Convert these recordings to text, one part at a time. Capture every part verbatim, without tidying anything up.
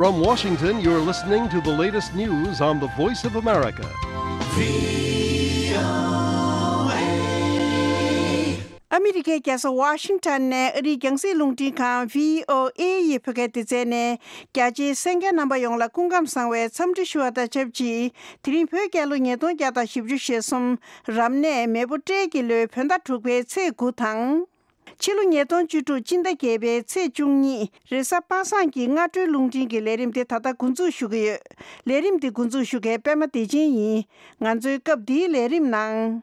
From Washington, you're listening to the latest news on the Voice of America. ཨ་མི་རི་ཀའི་རྒྱལ་ས་ཝ་ཤིང་ཊོན་ནས་ཨ་རིའི་རྒྱང་སྲིང་རླུང་འཕྲིན་ཁང་བྷི་ཨོ་ཨེ་ཡི་བོད་སྐད་སྡེ་ཚན་ནས། རྒྱ་ཆེའི་གསན་མཁན་རྣམ་པ་ཡོངས་ལ་སྐུ་ཁམས་བཟང་བའི་འཚམས་འདྲི་ཞུ་བ་དང་ཆབས་ཅིག་དེ་རིང་བོད་རྒྱལ་ལོ་ཉིས་སྟོང་བརྒྱ་དང་བཞི་བཅུ་ཞེ་གསུམ། རབ་གནས་མེ་ཕོ་སྤྲེལ་གྱི་ལོའི་བོད་ཟླ་དྲུག་པའི་ཚེས་དགུ་དང་། ཕྱི་ལོ་ཉིས་སྟོང་བཅུ་དྲུག་སྤྱི་ཟླ་བརྒྱད་པའི་ཚེས་བཅུ་གཉིས། རེས་གཟའ་པ་སངས་ཀྱི་སྔ་དྲོའི་རླུང་འཕྲིན་གྱི་ལས་རིམ་དེ་ད་ལྟ་འགོ་འཛུགས་ཞུ་གི་ཡོད། ལས་རིམ་འདི་འགོ་འཛུགས་ཞུ་མཁན་པད་མ་བདེ་ཆེན་ཡིན། ང་ཚོའི་སྐབས་འདིའི་ལས་རིམ་ནང་།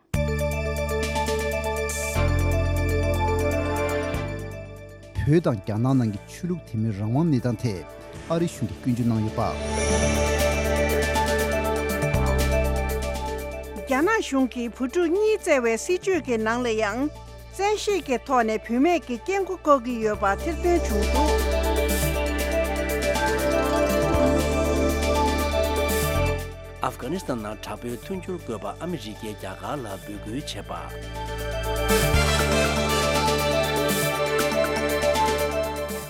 བོད་དང་རྒྱ་ནག་ནང་གི་ཆོས་ལུགས་དད་མོས་རང་དབང་གནས་སྟངས་ཐད་ཨ་རི་གཞུང་གིས་སྐྱོན་བརྗོད་གནང་ཡོད་པ། རྒྱ་ནག་གཞུང་གིས་བུ་ཕྲུག་གཉིས་བཙལ་བའི་སྲིད་བྱུས་ཀྱི་ནང་ལ་ཡང་། བཙན་ཤེད་ཀྱི་ཐོག་ནས་བུད་མེད་ཀྱི་སྐྱེ་སྒོ་བཀོག་གི་ཡོད་པ་ཐེར་འདོན་བྱུང་འདུག་ཨབ་གྷ་ནི་སི་ཐན་ནང་དྲག་པོའི་མཐུན་འགྱུར་དགོས་པ་ཨ་མི་རི་ཀས་རྒྱ་གར་ལ་འབོད་སྐུལ་བྱས་པ།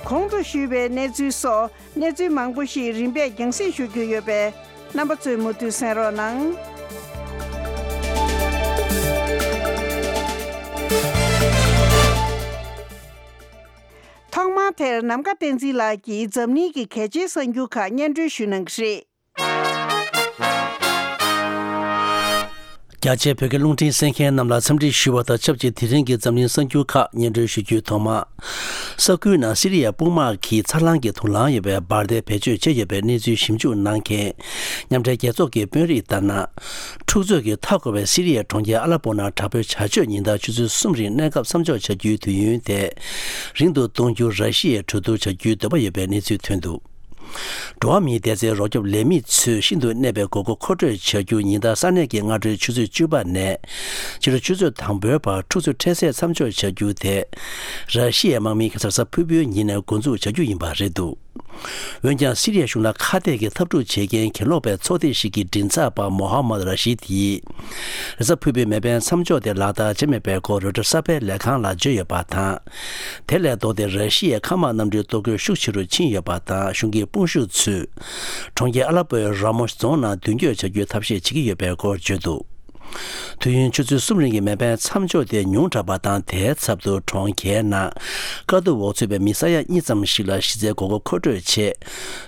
གོང་དུ་ཞུས་པའི་གནས་ཚུལ་སོགས་གནས་ཚུལ་མང་པོ་ཞིག་རིམ་པས་རྒྱང་སྲིང་ཞུ་རྒྱུ་ཡོད་པས། རྣམ་པ་ཚོས་མུ་མཐུད་གསན་རོགས་གནང་། ཐོག་མར་དེར་ནམ་མཁའ་བསྟན་འཛིན་ལགས་ཀྱིས་འཛམ་གླིང་གི་གལ་ཆེའི་གསར་འགྱུར་ཁག་སྙན་སྒྲོན་ཞུ་གནང་གི་རེད། རྒྱ་ཆེའི་བོད་སྐད་རླུང་འཕྲིན་གསན་མཁན་རྣམས་ལ་འཚམས་འདྲི་ཞུ་བ་དང་ཆབས་ཅིག་དེ་རིང་གི་འཛམ་གླིང་གསར་འགྱུར་ཁག་སྙན་སྒྲོན་ཞུ་རྒྱུའི་ཐོག་མ། ས་ཁུལ་ནང་སི་རི་ཡའི་དཔུང་དམག་གིས་འཚར་ལོངས་ཀྱི་དུག་རླངས་ཡོད་པའི་འབར་མདེལ་བེད་སྤྱོད་བྱས་ཡོད་པའི་གནས་ཚུལ་ཞིབ་འཇུག་གནང་མཁན་མཉམ་འབྲེལ་རྒྱལ་ཚོགས་ཀྱི་དཔོན་རིགས་ལྟར་ན། འཁྲུག་རྩོད་ཀྱིས་མཐའ་བསྐོར་བའི་སི་རི་ཡའི་གྲོང་ཁྱེར་ཨ་ལ་པོ་ནང་དྲག་པོའི་བྱ་སྤྱོད་ཉེན་བརྡ་ཆུ་ཚོད་གསུམ་རིང་གནས་སྐབས་མཚམས་འཇོག་བྱ་རྒྱུའི་དུས་ཡུན་དེ་རིང་དུ་གཏོང་རྒྱུར་ར་ཤི་ཡས་གྲོས་བསྡུར་བྱ་རྒྱུའི་འདོད་པ་ཡོད་པའི་གནས་ཚུལ་ཐོན་འདུག་འགྲོ་བ་མིའི་བདེ་རྩའི་རོགས་སྐྱོབ་ལས་མི་ཚོས་ཤིན་ཏུ་གནས་པའི་དགོས་མཁོ་མཁོ་སྤྲོད་བྱ་རྒྱུ་ཉིན་ལྟར་ས་གནས་ཀྱི་སྔ་དྲོའི་ཆུ་ཚོད་བཅུ་པ་ནས་ཕྱི་དྲོ་ཆུ་ཚོད་དང་པོའི་བར་འཁྲུག་རྩོད་འཕྲལ་སེལ་མཚམས་འཇོག་བྱ་རྒྱུ་དེ་ར་ཤི་ཡའི་དམག་མིས་ཁ་སང་གཟའ་ཕུར་བུའི་ཉིན་ནས་འགོ་འཛུགས་བྱ་རྒྱུ་ཡིན་པ་རེད་འདུག་འོན་ཀྱང་སི་རི་ཡ་གཞུང་ལ་ཁ་གཏད་ཀྱི་འཐབ་འཁྲུག་བྱེད་མཁན་གྱེན་ལོག་པའི་ཚོགས་སྡེ་ཞིག་གི་མགྲིན་ཚབ་པ་མོ་ཧ་མད་ར་ཤི་དིས། རེས་གཟའ་ཕུར་བུའི་མེ་འཕེན་མཚམས་འཇོག་དེ་ལག་བསྟར་བྱས་མེད་པའི་སྐོར་རོའི་ཊར་གསར་སྤེལ་ལས་ཁང་ལ་བརྗོད་ཡོད་པ་དང་། དེ་ལས་ལྡོག་སྟེ་ར་ཤི་ཡའི་མཁའ་དམག་གནམ་གྲུའི་གཏོར་རྒོལ་ཤུགས་ཆེ་རུ་ཕྱིན་ཡོད་པ་དང་གཞུང་གི་དཔུང་ཤུགས་ཚོས་གྲོང་ཁྱེར་ཨ་ལ་པོའི་ར་མོ་རྫོང་ནང་མདུན་སྐྱོད་བྱ་རྒྱུའི་ཐབས་ཤེས་བྱེད་ཀྱི་ཡོད་པའི་སྐོར་བརྗོད་འདུག་དུས་ཡུན་ཆུ་ཚོད་གསུམ་རིང་གི་མེ་འཕེན་མཚམས་འཇོག་དེ་ཉུང་དྲགས་པ་དང་དེའི་ཚབ་ཏུ་གྲོང་ཁྱེར་ནང་དཀའ་སྡུག་འོག་ཚུད་པའི་མི་ས་ཡ་གཉིས་ཙམ་ཞིག་ལ་གཞི་རྩའི་དགོས་མཁོ་མཁོ་སྤྲོད་ཆེད།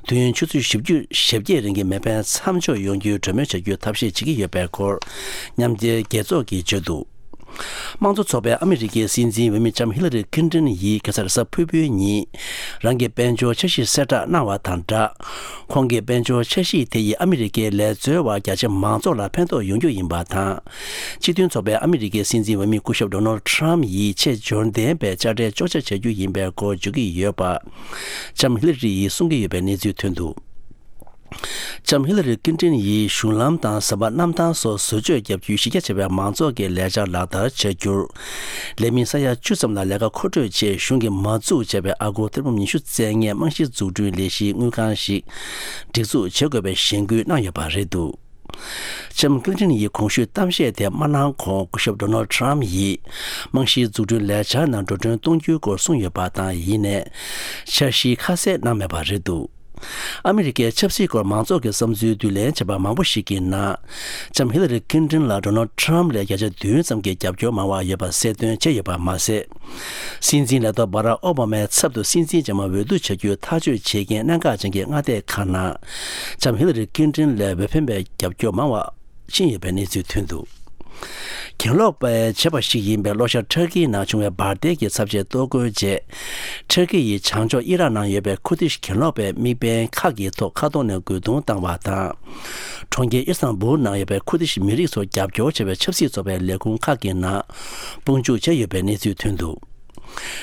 དུས་ཡུན་ཆུ་ཚོད་བཞི་བཅུ་ཞེ་བརྒྱད་རིང་གི་མེ་འཕེན་མཚམས་འཇོག་ཡོང་རྒྱུའི་གྲོས་མོལ་བྱ་རྒྱུའི་ཐབས་ཤེས་བྱེད་ཀྱི་ཡོད་པའི་སྐོར་མཉམ་འབྲེལ་རྒྱལ་ཚོགས་ཀྱིས་བརྗོད་འདུག་དམངས་གཙོ་ཚོགས་པའི་ཨ་མི་རི་ཀའི་སྲིད་འཛིན་འོས་མི་ལྕམ་ཧི་ལ་རི་ཀིན་ཏྲིན་ཡིས་ཁ་སང་རེས་གཟའ་ཕུར་བུའི་ཉིན་རང་གི་དཔལ་འབྱོར་འཆར་གཞི་གསལ་བསྒྲགས་གནང་བ་དང་སྦྲགས། ཁོང་གི་དཔལ་འབྱོར་འཆར་གཞི་དེ་ཡིས་ཨ་མི་རི་ཀའི་ལས་རྩོལ་བ་རྒྱ་ཆེ་མང་ཚོགས་ལ་ཕན་ཐོགས་ཡོང་རྒྱུ་ཡིན་པ་དང་། སྤྱི་མཐུན་ཚོགས་པའི་ཨ་མི་རི་ཀའི་སྲིད་འཛིན་འོས་མི་སྐུ་ཞབས་ཌོ་ནལ་ཌི་ཊརམ་ཕ་ཡིས་ཆེས་འབྱོར་ལྡན་པའི་དཔྱ་ཁྲལ་གཅོག་ཆ་བྱ་རྒྱུ་ཡིན་པའི་སྐོར་བརྗོད་ཀྱི་ཡོད་པ། ལྕམ་ཧི་ལ་རི་ཡིས་གསུང་གི་ཡོད་པའི་གནས་ཚུལ་ཐོན་འདུག་ལྕམ་ཧི་ལ་རི་ཀིན་ཏྲིན་ཡིས་གཞུང་ལམ་དང་ཟམ་པ་གནམ་ཐང་སོགས་བཟོ་བཅོས་བརྒྱབ་རྒྱུའི་གཞི་རྒྱ་ཆེ་བའི་མང་ཚོགས་ཀྱི་ལས་འཆར་ལག་བསྟར་བྱ་རྒྱུར། ལས་མི་ས་ཡ་བཅུ་ཙམ་ལ་ལས་ཀ་མཁོ་སྤྲོད་ཆེད་གཞུང་གིས་མ་འཛུགས་བྱས་པའི་ཨ་སྒོར་ཐེར་འབུམ་ཉི་ཤུ་བཙལ་མཁན་རྨང་གཞིའི་འཛུགས་སྐྲུན་ལས་གཞིའི་དངུལ་ཁང་ཞིག་སྒྲིག་འཛུགས་བྱེད་དགོས་པའི་གཞེན་སྐུལ་གནང་ཡོད་པ་རེད་འདུག་ལྕམ་ཀི་ལིན་ཊོན་ཡིས་གོང་ཞུས་གཏམ་བཤད་དེ་མ་གནང་གོང་སྐུ་ཞབས་ཌོ་ནལ་ཌི་ཊརམ་ཕ་ཡིས་རྨང་གཞིའི་འཛུགས་སྐྲུན་ལས་འཆར་ནང་འགྲོ་གྲོན་གཏོང་རྒྱུའི་སྐོར་གསུངས་ཡོད་པ་དང་ཡིན་ནའི་འཆར་གཞི་ཁ་གསལ་གནང་མེད་པ་རེད་འདུག་ཨ་མི་རི་ཀའི་ཆབ་སྲིད་སྐོར་མང་ཚོགས་ཀྱི་བསམ་ཚུལ་བསྡུ་ལེན་བྱས་པ་མང་པོ་ཞིག་གི་ནང་ལྕམ་ཧི་ལ་རི་ཀིན་ཏྲིན་ལ་ཌོ་ནལ་ཌི་ཊརམ་ཕ་ལས་བརྒྱ་ཆ་བདུན་ཙམ་གྱི་རྒྱབ་སྐྱོར་མང་བ་ཡོད་པ་གསལ་སྟོན་བྱས་ཡོད་པ་མ་ཟད། སྲིད་འཛིན་ལས་ཐོག་བྷ་རག་ཨོ་བྷ་མའི་ཚབ་ཏུ་སྲིད་འཛིན་རྗེས་མ་འོས་བསྡུ་བྱ་རྒྱུའི་ཐག་གཅོད་བྱེད་མཁན་གནད་འགག་ཅན་གྱི་མངའ་སྡེ་ཁག་ནང་ལྕམ་ཧི་ལ་རི་ཀིན་ཏྲིན་ལས་འོས་འཕེན་པའི་རྒྱབ་སྐྱོར་མང་བ་ཕྱིན་ཡོད་པའི་གནས་ཚུལ་ཐོན་འདུག་གྱེན་ལོག་པས་བྱས་པ་ཞིག་ཡིན་པའི་ལྷོ་ཤར་ཊར་ཀི་ནང་བྱུང་བའི་འབར་མདེལ་གྱི་ཚབས་ཆེའི་གཏོར་རྒོལ་རྗེས། ཊར་ཀི་ཡིས་བྱང་ཕྱོགས་ཨི་རག་ནང་ཡོད་པའི་ཁུར་དིཤ་གྱེན་ལོག་པའི་དམིགས་འབེན་ཁག་གི་ཐོག་ཁ་ཐོག་ནས་རྒོལ་རྡུང་བཏང་བ་དང་། གྲོང་ཁྱེར་ཨི་སྟན་བུལ་ནང་ཡོད་པའི་ཁུར་དིཤ་མི་རིགས་ཚོར་རྒྱབ་སྐྱོར་བྱེད་པའི་ཆབ་སྲིད་ཚོགས་པའི་ལས་ཁུངས་ཁག་གི་ནང་དཔུང་འཇུག་བྱས་ཡོད་པའི་གནས་ཚུལ་ཐོན་འདུག་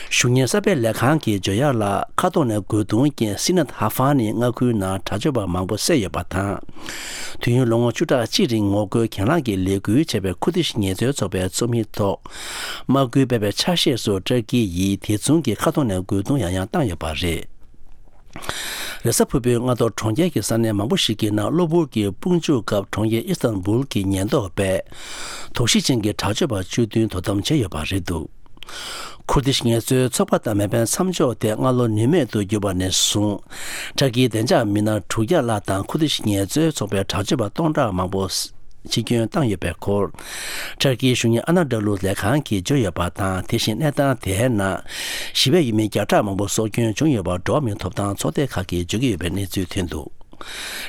གཞུང་གཉེར་གསར་སྤེལ་ལས་ཁང་གིས་བརྗོད་ཡག་ལ། ཁ་ཐོག་ནས་རྒོལ་རྡུང་རྐྱེན་སི་ནད་ཧ་ཧྥང་ནི་མངའ་ཁུལ་ནང་དྲག་སྤྱོད་པ་མང་པོ་བསད་ཡོད་པ་དང་། དུས་ཡུན་ལོ་ངོ་བཅུ་ཕྲག་གཅིག་རིང་ངོ་རྒོལ་གྱེན་ལངས་ཀྱི་ལས་འགུལ་བྱས་པའི་ཁུར་དིཤ་ངལ་རྩོལ་ཚོགས་པའི་ཚོགས་མི་ཐོག་དམག་འགུལ་སྤེལ་བའི་ཆ་ཤས་སུ་ཏུར་ཀི་ཡིས་དེ་མཚུངས་ཀྱི་ཁ་ཐོག་ནས་རྒོལ་རྡུང་ཡང་ཡང་བཏང་ཡོད་པ་རེད། རེས་གཟའ་ཕུར་བུའི་སྔ་དྲོ་གྲོང་ཁྱེར་གྱི་ས་གནས་མང་པོ་ཞིག་གི་ནང་གློ་བུར་གྱི་དཔུང་འཇུག་སྐབས་གྲོང་ཁྱེར་ཨི་སྟན་བུལ་གྱི་ཉེན་རྟོག་པས་དོགས་གཞི་ཅན་གྱི་དྲག་སྤྱོད་པ་བཅུ་བདུན་དོ་དམ་བྱས་ཡོད་པ་རེད་འདུག་ཁུར་དིཤ་ངལ་རྩོལ་ཚོགས་པ་དང་མེ་འཕེན་མཚམས་འཇོག་དེ་སྔ་ལོ་ནུས་མེད་དུ་གྱུར་པ་ནས་བཟུང་། ཊར་ཀིའི་བདེ་འཇགས་མི་སྣ་དྲུག་བརྒྱ་ལྷག་དང་ཁུར་དིཤ་ངལ་རྩོལ་ཚོགས་པའི་དྲག་སྤྱོད་པ་སྟོང་ཕྲག་མང་པོ་འཆི་སྐྱོན་བཏང་ཡོད་པའི་སྐོར། ཊར་ཀིའི་གཞུང་གཉེར་ཨ་ན་ཌ་ལུ་ལས་ཁང་གིས་བརྗོད་ཡོད་པ་དང་། དེ་བཞིན་གནས་སྟངས་དེའི་ནང་ཞི་བའི་ཡུལ་མི་བརྒྱ་ཕྲག་མང་པོ་སྲོག་སྐྱོན་བྱུང་ཡོད་པ་འགྲོ་བ་མིའི་ཐོབ་ཐང་ཚོགས་སྡེ་ཁག་གིས་བརྗོད་ཀྱི་ཡོད་པའི་གནས་ཚུལ་ཐོན་འདུག།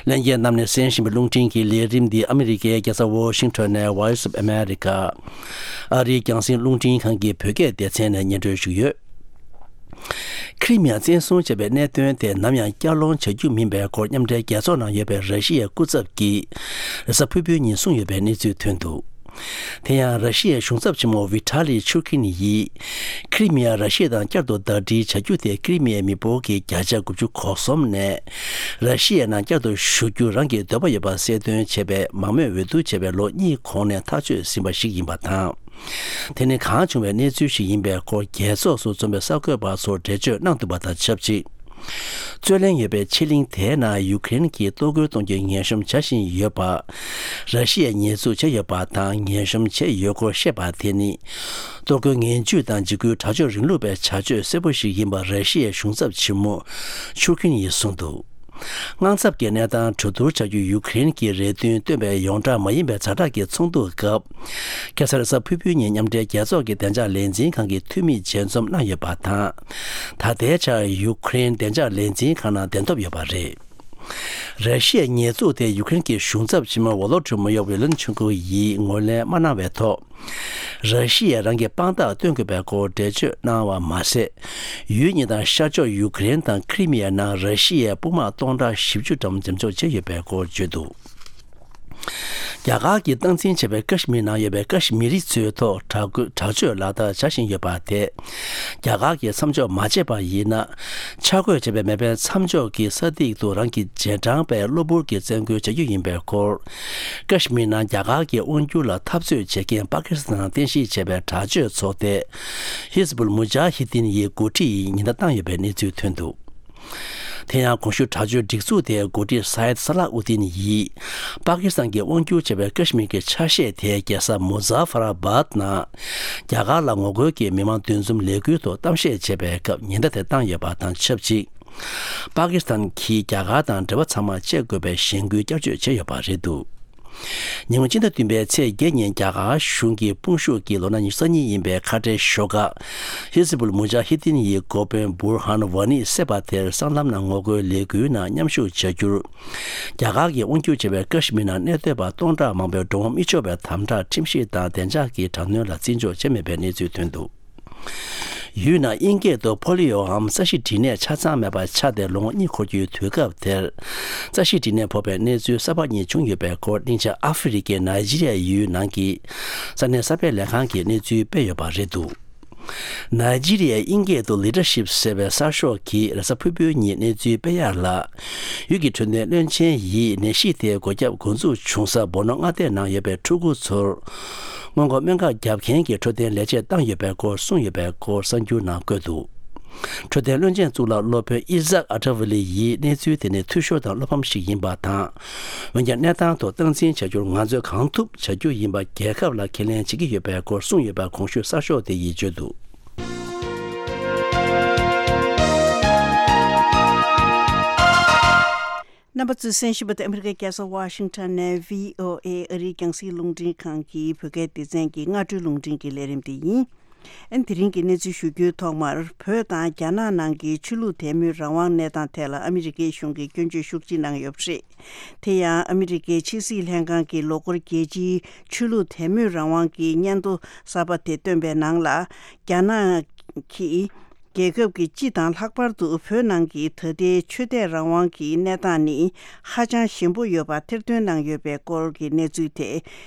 ལྷན་རྒྱས་རྣམས་ནས་གསན་བཞིན་པའི་རླུང་འཕྲིན་གྱི་ལས་རིམ་འདི་ཨ་མི་རི་ཀའི་རྒྱལ་ས་ཝོ་ཤིང་ཊོན་ནས་Voice of America ཨ་རིའི་རྒྱང་སྲིང་རླུང་འཕྲིན་ཁང་གི་བོད་སྐད་སྡེ་ཚན་ནས་སྙན་སྒྲོན་ཞུས་ཡོད། ཁི་རི་མི་ཡ་བཙན་བཟུང་བྱས་པའི་གནད་དོན་དེ་ནམ་ཡང་བསྐྱར་སློང་བྱ་རྒྱུ་མིན་པའི་སྐོར་མཉམ་འབྲེལ་རྒྱལ་ཚོགས་ནང་ཡོད་པའི་ར་ཤི་ཡའི་སྐུ་ཚབ་ཀྱིས་རེས་གཟའ་ཕུར་བུའི་ཉིན་གསུངས་ཡོད་པའི་གནས་ཚུལ་ཐོན་འདུག། དེ་ཡང་ར་ཤི་ཡའི་གཞུང་ཚབ་ཆེན་མོ་ཝི་ཐ་ལི་ཆུར་ཁིན་ཡིས། ཁི་རི་མི་ཡ་ར་ཤི་ཡ་དང་བསྐྱར་དུ་ཟླ་སྒྲིལ་བྱ་རྒྱུ་དེ་ཁི་རི་མི་ཡའི་མི་འབོར་གྱི་བརྒྱ་ཆ་དགུ་བཅུ་གོ་གསུམ་ནས། ར་ཤི་ཡའི་ནང་བསྐྱར་དུ་ཞུགས་རྒྱུ་རང་གི་འདོད་པ་ཡོད་པ་གསལ་སྟོན་བྱས་པའི་མང་མོས་འོས་བསྡུ་བྱས་པའི་ལོ་གཉིས་གོང་ནས་ཐག་གཅོད་ཟིན་པ་ཞིག་ཡིན་པ་དང་། དེ་ནི་གང་བྱུང་བའི་གནས་ཚུལ་ཞིག་ཡིན་པའི་སྐོར་རྒྱལ་ཚོགས་སུ་འཛོམས་པའི་གསར་འགོད་པ་ཚོར་འགྲེལ་བརྗོད་གནང་འདུག་པ་དང་ཆབས་ཅིག། རྩོད་གླེང་ཡོད་པའི་ཕྱེད་གླིང་དེའི་ནང་ཡུ་ཀེ་རེན་གྱིས་གཏོར་རྒོལ་གཏོང་རྒྱུའི་ངན་གཤོམ་བྱ་བཞིན་ཡོད་པ། ར་ཤི་ཡས་ཉེས་འཛུགས་བྱས་ཡོད་པ་དང་ངན་གཤོམ་བྱས་ཡོད་སྐོར་བཤད་པ་དེ་ནི། གཏོར་རྒོལ་ངན་ཇུས་དང་འཇིགས་སྐུལ་དྲག་སྤྱོད་རིང་ལུགས་པའི་བྱ་སྤྱོད་གསལ་པོ་ཞིག་ཡིན་པ་ར་ཤི་ཡའི་གཞུང་ཚབ་ཆེན་མོ་ཆུར་ཁིན་ཡིས་གསུངས་འདུག། དངངས་འཚབ་ཀྱི་གནས་སྟངས་གྲོས་བསྡུར་བྱ་རྒྱུ་ཡུ་ཀེ་རེན་གྱིས་རེ་འདུན་བཏོན་པའི་ཡོངས་གྲགས་མ་ཡིན་པའི་ཛ་དྲག་གི་ཚོགས་འདུ་སྐབས། ཁ་སང་རེས་གཟའ་ཕུར་བུའི་ཉིན་མཉམ་འབྲེལ་རྒྱལ་ཚོགས་ཀྱི་བདེ་འཇགས་ལས་འཛིན་ཁང་གི་འཐུས་མིས་མཇལ་འཛོམས་གནང་ཡོད་པ་དང་། ད་ལྟའི་ཆར་ཡུ་ཀེ་རེན་བདེ་འཇགས་ལས་འཛིན་ཁང་ནང་གདན་ཐོབ་ཡོད་པ་རེད། ར་ཤི་ཡའི་ཉེས་འཛུགས་དེ་ཡུ་ཀེ་རེན་གྱི་གཞུང་ཚབ་ཆེན་མོ་ཝོ་ལོ་ཏི་མོ་ཡོ་ཝི་ལན་ཆུན་ཀུ་ཡིས་ངོས་ལེན་མ་གནང་བའི་ཐོག། ར་ཤི་ཡས་རང་གི་དཔང་རྟགས་སྟོན་དགོས་པའི་སྐོར་འགྲེལ་བརྗོད་གནང་བ་མ་ཟད། ཡུལ་གཉིས་དང་ཤར་ཕྱོགས་ཡུ་ཀེ་རེན་དང་ཁི་རི་མི་ཡའི་ནང་ར་ཤི་ཡའི་དཔུང་དམག་སྟོང་ཕྲག་བཞི་བཅུ་ཙམ་འཛེམ་འཇོག་བྱས་ཡོད་པའི་སྐོར་བརྗོད་འདུག། རྒྱ་གར་གྱིས་སྟངས་འཛིན་བྱས་པའི་ཀ་ཤི་མིར་ནང་ཡོད་པའི་ཀ་ཤི་མི་རི་ཚོའི་ཐོག་དྲག་རྒོལ་དྲག་སྤྱོད་ལག་བསྟར་བྱ་བཞིན་ཡོད་པ་དེ། རྒྱ་གར་གྱིས་མཚམས་འཇོག་མ་བྱས་པ་ཡིན་ན། འཆར་འགོད་བྱས་པའི་མེ་འཕེན་མཚམས་འཇོག་གི་ས་ཐིག་ཏུ་རང་གི་རྗེས་འབྲང་པའི་གློ་བུར་གྱི་བཙན་རྒོལ་བྱ་རྒྱུ་ཡིན་པའི་སྐོར། ཀ་ཤི་མིར་ནང་རྒྱ་གར་གྱི་དབང་སྒྱུར་ལ་འཐབ་རྩོད་བྱེད་མཁན་པ་ཀི་སི་ཐན་རྟེན་གཞི་བྱས་པའི་དྲག་སྤྱོད་ཚོགས་སྡེ། ཧི་ཟི་བུལ་མུ་ཇཱ་ཧི་དིན་ཡི་འགོ་ཁྲིད་ཡིས་ཉེན་བརྡ་བཏང་ཡོད་པའི་གནས་ཚུལ་ཐོན་འདུག། དེ་ཡང་གོང་ཞུས་དྲག་སྤྱོད་སྒྲིག་འཛུགས་དེའི་འགོ་ཁྲིད་སཱ་ཡེད་སཱ་ལ་ཨུ་དིན་ཡིས། པ་ཀི་སི་ཐན་གྱིས་དབང་སྒྱུར་བྱས་པའི་ཀ་ཤི་མིར་གྱི་ཆ་ཤས་དེའི་རྒྱལ་ས་མུ་ཛ་ཧྥར་ཨ་བཱད་ནང་། རྒྱ་གར་ལ་ངོ་རྒོལ་གྱི་མི་མང་འདུ་འཛོམས་ལས་འགུལ་ཐོག་གཏམ་བཤད་བྱས་པའི་སྐབས་ཉེན་བརྡ་དེ་བཏང་ཡོད་པ་དང་ཆབས་ཅིག། པ་ཀི་སི་ཐན་གྱིས་རྒྱ་གར་དང་འབྲེལ་བ་ཚང་མ་བཅད་དགོས་པའི་གཞེན་སྐུལ་བསྐྱར་བརྗོད་བྱས་ཡོད་པ་རེད་འདུག། ཉིན་གུང་སྤྱི་ཟླ་བདུན་པའི་ཚེས་བརྒྱད་ཉིན་རྒྱ་གར་གཞུང་གི་དཔུང་ཤུགས་ཀྱིས་ལོ་ན་ཉི་ཤུ་རྩ་གཉིས་ཡིན་པའི་ཁ་བྲལ་ཞོགས་ཀ། ཧི་ཟི་བུལ་མུ་ཇཱ་ཧི་དིན་ཡི་འགོ་དཔོན་བུར་ཧན་ཝ་ནི་བསད་པ་དེར་སྲང་ལམ་ནང་ངོ་རྒོལ་ལས་འགུལ་ནང་མཉམ་ཞུགས་བྱ་རྒྱུར། རྒྱ་གར་གྱིས་དབང་སྒྱུར་བྱས་པའི་ཀ་ཤི་མིར་ནང་གནས་སྡོད་པ་སྟོང་ཕྲག་མང་པོའི་འགྲོ་འོང་མི་ཆོག་པའི་དམ་དྲག་ཁྲིམས་གཞི་དང་བདེ་འཇགས་ཀྱི་དྲག་གནོན་ལ་བརྩི་འཇོག་བྱས་མེད་པའི་གནས་ཚུལ་ཐོན་འདུག། ཡུལ་ནང་དབྱིན་སྐད་དུ་པོ་ལི་ཡོའམ་རྩ་ཤེད་སྦྲིད་ནད་ཆ་ཚང་མེད་པ་ཆགས་ཏེ་ལོ་ངོ་གཉིས་འཁོར་རྒྱུའི་དུས་སྐབས་དེར། རྩ་ཤེད་སྦྲིད་ནད་ཕོག་པའི་གནས་ཚུལ་གསར་པ་གཉིས་བྱུང་ཡོད་པའི་སྐོར། སྙིང་རྗེ། ཨ་ཧྥེ་རི་ཁའི་ནཱི་ཇི་རི་ཡ་ཡུལ་ནང་གི་ས་གནས་གསར་སྤེལ་ལས་ཁང་གིས་གནས་ཚུལ་སྤེལ་ཡོད་པ་རེད་འདུག། ནཱི་ཇི་རི་ཡའི་དབྱིན་སྐད་དུ་ལི་ཌར་ཤིབ་ཟེར་བའི་གསར་ཤོག་གིས་རེས་གཟའ་ཕུར་བུའི་ཉིན་གནས་ཚུལ་སྤེལ་ཡག་ལ། ཡུལ་གྱི་འཕྲོད་བསྟེན་བློན་ཆེན་ཡིས་ནད་གཞི་དེའི་འགོས་ཁྱབ་འགོ་འཛུགས་བྱུང་ས་སྦོ་ནོ་མངའ་སྡེ་ནང་ཡོད་པའི་ཕྲུ་གུ་ཚོར། སྔོན་འགོག་སྨན་ཁབ་བརྒྱབ་མཁན་གྱི་འཕྲོད་བསྟེན་ལས་བྱེད་བཏང་ཡོད་པའི་སྐོར་གསུངས་ཡོད་པའི་སྐོར་གསར་འགྱུར་ནང་བཀོད་འདུག། འཕྲོད་བསྟེན་བློན་ཆེན་གཙུག་ལག་སློབ་དཔོན་ཨི་ཟག་ཨ་ཏྲ་ཝི་ལི་ཡིས་གནས་ཚུལ་དེ་ནི་འཐུས་ཤོར་དང་བློ་ཕམ་ཞིག་ཡིན་པ་དང་། འོན་ཀྱང་གནས་སྟངས་ཐོག་སྟངས་འཛིན་བྱ་རྒྱུར་ང་ཚོས་གང་ཐུབ་བྱ་རྒྱུ་ཡིན་པ་རྒྱལ་ཁབ་ལ་ཁས་ལེན་བྱེད་ཀྱི་ཡོད་པའི་སྐོར་གསུངས་ཡོད་པ་གོང་ཞུས་གསར་ཤོག་དེ་ཡིས་བརྗོད་འདུག། རྣམ་པ་ཚོས་གསན་བཞིན་པ་དེ་ཨ་མི་རི་ཀའི་རྒྱལ་ས་ཝ་ཤིང་ཊོན་ནས་བྷི་ཨོ་ཨེ་ཨ་རིའི་རྒྱང་སྲིང་རླུང་འཕྲིན་ཁང་གི་བོད་སྐད་སྡེ་ཚན་གྱི་སྔ་དྲོའི་རླུང་འཕྲིན་གྱི་ལས་རིམ་དེ་ཡིན། ཨན་དེ་རིང་གི་གནས་ཚུལ་ཞུ་རྒྱུའི་ཐོག་མར། བོད་དང་རྒྱ་ནག་ནང་གི་ཆོས་ལུགས་དད་མོས་རང་དབང་གནས་སྟངས་ཐད་ལ་ཨ་མི་རི་ཀའི་གཞུང་གིས་སྐྱོན་བརྗོད་ཤུགས་ཆེ་གནང་ཡོད་པ་རེད། དེ་ཡང་ཨ་མི་རི་ཀའི་ཕྱི་སྲིད་ལྷན་ཁང་གི་ལོ་འཁོར་རྒྱལ་སྤྱིའི་ཆོས་ལུགས་དད་མོས་རང་དབང་གི་སྙན་ཐོ་གསར་པ་དེ་བཏོན་པའི་ནང་ལ། རྒྱ་ནག་གིས་རྒྱལ་ཁབ་ཀྱི་སྤྱི་དང་ལྷག་པར་དུ་བོད་ནང་གི་ད་ལྟའི་ཆོས་དད་རང་དབང་གི་གནས་སྟངས་ནི་ཧ་ཅང་ཞན་པོ་ཡོད་པ་ཐེར་འདོན་གནང་ཡོད་པའི་སྐོར་གྱི་གནས་ཚུལ་དེ།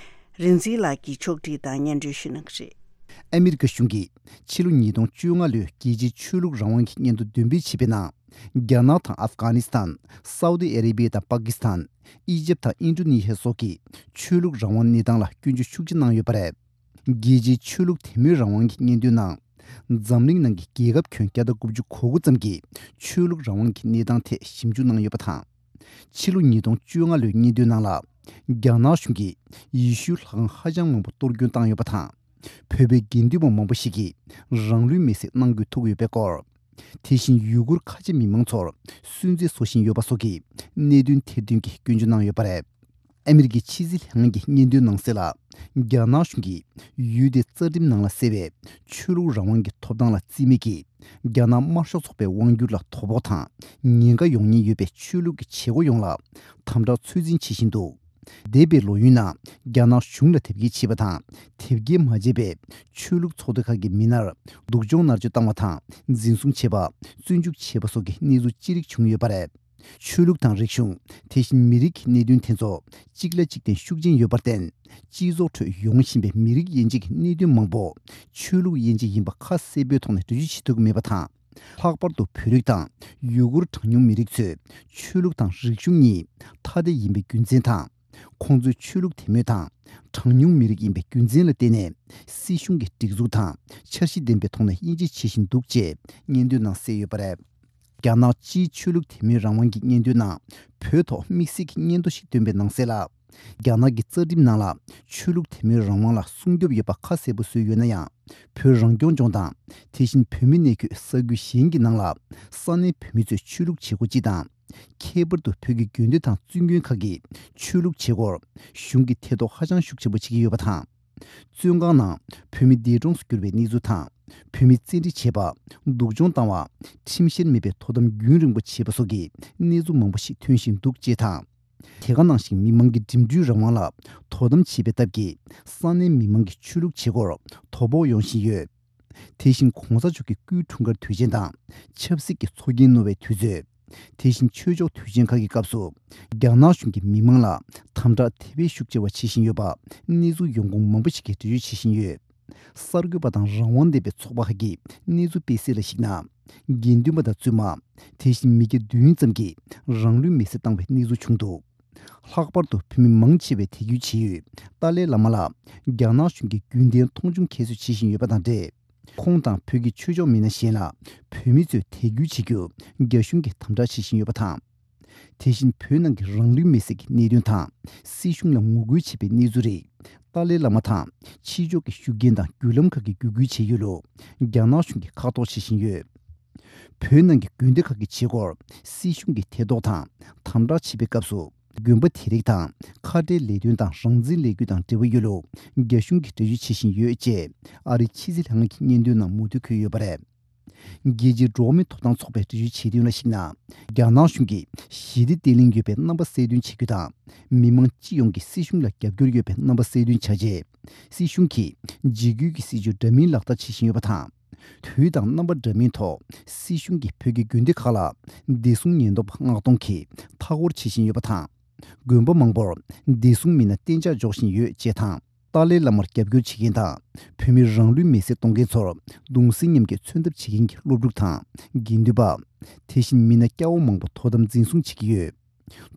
རིག་འཛིན་ལགས་ཀྱིས་ཕྱོགས་སྒྲིག་དང་སྙན་སྒྲོན་ཞུ་གནང་གི་རེད། ཨ་མི་རི་ཀ་གཞུང་གིས་ཕྱི་ལོ་ཉིས་སྟོང་བཅོ་ལྔ་ལོའི་རྒྱལ་སྤྱིའི་ཆོས་ལུགས་རང་དབང་གི་སྙན་ཐོ་འདོན་སྤེལ་བྱས་པའི་ནང་། རྒྱ་ནག་དང་ཨབ་གྷ་ནི་སི་ཐན། སའུ་ཏི་ཨ་རེ་བྷི་ཡ་དང་པ་ཀི་སི་ཐན། ཨི་ཇེབ་དང་ཨིན་ཌོ་ནེ་ཤི་ཡ་སོགས་ཀྱི་ཆོས་ལུགས་རང་དབང་གནས་སྟངས་ལ་སྐྱོན་བརྗོད་ཤུགས་ཆེ་གནང་ཡོད་པ་རེད། རྒྱལ་སྤྱིའི་ཆོས་ལུགས་དད་མོས་རང་དབང་གི་སྙན་ཐོའི་ནང་། འཛམ་གླིང་ནང་གི་རྒྱལ་ཁབ་ཁྱོན་བརྒྱ་དང་དགུ་བཅུ་གོ་དགུ་ཙམ་གྱིས་ཆོས་ལུགས་རང་དབང་གི་གནས་སྟངས་ཐད་ཞིབ་འཇུག་གནང་ཡོད་པ་དང་། ཕྱི་ལོ་ཉིས་སྟོང་བཅོ་ལྔ་ལོའི་སྙན་ཐོའི་ནང་ལ། རྒྱ་ནག་གཞུང་གིས་ཡེ་ཤུའི་ལྷ་ཁང་ཧ་ཅང་མང་པོ་གཏོར་སྐྱོན་བཏང་ཡོད་པ་དང་། བོད་པའི་དགེ་འདུན་པ་མང་པོ་ཞིག་གིས་རང་ལུས་མེར་སྲེག་གནང་དགོས་ཐུག་ཡོད་པའི་སྐོར། དེ་བཞིན་ཡུ་གུར་ཁ་ཆེ་མི་མང་ཚོར་སུན་གཙེར་བཟོ་བཞིན་ཡོད་པ་སོགས་ཀྱི་གནད་དོན་ཐེར་འདོན་གྱིས་སྐྱོན་བརྗོད་གནང་ཡོད་པ་རེད། ཨ་མི་རི་ཀའི་ཕྱི་སྲིད་ལྷན་ཁང་གི་སྙན་ཐོའི་ནང་གསལ་ལ། རྒྱ་ནག་གཞུང་གིས་ཡུལ་དེའི་རྩ་ཁྲིམས་ནང་ལ་གསལ་བའི་ཆོས་ལུགས་རང་དབང་གི་ཐོབ་ཐང་ལ་བརྩི་མེད་ཀྱིས། རྒྱ་ནག་དམར་ཤོག་ཚོགས་པའི་དབང་སྒྱུར་ལ་དོ་ཕོག་དང་ཉེན་ཁ་ཡོང་ཉེན་ཡོད་པའི་ཆོས་ལུགས་ཀྱི་བྱེད་སྒོ་ཡོངས་ལ་དམ་དྲག་ཚོད་འཛིན་བྱེད་བཞིན་འདུག་འདས་པའི་ལོ་ཡུན་ནང་རྒྱ་ནག་གཞུང་ལ་དེབ་སྐྱེལ་བྱས་པ་དང་། དེབ་སྐྱེལ་མ་བྱས་པའི་ཆོས་ལུགས་ཚོགས་སྡེ་ཁག་གི་མི་སྣར་སྡུག་སྦྱོང་མནར་གཅོད་བཏང་བ་དང་། འཛིན་བཟུང་བྱས་པ། བཙོན་འཇུག་བྱས་པ་སོགས་ཀྱི་གནས་ཚུལ་ཅི་རིགས་བྱུང་ཡོད་པ་རེད། ཆོས་ལུགས་དང་རིག་གཞུང་། དེ་བཞིན་མི་རིགས་ཀྱི་གནད་དོན་དེ་ཚོ་གཅིག་ལ་གཅིག་བརྟེན་ཤུགས་ཆེན་ཡོད་པར་བརྟེན། སྤྱི་ཚོགས་ཁྲོད་ཡོང་བཞིན་པའི་མི་རིགས་དབྱེ་འབྱེད་ཀྱི་གནད་དོན་མང་པོ་ཆོས་ལུགས་དབྱེ་འབྱེད་ཡིན་པ་ཁ་གསལ་པོའི་ཐོག་ནས་འགྲེལ་བརྗོད་བྱེད་ཐུབ་ཀྱི་མེད་པ་དང་། ལྷག་པར་དུ་བོད་རིགས་དང་ཡུ་གུར་གྲངས་ཉུང་མི་རིགས་ཚོས་ཆོས་ལུགས་དང་རིག་གཞུང་གཉིས་ཐ་དད་ཡིན་པའི་རྒྱུ་མཚན་དང་། ཁོང་ཚོའི་ཆོས་ལུགས་དད་མོས་དང་གྲངས་ཉུང་མི་རིགས་ཡིན་པའི་རྒྱུ་མཚན་ལ་བརྟེན་ནས་སྲིད་གཞུང་གི་སྒྲིག་འཛུགས་དང་འཆར་གཞི་ལྡན་པའི་ཐོག་ནས་དབྱེ་འབྱེད་བྱེད་བཞིན་འདུག་ཅེས་སྙན་ཐོའི་ནང་གསལ་ཡོད་པ་རེད། རྒྱ་ནག་སྤྱིའི་ཆོས་ལུགས་དད་མོས་རང་དབང་གི་སྙན་ཐོའི་ནང་བོད་ཐོག་དམིགས་བསལ་གྱི་སྙན་ཐོ་ཞིག་བཏོན་པའི་ནང་གསལ་ལ། རྒྱ་ནག་གི་རྩ་ཁྲིམས་ནང་ལ་ཆོས་ལུགས་དད་མོས་རང་དབང་ལ་སྲུང་སྐྱོབ་ཡོད་པ་ཁ་གསལ་པོ་བཟོས་ཡོད་ན་ཡང་། བོད་རང་སྐྱོང་ལྗོངས་དང་། དེ་བཞིན་བོད་མི་གནས་འཁོད་ས་ཁུལ་གཞན་གྱི་ནང་ལ་ས་གནས་བོད་མི་ཚོས་ཆོས་ལུགས་བྱེད་སྒོ་སྤྱི་དང་། ཁྱད་པར་དུ་བོད་ཀྱི་དགོན་སྡེ་དང་བཙུན་དགོན་ཁག་གི་ཆོས་ལུགས་བྱེད་སྒོར་གཞུང་གིས་ཐེ་གཏོགས་ཧ་ཅང་ཤུགས་ཆེན་པོ་བྱེད་ཀྱི་ཡོད་པ་དང་། བཙོན་ཁང་ནང་བོད་མི་འདས་གྲོངས་སུ་གྱུར་བའི་གནས་ཚུལ་དང་། བོད་མི་བཙན་ཁྲིད་བྱས་པ། སྡུག་སྦྱོང་བཏང་བ། ཁྲིམས་བཤེར་མེད་པའི་དོ་དམ་རྒྱུན་རིང་པོ་བྱས་པ་སོགས་ཀྱི་གནས་ཚུལ་མང་པོ་ཞིག་ཐོན་བཞིན་འདུག་ཅེས་དང་། དེ་ག་ནང་བཞིན་མི་མང་གི་འགྲིམ་འགྲུལ་རང་དབང་ལ་དོ་དམ་བྱེད་པའི་སྟབས་ཀྱིས་ས་གནས་མི་མང་གི་ཆོས་ལུགས་བྱེད་སྒོར་དོ་ཕོག་ཡོང་བཞིན་ཡོད། དེ་བཞིན་གོང་ས་མཆོག་གི་སྐུའི་འཁྲུངས་སྐར་དུས་ཆེན་དང་ཆབ་སྲིད་ཀྱི་ཚོགས་རྒྱན་རྣོ་བའི་དུས་ཚོད། དེ་བཞིན་ཆོས་ཕྱོགས་དུས་ཆེན་ཁག་གི་སྐབས་སུ་རྒྱ་ནག་གཞུང་གིས་མི་མང་ལ་དམ་དྲག་དེ་བས་ཤུགས་ཆེ་བ་བྱེད་བཞིན་ཡོད་པ་གནས་ཚུལ་ཡོང་ཁུངས་མང་པོ་ཞིག་གིས་འགྲེལ་བརྗོད་བྱེད་བཞིན་ཡོད། གསར་འགོད་པ་དང་རང་དབང་ལྡན་པའི་ཚོགས་པ་ཁག་གིས་གནས་ཚུལ་སྤེལ་གསལ་ལ་གཞིགས་ན། དགེ་འདུན་པ་དང་བཙུན་མ། དེ་བཞིན་མི་སྐྱ་བདུན་ཙམ་གྱིས་རང་ལུས་མེར་སྲེག་བཏང་བའི་གནས་ཚུལ་བྱུང་འདུག་ལྷག་པར་དུ་བོད་མི་མང་ཆེ་བས་དད་གུས་བྱེད་ཡུལ་ཏཱ་ལའི་བླ་མ་ལ་རྒྱ་ནག་གཞུང་གིས་རྒྱུན་ལྡན་མཐོང་ཆུང་ཁྱད་གསོད་བྱེད་བཞིན་ཡོད་པ་དང་འབྲེལ། ཁོང་དང་བོད་ཀྱི་ཆོས་ཕྱོགས་མི་སྣ་གཞན་ལ་བོད་མི་ཚོས་དད་གུས་བྱེད་རྒྱུར་རྒྱ་གཞུང་གིས་དམ་དྲག་བྱེད་བཞིན་ཡོད་པ་དང་། དེ་བཞིན་བོད་ནང་གི་རང་ལུས་མེར་སྲེག་གི་གནད་དོན་དང་སྲིད་གཞུང་ལ་ངོ་རྒོལ་བྱེད་པའི་གནས་ཚུལ་རིགས་ཏཱ་ལའི་བླ་མ་དང་ཕྱི་ཕྱོགས་ཀྱི་ཤུགས་རྐྱེན་དང་བརྒྱུད་ལམ་ཁག་གིས་བརྒྱུད་སྐུལ་བྱེད་ཡུལ་ལུ་རྒྱ་ནག་གཞུང་གིས་ཁ་གཏོར་བྱེད་བཞིན་ཡོད། བོད་ནང་གི་དགོན་སྡེ་ཁག་གི་བྱེད་སྒོར་སྲིད་གཞུང་གིས་ཐེ་གཏོགས་དང་དམ་དྲག་བྱེད་པའི་སྐབས་སུ། དགོན་པ་དེ་རིགས་དང་ཁ་བྲལ་ལས་དོན་དང་རང་བཙན་ལས་འགུལ་དང་འབྲེལ་བ་ཡོད་ལུགས་རྒྱ་གཞུང་གིས་འགྲེལ་བརྗོད་བྱེད་བཞིན་ཡོད་ཅེས་ཨ་རིའི་ཕྱི་སྲིད་ལྷན་ཁང་གི་སྙན་ཐོའི་ནང་མུ་མཐུད་འཁོད་ཡོད་པ་རེད། རྒྱལ་སྤྱིའི་འགྲོ་བ་མིའི་ཐོབ་ཐང་ཚོགས་པས་འགྲེལ་བརྗོད་བྱས་དོན་ལ་གཞིགས་ན། རྒྱ་ནག་གཞུང་གིས་ཞི་བདེ་བརྟན་ལྷིང་ཡོད་པའི་རྣམ་པ་གསལ་སྟོན་བྱེད་རྒྱུ་དང་། མི་མང་སྤྱི་ཡོངས་ཀྱིས་སྲིད་གཞུང་ལ་རྒྱབ་སྐྱོར་ཡོད་པའི་རྣམ་པ་གསལ་སྟོན་བྱ་ཆེད། སྲིད་གཞུང་གིས་འཇིགས་སྐུལ་གྱི་སྲིད་བྱུས་འདྲ་མིན་ལག་བསྟར་བྱེད་བཞིན་ཡོད་པ་དང་། དུས་དང་རྣམ་པ་འདྲ་མིན་ཐོག་སྲིད་གཞུང་གིས་བོད་ཀྱི་དགོན་སྡེ་ཁག་ལ་བདེ་སྲུང་ཉེན་རྟོག་པ་མངགས་གཏོང་གིས་མཐའ་སྐོར་བྱེད་བཞིན་ཡོད་པ་དང་། དགོན་པ་མང་པོར་བདེ་སྲུང་མི་སྣ་གཏན་འཇགས་འཇོག་བཞིན་ཡོད་ཅེས་དང་། ཏཱ་ལའི་བླ་མར་རྒྱབ་སྐྱོར་བྱེད་མཁན་དང་། བོད་མིར་རང་ལུས་མེར་སྲེག་གཏོང་མཁན་ཚོར་གདུང་སེམས་མཉམ་སྐྱེད་མཚོན་ཐབས་བྱེད་མཁན་གྱི་སློབ་ཕྲུག་དང་། དགེ་འདུན་པ། དེ་བཞིན་མི་སྣ་སྐྱ་བོ་མང་པོ་དོ་དམ་འཛིན་བཟུང་བྱེད་ཀྱི་ཡོད།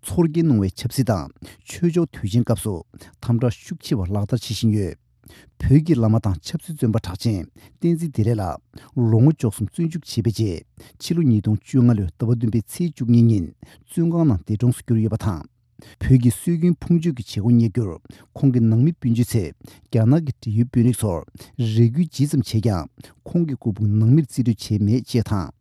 ཚོར་སྐྱེན་གནང་བའི་ཆབ་སྲིད་དང་ཆོས་ཕྱོགས་དུས་ཆེན་སྐབས་སུ་དམ་དྲག་ཤུགས་ཆེ་བ་ལག་བསྟར་བྱེད་བཞིན་ཡོད། བོད་ཀྱི་བླ་མ་དང་ཆབ་སྲིད་བཙོན་པ་གྲགས་ཅན་བསྟན་འཛིན་བདེ་ལེགས་ལགས་ལོ་ངོ་བཅུ་གསུམ་བཙོན་འཇུག་བྱས་པའི་རྗེས། ཕྱི་ལོ་ཉིས་སྟོང་བཅོ་ལྔ་ལོའི་ཟླ་བ་བདུན་པའི་ཚེས་བཅུ་གཉིས་ཉིན་བཙོན་ཁང་ནང་འདས་གྲོངས་སུ་གྱུར་ཡོད་པ་དང་། བོད་ཀྱི་སྲོལ་རྒྱུན་ཕུང་མཆོད་ཀྱི་བྱེད་སྒོ་གཉེར་རྒྱུར་ཁོང་གི་ནང་མི་སྤུན་མཆེད་ཚོས་རྒྱ་ནག་གི་འབྲེལ་ཡོད་དཔོན་རིགས་ཚོར་རེ་སྐུལ་ཇི་ཙམ་བྱས་ཀྱང་། ཁོང་གི་སྐུ་ཕུང་ནང་མིར་རྩིས་སྤྲོད་བྱས་མེད་ཅེས་དང་།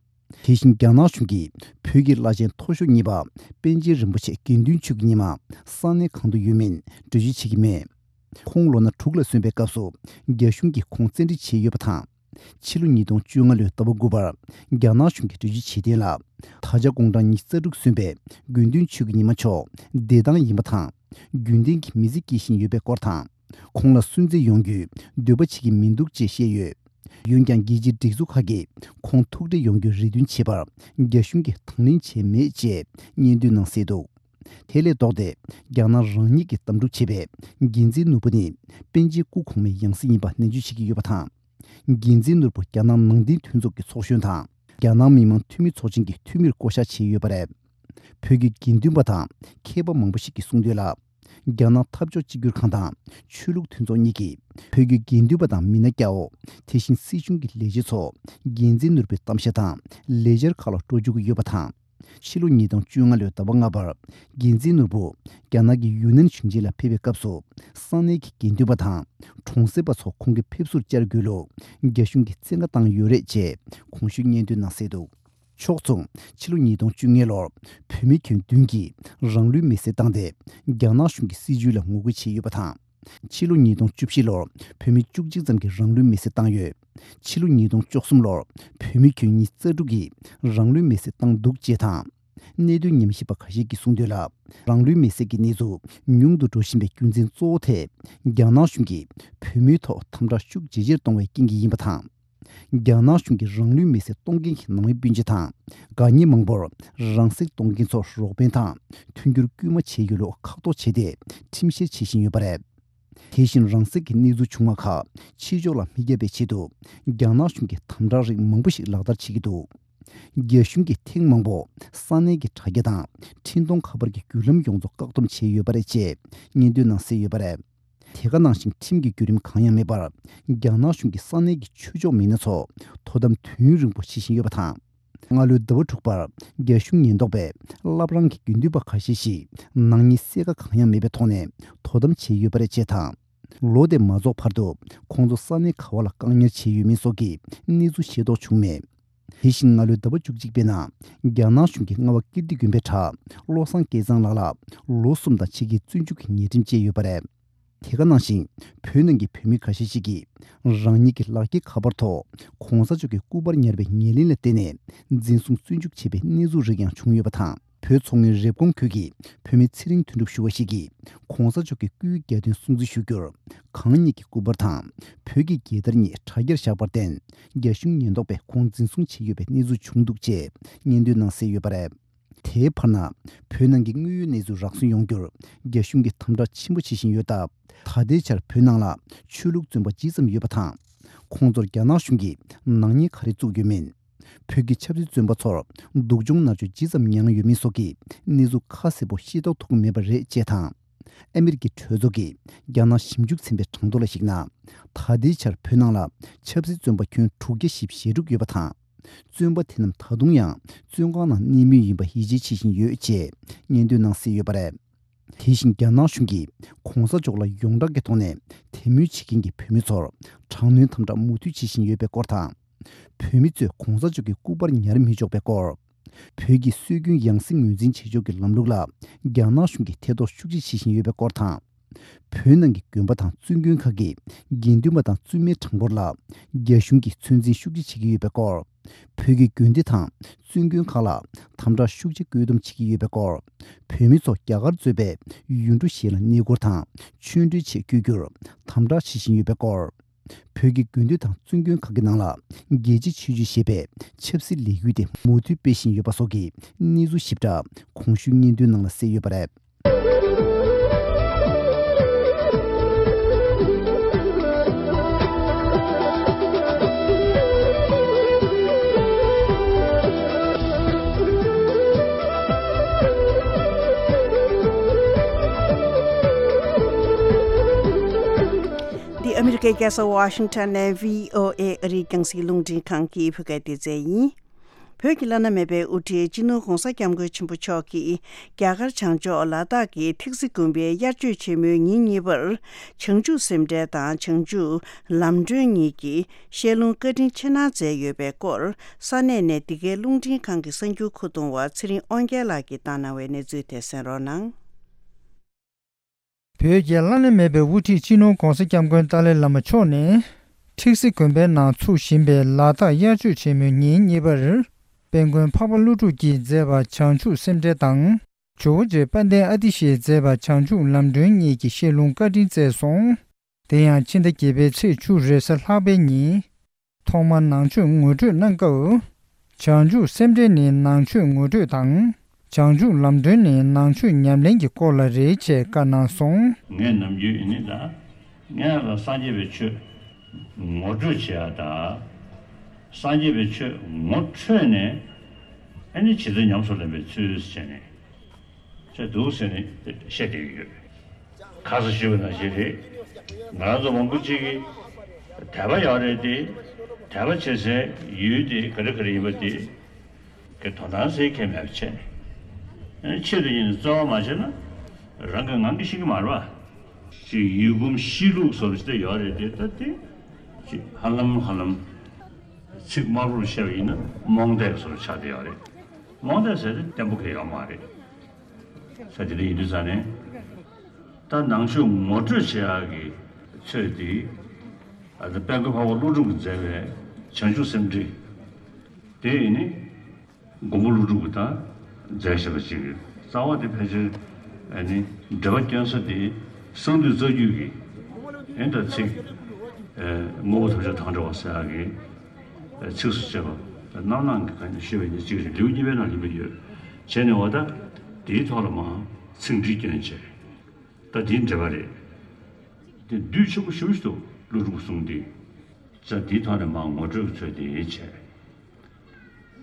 དེ་བཞིན་རྒྱ་ནག་གཞུང་གིས་བོད་ཀྱི་བླ་ཆེན་མཐོ་ཤོས་གཉིས་པ་པཎ་ཆེན་རིན་པོ་ཆེ་དགེ་འདུན་ཆོས་ཀྱི་ཉི་མ་ས་གནས་གང་དུ་ཡོད་མིན་འགྲེལ་བརྗོད་བྱེད་ཀྱི་མེད། ཁོང་ལོ་ན་དྲུག་ལ་སོན་པའི་སྐབས་སུ་རྒྱ་གཞུང་གིས་ཁོང་བཙན་ཁྲིད་བྱས་ཡོད་པ་དང་། ཕྱི་ལོ་ཉིས་སྟོང་བཅོ་ལྔ་ལོའི་ཟླ་བ་དགུ་པར་རྒྱ་ནག་གཞུང་གིས་འགྲེལ་བརྗོད་བྱས་དོན་ལ། ད་ཆ་དགུང་གྲངས་ཉི་ཤུ་རྩ་དྲུག་སོན་པའི་དགེ་འདུན་ཆོས་ཀྱི་ཉི་མ་མཆོག་བདེ་ཐང་ཡིན་པ་དང་། རྒྱུན་ལྡན་གྱི་མི་ཚེ་སྐྱེལ་བཞིན་ཡོད་པའི་སྐོར་དང་། ཁོང་ལ་སུན་གཙེར་ཡོང་རྒྱུའི་འདོད་པ་བྱེད་ཀྱི་མི་འདུག་ཅེས་བཤད་ཡོད། འོན་ཀྱང་རྒྱལ་སྤྱིའི་སྒྲིག་འཛུགས་ཁག་གིས་ཁོང་ཐུག་འཕྲད་ཡོང་རྒྱུའི་རེ་འདུན་བྱས་པར་རྒྱ་གཞུང་གིས་དང་ལེན་བྱས་མེད་ཅེས་སྙན་ཐོའི་ནང་གསལ་འདུག་དེ་ལས་ལྡོག་སྟེ། རྒྱ་ནག་རང་ཉིད་ཀྱིས་གདམ་འཁྲུག་བྱས་པའི་དགེ་མཚན་ནོར་བུ་ནི་པཎ་ཆེན་སྐུ་གོང་མའི་ཡང་སྲིད་ཡིན་པ་ནན་བརྗོད་བྱེད་ཀྱི་ཡོད་པ་དང་། དགེ་མཚན་ནོར་བུ་རྒྱ་ནག་ནང་བསྟན་མཐུན་ཚོགས་ཀྱི་ཚོགས་གཞོན་དང་། རྒྱ་ནག་མི་དམངས་འཐུས་མི་ཚོགས་ཆེན་གྱི་འཐུས་མིར་བསྐོ་གཞག་བྱས་ཡོད་པ་རེད། བོད་ཀྱི་དགེ་འདུན་པ་དང་མཁས་པ་མང་པོ་ཞིག་གིས་གསུངས་དོན་ལ། རྒྱ་ནག་འཐབ་ཕྱོགས་གཅིག་གྱུར་ཁང་དང་ཆོས་ལུགས་མཐུན་ཚོགས་གཉིས་ཀྱིས་བོད་ཀྱི་དགེ་འདུན་པ་དང་མི་སྣ་སྐྱ་བོ། དེ་བཞིན་སྲིད་གཞུང་གི་ལས་བྱེད་ཚོ་དགེ་མཚན་ནོར་བུའི་གཏམ་བཤད་དང་ལས་འཆར་ཁག་ལ་འགྲོ་བཅུག་གི་ཡོད་པ་དང་། ཕྱི་ལོ་ཉིས་སྟོང་བཅོ་ལྔ་ལོའི་ཟླ་བ་ལྔ་པར་འགན་འཛིན་ནོར་བུ་རྒྱ་ནག་གི་ཡུན་ནན་ཞིང་ཆེན་ལ་ཕེབས་པའི་སྐབས་སུ། ས་གནས་ཀྱི་དགེ་འདུན་པ་དང་གྲོང་གསེབ་པ་ཚོ་ཁོང་གི་ཕེབས་བསུར་བཅར་དགོས་ལུགས་རྒྱ་གཞུང་གིས་བཙན་བཀའ་བཏང་ཡོད་རེད་ཅེས་གོང་ཞུས་སྙན་ཐོའི་ནང་གསལ་འདུག་ཕྱོགས་མཚུངས། ཕྱི་ལོ་ཉིས་སྟོང་བཅོ་ལྔ་ལོར་བོད་མི་ཁྱོན་བདུན་གྱིས་རང་ལུས་མེར་སྲེག་བཏང་སྟེ། རྒྱ་ནག་གཞུང་གི་སྲིད་བྱུས་ལ་ངོ་རྒོལ་བྱས་ཡོད་པ་དང་། ཕྱི་ལོ་ཉིས་སྟོང་བཅུ་བཞི་ལོར་བོད་མི་བཅུ་གཅིག་ཙམ་གྱིས་རང་ལུས་མེར་སྲེག་བཏང་ཡོད། ཕྱི་ལོ་ཉིས་སྟོང་བཅུ་གསུམ་ལོར་བོད་མི་ཁྱོན་ཉིས་རྩ་དྲུག་གིས་རང་ལུས་མེར་སྲེག་བཏང་འདུག་ཅེས་དང་། གནད་དོན་ཉམས་ཞིབ་པ་ཁ་ཤས་ཀྱིས་གསུངས་དོན་ལ། རང་ལུས་མེར་སྲེག་གི་གནས་ཚུལ་ཉུང་དུ་འགྲོ་བཞིན་པའི་རྒྱུ་མཚན་གཙོ་བོ་དེ། རྒྱ་ནག་གཞུང་གིས་བོད་མིའི་ཐོག་དམ་དྲག་ཤུགས་ཇེ་ཆེར་གཏོང་བའི་རྐྱེན་གྱིས་ཡིན་པ་དང་། རྒྱ་ནག་གཞུང་གིས་རང་ལུས་མེར་སྲེག་གཏོང་མཁན་གྱི་ནང་མི་སྤུན་མཆེད་དང་། དགའ་ཉེ་མང་པོར་རང་སྲེག་གཏོང་མཁན་ཚོར་རོགས་ཕན་དང་མཐུན་འགྱུར་སྐུལ་མ་བྱས་ཡོད་ལུགས་ཁག་ཐོག་བྱས་ཏེ། ཁྲིམས་བཤེར་བྱེད་བཞིན་ཡོད་པ་རེད། དེ་བཞིན་རང་སྲེག་གི་གནས་ཚུལ་བྱུང་བ་ཁག་ཕྱི་ཕྱོགས་ལ་མི་བསྐྱབ་པའི་ཆེད་དུ། རྒྱ་ནག་གཞུང་གིས་དམ་དྲག་རིགས་མང་པོ་ཞིག་ལག་བསྟར་བྱེད་ཀྱི་འདུག་རྒྱ་གཞུང་གིས་ཐེངས་མང་པོ་ས་གནས་ཀྱི་དྲ་རྒྱ་དང་འཕྲིན་གཏོང་ཁ་པར་གྱི་བརྒྱུད་ལམ་ཡོངས་རྫོགས་བཀག་སྡོམ་བྱས་ཡོད་པ་རེད་ཅེས་སྙན་ཐོའི་ནང་གསལ་ཡོད་པ་རེད། དེ་ག་ནང་བཞིན་ཁྲིམས་ཀྱི་བརྒྱུད་རིམ་གང་ཡང་མེད་པར། རྒྱ་ནག་གཞུང་གིས་ས་གནས་ཀྱི་ཆོས་ཕྱོགས་མི་སྣ་ཚོ་དོ་དམ་དུས་ཡུན་རིང་པོ་བྱེད་བཞིན་ཡོད་པ་དང་། སྔ་ལོའི་ཟླ་བ་དྲུག་པར་རྒྱ་གཞུང་ཉེན་རྟོག་པས་བླ་བྲང་གི་དགེ་འདུན་པ་ཁ་ཤས་ཤིག་ནག་ཉེས་གསལ་ཁ་གང་ཡང་མེད་པའི་ཐོག་ནས་དོ་དམ་བྱས་ཡོད་པ་རེད་ཅེས་དང་། ལོ་དེ་མ་རྫོགས་བར་དུ་ཁོང་ཚོ་ས་གནས་ག་བ་ལ་བཀག་ཉར་བྱས་ཡོད་མེད་སོགས་ཀྱི་གནས་ཚུལ་ཤེས་རྟོགས་བྱུང་མེད། དེ་བཞིན་སྔ་ལོའི་ཟླ་བ་བཅུ་གཅིག་པའི་ནང་རྒྱ་ནག་གཞུང་གིས་རྔ་བ་ཀིརྟི་དགོན་པའི་གྲྭ་བློ་བཟང་སྐལ་བཟང་ལགས་ལ་ལོ་གསུམ་དང་ཕྱེད་ཀའི་བཙོན་འཇུག་གི་ཉེས་ཁྲིམས་བཅད་ཡོད་པ་རེད། དེ་ག་ནང་བཞིན་བོད་ནང་གི་བོད་མི་ཁ་ཤས་ཤིག་གིས་རང་ཉིད་ཀྱི་ལག་འཁྱེར་ཁ་པར་ཐོག་གོང་ས་མཆོག་གི་སྐུ་པར་ཉར་བའི་ཉེར་ལེན་ལ་བརྟེན་ནས་འཛིན་བཟུང་བཙོན་འཇུག་བྱས་པའི་གནས་ཚུལ་རིགས་ཡང་བྱུང་ཡོད་པ་དང་། བོད་མཚོ་སྔོན་རེབ་གོང་ཁུལ་གྱི་བོད་མི་ཚེ་རིང་དོན་གྲུབ་ཞུ་བ་ཞིག་གིས་གོང་ས་མཆོག་གི་སྐུའི་གྱ་སྟོན་སྲུང་བརྩི་ཞུ་རྒྱུར། གང་ཉིད་ཀྱི་སྐུ་པར་དང་བོད་ཀྱི་རྒྱལ་དར་གཉིས་དྲ་རྒྱར་བཞག་པར་བརྟེན། རྒྱ་གཞུང་ཉེན་རྟོག་པས་ཁོང་འཛིན་བཟུང་བྱས་ཡོད་པའི་གནས་ཚུལ་བྱུང་འདུག་ཅེས་སྙན་ཐོའི་ནང་གསལ་ཡོད་པ་རེད། དེའི་བར་ན། བོད་ནང་གི་དངོས་ཡོད་གནས་ཚུལ་རགས་ཟིན་ཡོང་རྒྱུར། རྒྱ་གཞུང་གིས་དམ་དྲག་ཆེན་པོ་བྱེད་བཞིན་ཡོད་སྟབས། ད་ལྟའི་ཆར་བོད་ནང་ལ་ཆོས་ལུགས་བཙོན་པ་ཇི་ཙམ་ཡོད་པ་དང་། ཁོང་ཚོར་རྒྱ་ནག་གཞུང་གིས་ནག་ཉེས་ག་རེ་བཙུགས་ཡོད་མེད། བོད་ཀྱི་ཆབ་སྲིད་བཙོན་པ་ཚོར་སྡུག་སྦྱོང་མནར་གཅོད་ཇི་ཙམ་མྱངས་ཡོད་མེད་སོགས་ཀྱི་གནས་ཚུལ་ཁ་གསལ་པོ་ཤེས་རྟོགས་ཐུབ་ཀྱི་མེད་པ་རེད་ཅེས་དང་། ཨ་མེ་རི་ཀའི་གྲོས་ཚོགས་ཀྱི་རྒྱ་ནག་ཞིབ་འཇུག་ཚན་པའི་གྲངས་ཐོ་ལ་གཞིགས་ན། ད་ལྟའི་ཆར་བོད་ནང་ལ་ཆབ་སྲིད་བཙོན་པ་ཁྱོན་དྲུག་བརྒྱ་བཞི་བཅུ་ཞེ་དྲུག་ཡོད་པ་དང་། བཙོན་པ་དེ་རྣམས་ད་དུང་ཡང་བཙོན་ཁང་ནང་གནས་མུས་ཡིན་པ་ཡིད་ཆེས་བྱེད་བཞིན་ཡོད་ཅེས་སྙན་ཐོའི་ནང་གསལ་ཡོད་པ་རེད། དེ་བཞིན་རྒྱ་ནག་གཞུང་གིས་གོང་ས་མཆོག་ལ་ཡོངས་གྲགས་ཀྱི་ཐོག་ནས་དད་མོས་བྱེད་མཁན་གྱི་བོད་མི་ཚོར་དྲག་གནོན་དམ་དྲག་མུ་མཐུད་བྱེད་བཞིན་ཡོད་པའི་སྐོར་དང་། བོད་མི་ཚོས་གོང་ས་མཆོག་གི་སྐུ་པར་ཉར་མི་ཆོག་པའི་སྐོར། བོད་ཀྱི་སྲོལ་རྒྱུན་ཡང་སྲིད་ངོས་འཛིན་བྱེད་ཕྱོགས་ཀྱི་ལམ་ལུགས་ལ་རྒྱ་ནག་གཞུང་གིས་ཐེ་གཏོགས་ཤུགས་ཆེ་བྱེད་བཞིན་ཡོད་པའི་སྐོར་དང་། བོད་ནང་གི་དགོན་པ་དང་བཙུན་དགོན་ཁག་གི་དགེ་འདུན་པ་དང་བཙུན་མའི་གྲངས་འབོར་ལ་རྒྱ་གཞུང་གིས་ཚོད་འཛིན་ཤུགས་ཆེ་བྱེད་ཀྱི་ཡོད་པའི་སྐོར། བོད་ཀྱི་དགོན་སྡེ་དང་བཙུན་དགོན་ཁག་ལ་དམ་དྲག་ཤུགས་ཆེ་བཀོད་འདོམས་བྱེད་ཀྱི་ཡོད་པའི་སྐོར། བོད་མི་ཚོ་རྒྱ་གར་གཙོས་པའི་ཡུལ་གྲུ་གཞན་ལ་གནས་སྐོར་དང་ཆོས་འབྲེལ་ཆེད་བསྐྱོད་རྒྱུར་དམ་དྲག་བྱེད་བཞིན་ཡོད་པའི་སྐོར། བོད་ཀྱི་དགོན་སྡེ་དང་བཙུན་དགོན་ཁག་གི་ནང་ལ་རྒྱལ་གཅེས་ཆོས་སྤྱོད་ཞེས་པའི་ཆབ་སྲིད་ལས་འགུལ་དེ་མུ་མཐུད་སྤེལ་བཞིན་ཡོད་པ་སོགས་ཀྱི་གནས་ཚུལ་ཞིབ་ཕྲ་གོང་ཞུས་སྙན་ཐོའི་ནང་ལ་གསལ་ཡོད་པ་རེད། འདི་ཨ་མི་རི་ཀའི་རྒྱལ་ས་ཝ་ཤིང་ཊོན་ནས་བྷི་ཨོ་ཨེ་ཨ་རིའི་རྒྱང་སྲིང་རླུང་འཕྲིན་ཁང་གི་བོད་སྐད་སྡེ་ཚན་ཡིན། བོད་ཀྱི་བླ་ན་མེད་པའི་དབུ་ཁྲིད་སྤྱི་ནོར་༧གོང་ས་༧སྐྱབས་མགོན་ཆེན་པོ་མཆོག་གིས་རྒྱ་གར་བྱང་ཕྱོགས་ལ་དྭགས་ཀྱི་ཐིག་སི་དགོན་པའི་དབྱར་ཆོས་ཆེན་མོའི་ཉིན་གཉིས་པར། བྱང་ཆུབ་སེམས་འགྲེལ་དང་བྱང་ཆུབ་ལམ་སྒྲོན་གཉིས་ཀྱི་བཤད་ལུང་བཀའ་དྲིན་ཆེ་གནང་མཛད་ཡོད་པའི་སྐོར། ས་གནས་ནས་འདི་གའི་རླུང་འཕྲིན་ཁང་གི་གསར་འགྱུར་མཁོ་གཏོང་བ་ཚེ་རིང་དབང་རྒྱལ་ལགས་ཀྱིས་བཏང་གནང་བའི་གནས་ཚུལ་དེ་གསན་རོགས་གནང་། བོད་ཀྱི་བླ་ན་མེད་པའི་དབུ་ཁྲིད་སྤྱི་ནོར་༧གོང་ས་༧སྐྱབས་མགོན་ཏཱ་ལའི་བླ་མ་མཆོག་ནས། ཁྲིག་སི་དགོན་པའི་ནང་ཚུགས་བཞིན་པའི་ལ་དྭགས་དབྱར་ཆོས་ཆེན་མོའི་ཉིན་གཉིས་པར། དཔལ་མགོན་འཕགས་པ་ཀླུ་སྒྲུབ་ཀྱིས་མཛད་པ་བྱང་ཆུབ་སེམས་འགྲེལ་དང་། ཇོ་བོ་རྗེ་དཔལ་ལྡན་ཨ་ཏི་ཤས་མཛད་པ་བྱང་ཆུབ་ལམ་སྒྲོན་གཉིས་ཀྱི་བཤད་ལུང་བཀའ་དྲིན་བསྩལ་སོང་། དེ་ཡང་ཕྱི་ཟླ་བརྒྱད་པའི་ཚེས་བཅུ་རེས་གཟའ་ལྷག་པའི་ཉིན། ཐོག་མར་ནང་ཆོས་ངོ་སྤྲོད་གནང་སྐབས། བྱང་ཆུབ་སེམས་འགྲེལ་ནི་ནང་ཆོས་ངོ་སྤྲོད་དང་། བྱང་ཆུབ་ལམ་སྒྲོན་ནི་ནང་ཆོས་ཉམས་ལེན་གྱི་སྐོར་ལ་རེད་ཅེས་བཀའ་གནང་སོང་། ངས་ནམ་རྒྱུན་ཡིན་ནི་ད། ངས་ལ་སངས་རྒྱས་པའི་ཆོས་ངོ་སྤྲོད་བྱེད་ཡ་ད། སངས་རྒྱས་པའི་ཆོས་ངོ་འཕྲོད་ནས། ཨ་ནི་ཇི་ལྟར་ཉམས་སུ་ལེན་པའི་ཚུལ་བྱས་ནས། ཅེས་འདུག་ཟེར་ནས་བཤད་བསྡད་ཀྱི་ཡོད། ཁ་སང་ཞུས་པ་ནང་བཞིན་རེད། ང་རང་ཚོ་མང་པོ་ཅིག་གིས་དད་པ་ཡོད་རེད་དེ། དད་པ་བྱེད་སའི་ཡུལ་དེ་ག་རེ་ག་རེ་ཡིན་པ་དེ་ གི་དོན་དག་ཟེར་མཁན་མེད་པ་བྱས་ནས། ཨ་ནི་ཆེད་དུ་ཡིན་ནས་རྩོལ་བ་མ་བྱས་ན་རང་གི་ངང་གིས་ཤི་གི་མ་རེད་པ། ཅིག་ཡུལ་གོམས་གཤིས་ལུགས་བཟོ་འདྲ་ཞིག་ད་ཡོད་རེད་དེ། ད་དེ་ཅིག་ཧ་ལམ་ཧ་ལམ་ཚིག་དམར་པོར་བཤད་པ་ཡིན་ན་རྨོངས་དད་བཟོ་འདྲ་ཆགས་བསྡད་ཡོད་རེད། རྨོངས་དད་ཟེར་དེ་བརྟན་པོ་གང་ཡང་ཡོད་མ་རེད། ས་དེ་འདྲ་ཡིན་དུས་ཙང་ནས། ད་ནང་ཆོས་ངོ་སྤྲོད་བྱེད་ཡག་གི་ཚོད་དེ། ཨ་ད་དཔལ་མགོན་འཕགས་པ་ཀླུ་སྒྲུབ་ཀྱིས་མཛད་པའི་བྱང་ཆུབ་སེམས་ཁྲིད། དེ་ཡིན་ནི། མགོན་པོ་ཀླུ་སྒྲུབ་ཀྱིས་ད་མཛད་བཞག་པ་ཅིག་རེད། རྩ་བ་དེ་ཕལ་ཆེར་ཨ་ནི་འགྲེལ་པ་སྐྱོན་ས་དེ་གསང་འདུས་རྩ་རྒྱུད་ཀྱི་ཨེ་ད་ཚིག་ཨེ་དངོས་པོ་ཐམས་ཅད་དང་བྲལ་བ་ཟེར་ཡག་གི་ཚིགས་སུ་བཅད་པ་རྣམ་སྣང་གི་ཁ་ནས་ཤོད་པའི་ཉིན་གཅིག་རེད། ལེའུ་གཉིས་པའི་ནང་ལ་ཡོད། བྱས་ནས་འོ་ད་དེའི་ཐོག་ལ་མར་ཚིག་འགྲེལ་སྐྱོན་བྱས། ད་དེའི་འགྲེལ་པ་རེད། དེ་བསྡུས་ཆེན་པོ་ཞེ་པོ་ཞིག་འདུག་ཀླུ་སྒྲུབ་གསུང་དེ། ཙང་དེའི་ཐོག་ནས་མར་ངོ་སྤྲོད་ཀྱི་ཚུལ་དེ་བྱས།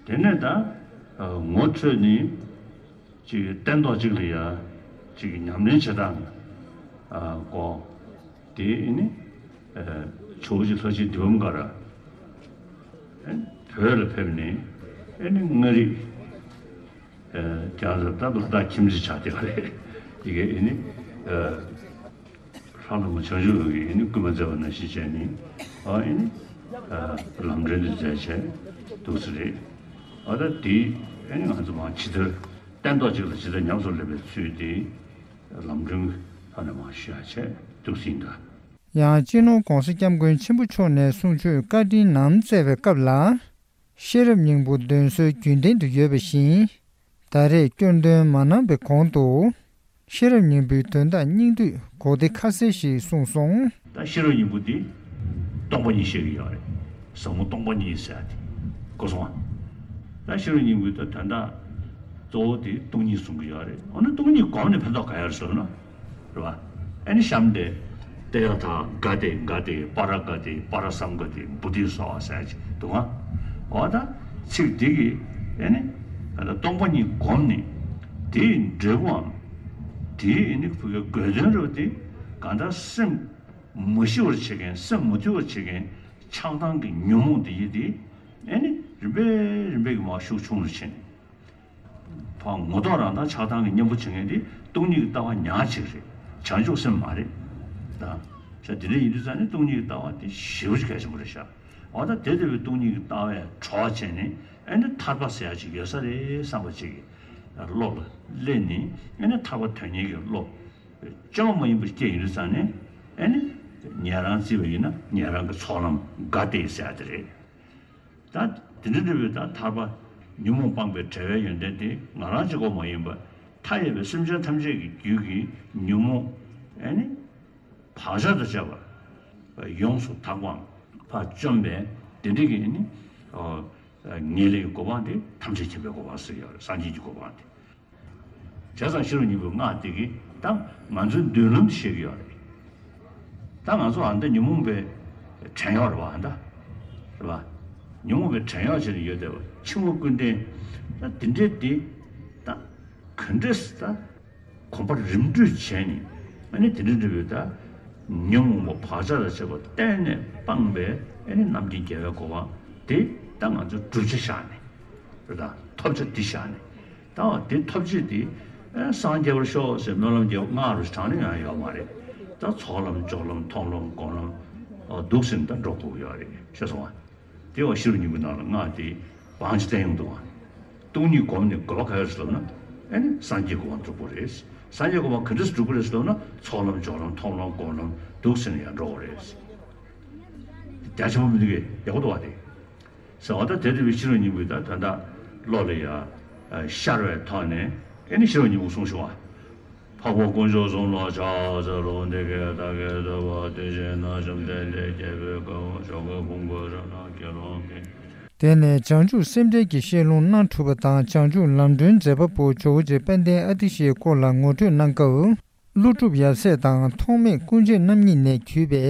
དེ་ནས་ད་ཨ་ངོ་འཕྲོད་ནི་ཅིག་སྟན་ཐོག་ཅིག་ལ་ཡ་ཅིག་ཉམས་ལེན་བྱེད་སྟངས་ཨ་སྐོར་དེ་ཨེ་ནི་ཨ་ཇོ་བོ་རྗེ་ལྷ་རྗེ་དཱི་པཾ་ཀ་ར་ཨེ་བོད་ལ་ཕེབས་ནས་ཨེ་ནི་མངའ་རིས་ཨ་ཀྱང་ད་ལ་དྭགས་ཁྱིམ་མཚེས་ཆགས་བསྡད་པ་རེད། དེ་གའི་ཨེ་ནི་ཨ་ལྷ་ལ་མོ་བྱང་ཆུབ་འོད་ཀྱིས་ཨེ་ནི་བསྐུལ་མ་མཛད་པ་ནང་བཞིན་བྱས་ནས་ཨ་ཨེ་ནི་ཨ་ལམ་སྒྲོན་དེ་མཛད་བྱས་འདུག་ས་རེད། ཨ་ད་དེ་ཨེ་ནི་ང་ཚོ་མར་ཇི་ལྟར་སྟན་ཐོག་ཅིག་ལ་ཇི་ལྟར་ཉམས་སུ་ལེན་པའི་ཚུལ་དེ་ལམ་སྒྲོན་ཐོག་ནས་མར་ཞུ་ཡག་བྱས་འདུག་ཟིན་གདའ། ཡང་སྤྱི་ནོར་༸གོང་ས་༸སྐྱབས་མགོན་ཆེན་པོ་མཆོག་ནས་གསུང་ཆོས་བཀའ་དྲིན་ནམ་སྩལ་བའི་སྐབས་ལ། ཤེས་རབ་སྙིང་པོ་འདོན་སྲོལ་རྒྱུན་ལྡན་དུ་ཡོད་པ་བཞིན། ད་རེས་སྐྱོན་འདོན་མ་གནང་བའི་གོང་དུ། ཤེས་རབ་སྙིང་པོའི་དོན་དག་སྙིང་བསྡུས་གོ་བདེ་ཁ་གསལ་ཞིག་གསུངས་སོང་། ད་ཤེས་རབ་སྙིང་པོ་འདི་སྟོང་པ་ཉིད་བཤད་ཀྱི་ཡོད་རེད། ཟབ་མོ་སྟོང་པ་ཉིད་ཟེར་ཡ་དེ་གོ་སོང་ང་། ད་ཤེས་རབ་སྙིང་པོའི་ད་དོན་དག་གཙོ་བོ་དེ་སྟོང་ཉིད་གསུང་གི་ཡོད་རེད། འོ་ན་སྟོང་ཉིད་སྒོམ་ནས་ཕན་ཐོགས་ག་ཡོད་རེད་ཟེར་ན། རེད་བ། ཨེ་ནི་གཤམ་དེ། ཏདྱ་ཐཱ་ག་ཏེ་ག་ཏེ་པཱ་ར་ག་ཏེ་པཱ་ར་སཾ་ག་ཏེ་བོ་དྷི་སྭཱ་ཧཱ་ཟེར་གྱི་འདུག་ག་འོ་ད་ཚིག་འདི་གིས་ཨེ་ནི་ཨ་ད་སྟོང་པ་ཉིད་བསྒོམས་ནས་དེའི་འབྲས་བུའམ་དེའི་ཨེ་ནི་བུ་གའི་དགོས་དོན་རུ་དེ་གང་ལྟར་སེམས་མ་ཞི་བར་བྱེད་མཁན་སེམས་མ་དུལ་བར་བྱེད་མཁན་ཆགས་སྡང་གི་ཉོན་མོངས་དེ་ཡི་དེ་ཨེ་ནི་རིམ་པས་རིམ་པས་ཀྱི་མར་ཤུགས་ཆུང་རུ་ཕྱིན། ཕར་ངོ་ཐོག་རང་དང་ཆགས་སྡང་གི་གཉེན་པོ་བྱེད་མཁན་དེ་སྟོང་ཉིད་ཀྱི་ལྟ་བ་ཉག་གཅིག་རེད། བྱང་ཆུབ་སེམས་མ་རེད། ད་ཆ་དེ་འདྲ་ཡིན་དུས་ཙང་ནས་སྟོང་ཉིད་ཀྱི་ལྟ་བ་དེ་ཞེ་པོ་ཅིག་གལ་ཆེན་པོ་རེད་ཤག་འོ་ད་དེ་ལྟ་བུའི་སྟོང་ཉིད་ཀྱི་ལྟ་བས་གྲོགས་བྱས་ནས་ཨེ་ནི་ཐར་པ་ཟེར་ཡ་ཅིག་ཡོད་ས་རེད་བསམ་པ་ཅིག་གི་བློ་ལ་སླེབས་ནས་ཨེ་ནི་ཐར་པ་དོན་གཉེར་གྱི་བློ་བཅོས་མ་ཡིན་པ་སྐྱེས་ཡོང་དུས་ཙང་ནས་ཨེ་ནི་ཉན་རང་བརྩིས་པ་ཡིན་ན་ཉན་རང་གི་ཚོགས་ལམ་ག་ཏེ་ཟེར་ཡ་དེ་རེད། ད་དེ་འདྲ་འདྲ་བའི་ད་ཐར་པ་ཉོན་མོངས་སྤངས་པའི་བྲལ་བའི་ཡོན་ཏན་དེ་ང་རང་གཅིག་པོ་མ་ཡིན་པར་མཐའ་ཡས་པའི་སེམས་ཅན་ཐམས་ཅད་ཀྱི་རྒྱུད་ཀྱི་ཉོན་མོངས་ཨེ་ནི་བག་ཆགས་དང་བཅས་པ་ཡོངས་སུ་དག་པའམ་ཕར་བཅོམ་པའི་དེ་འདྲ་གི་ཨེ་ནི་ངེས་ལེགས་ཀྱི་གོ་འཕང་དེ་ཐམས་ཅད་མཁྱེན་པའི་གོ་འཕང་ཟེར་ཡོད་རེད། སངས་རྒྱས་ཀྱི་གོ་འཕང་དེ། བྱས་ཙང་ཤེས་རབ་སྙིང་པོའི་སྔགས་དེ་གིས་ད་ང་ཚོའི་མདུན་ལམ་དེ་བཤད་ཀྱི་ཡོད་རེད། ད་ང་ཚོ་ཨ་མདའ་ཉོན་མོངས་པའི་བྲན་གཡོག་རེད་བ། ཨ་མདའ་རེད་བ། ཉོན་མོངས་པའི་བྲན་གཡོག་བྱས་ནས་ཡོད་བསྡད་པ་འཆི་བ་ཀུན་ལྡན་ད་དེ་འདྲའི་དེ་ད་ག་འདྲས་ད་གོམ་པ་རིམ་བགྲོད་བྱས་ནས་ཨ་ནི་དེ་འདྲ་འདྲ་བའི་ད་ཉོན་མོངས་པ་བག་ཆགས་དང་བཅས་པ་གཏན་ནས་སྤངས་པའི་ཨ་ནི་རྣམ་མཁྱེན་རྒྱལ་བའི་གོ་འཕང་དེ་ད་ང་ཚོ་བསྒྲུབ་བྱ་བཞག་ནས་རེད། ད་ཐོབ་བྱ་འདི་བཞག་ནས། ད་བ་དེ་ཐོབ་བྱེད་དེ། ཨེ་སངས་རྒྱས་པར་ཤོག་ཟེར་སྨོན་ལམ་རྒྱག་སྔགས་རུ་དྲངས་ནས་ཡང་ཡོད་མ་རེད། ད་ཚོགས་ལམ་སྦྱོར་ལམ་མཐོང་ལམ་སྒོམ་ལམ། འོ་འདུག་ཟེར་ནས་ད་འགྲོ་དགོས་ཡོད་རེད། ཤེས་སོང་ང་། དེ་བ་ཤེས་རབ་སྙིང་པོའི་ནང་ལ་སྔགས་དེ་བང་ཅི་བསྟན་ཡོང་འདུག་ང་། སྟོང་ཉིད་བསྒོམས་ནས་དགོས་པ་ག་རེ་རེད་ཟེར་ལབ་ན། ཨེ་ནི་སངས་རྒྱས་གོ་འཕང་སྒྲུབ་དགོས་རེད། སངས་རྒྱས་གོ་འཕང་ག་འདྲས་སེ་སྒྲུབ་དགོས་རེད་ཟེར་ལབ་ན། ཚོགས་ལམ་སྦྱོར་ལམ་མཐོང་ལམ་སྒོམ་ལམ་འདུག་ཟེར་ནས་ཡང་འགྲོ་དགོས་རེད། རྒྱ་ཆེན་པོ་མི་འདུག་གས། ཡག་པོ་འདུག་བ་དེ། ཟེར་བ་ད་དེ་ལྟ་བུའི་ཤེས་རབ་སྙིང་པོའི་ད་ད་ལྟ་བློ་ལ་ཡ་ཤར་བའི་ཐོག་ནས་ཨེ་ནི་ཤེས་རབ་སྙིང་པོ་གསུངས་ཤོག་ཨ། འཕགས་པ་དཀོན་མཆོག་གསུམ་ལ་ཕྱག་འཚལ་ལོ། འདི་སྐད་བདག་གིས་ཐུབ་པ་དེ་བཞིན་གནང་། བཅོམ་ལྡན་འདས་རྒྱལ་པོའི་དཀའ་བ་ཞོག་ཁ་ཕུང་པོའི་རང་སྣང་དགེ་སློང་གིས། དེ་ནས་བྱང་ཆུབ་སེམས་འགྲེལ་གྱི་བཤད་ལུང་གནང་གྲུབ་པ་དང་། བྱང་ཆུབ་ལམ་སྒྲོན་མཛད་པ་པོ་ཇོ་བོ་རྗེ་དཔལ་ལྡན་ཨ་ཏི་ཤའི་སྐོར་ལ་ངོ་སྤྲོད་གནང་སྐབས། ཀླུ་སྒྲུབ་ཡབ་སྲས་དང་ཐོགས་མེད་སྐུ་མཆེད་རྣམ་གཉིས་ནས་བརྒྱུད་པའི་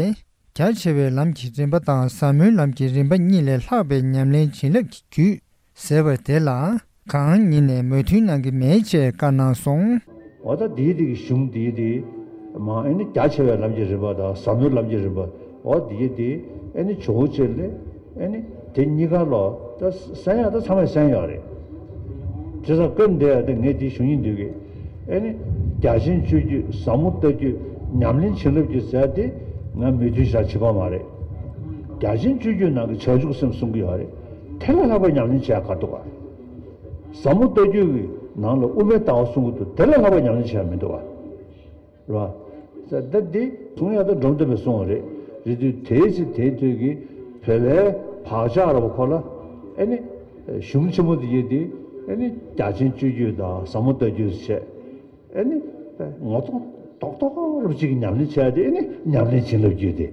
རྒྱ་ཆེ་བའི་ལམ་གྱི་རིམ་པ་དང་ཟབ་མོའི་ལམ་གྱི་རིམ་པ་གཉིས་ལས་ལྷག་པའི་ཉམས་ལེན་བྱིན་རླབས་ཀྱི་རྒྱུད་ཟེར་བ་དེ་ལ་གང་ཉིད་ནས་མོས་མཐུན་གནང་གི་མེད་ཅེས་བཀའ་གནང་སོང་། འོ་ད་འདིའི་འདི་གི་གཞུང་འདིའི་འདི་མ་ཨེ་ནི་རྒྱ་ཆེ་བའི་ལམ་གྱི་རིམ་པ་དང་ཟབ་མོའི་ལམ་གྱི་རིམ་པ། འོ་འདིའི་འདི་ཨེ་ནི་ཇོ་བོ་རྗེ་ལས་ཨེ་ནི་དེ་གཉིས་ཀ་ལོ་ད་གསན་ཡག་ད་ཚང་མས་གསན་ཡོད་རེད། བྱས་ཙང་སྐབས་འདིར་ཡང་དེ་ངས་དེ་ཞུ་སྙིང་འདོད་གི། ཨེ་ནི། རྒྱ་ཆེན་སྤྱོད་རྒྱུད། ཟབ་མོ་ལྟ་རྒྱུད། ཉམས་ལེན་བྱིན་རླབས་ཀྱི་ཟེར་དེ་ང་མོས་མཐུན་བཞག་བྱེད་པ་མ་རེད། རྒྱ་ཆེན་སྤྱོད་རྒྱུད་ནང་གི་བྱང་ཆུབ་སེམས་གསུང་གི་ཡོད་རེད། དེ་ལས་ལྷག་པའི་ཉམས་ལེན་བྱེད་ཡ་ག་འདུག་ག། ཟབ་མོ་ལྟ་རྒྱུད་ཀྱི་ནང་ལ་དབུ་མའི་ལྟ་བ་གསུང་གི་འདུག། དེ་ལས་ལྷག་པའི་ཉམས་ལེན་བྱེད་ཡ་མི་འདུག་ག། རེད་བ། ད་འདི་གསུང་ཡག་ད་འབྲོམ་སྟོན་པས་གསུངས་པ་རེད། རེད་དུས་དེའི་ཚེ་དེའི་དུས་ཀྱི་བོད་པའི་བག་ཆགས་ར་བ་ཁོ་ལ་ཨེ་ནི་གཞུང་ཆེན་མོ་དེ་ཡོད་དེ། ཨེ་ནི་རྒྱ་ཆེན་སྤྱོད་རྒྱུད་དང་ཟབ་མོ་ལྟ་རྒྱུད་བྱས། ཨེ་ནི་ངོ་ཐོག་རྡོག་རྡོག་རུ་གཅིག་གི་ཉམས་ལེན་བྱས་ཏེ། ཨེ་ནི་ཉམས་ལེན་བྱིན་རླབས་བརྒྱུད་དེ།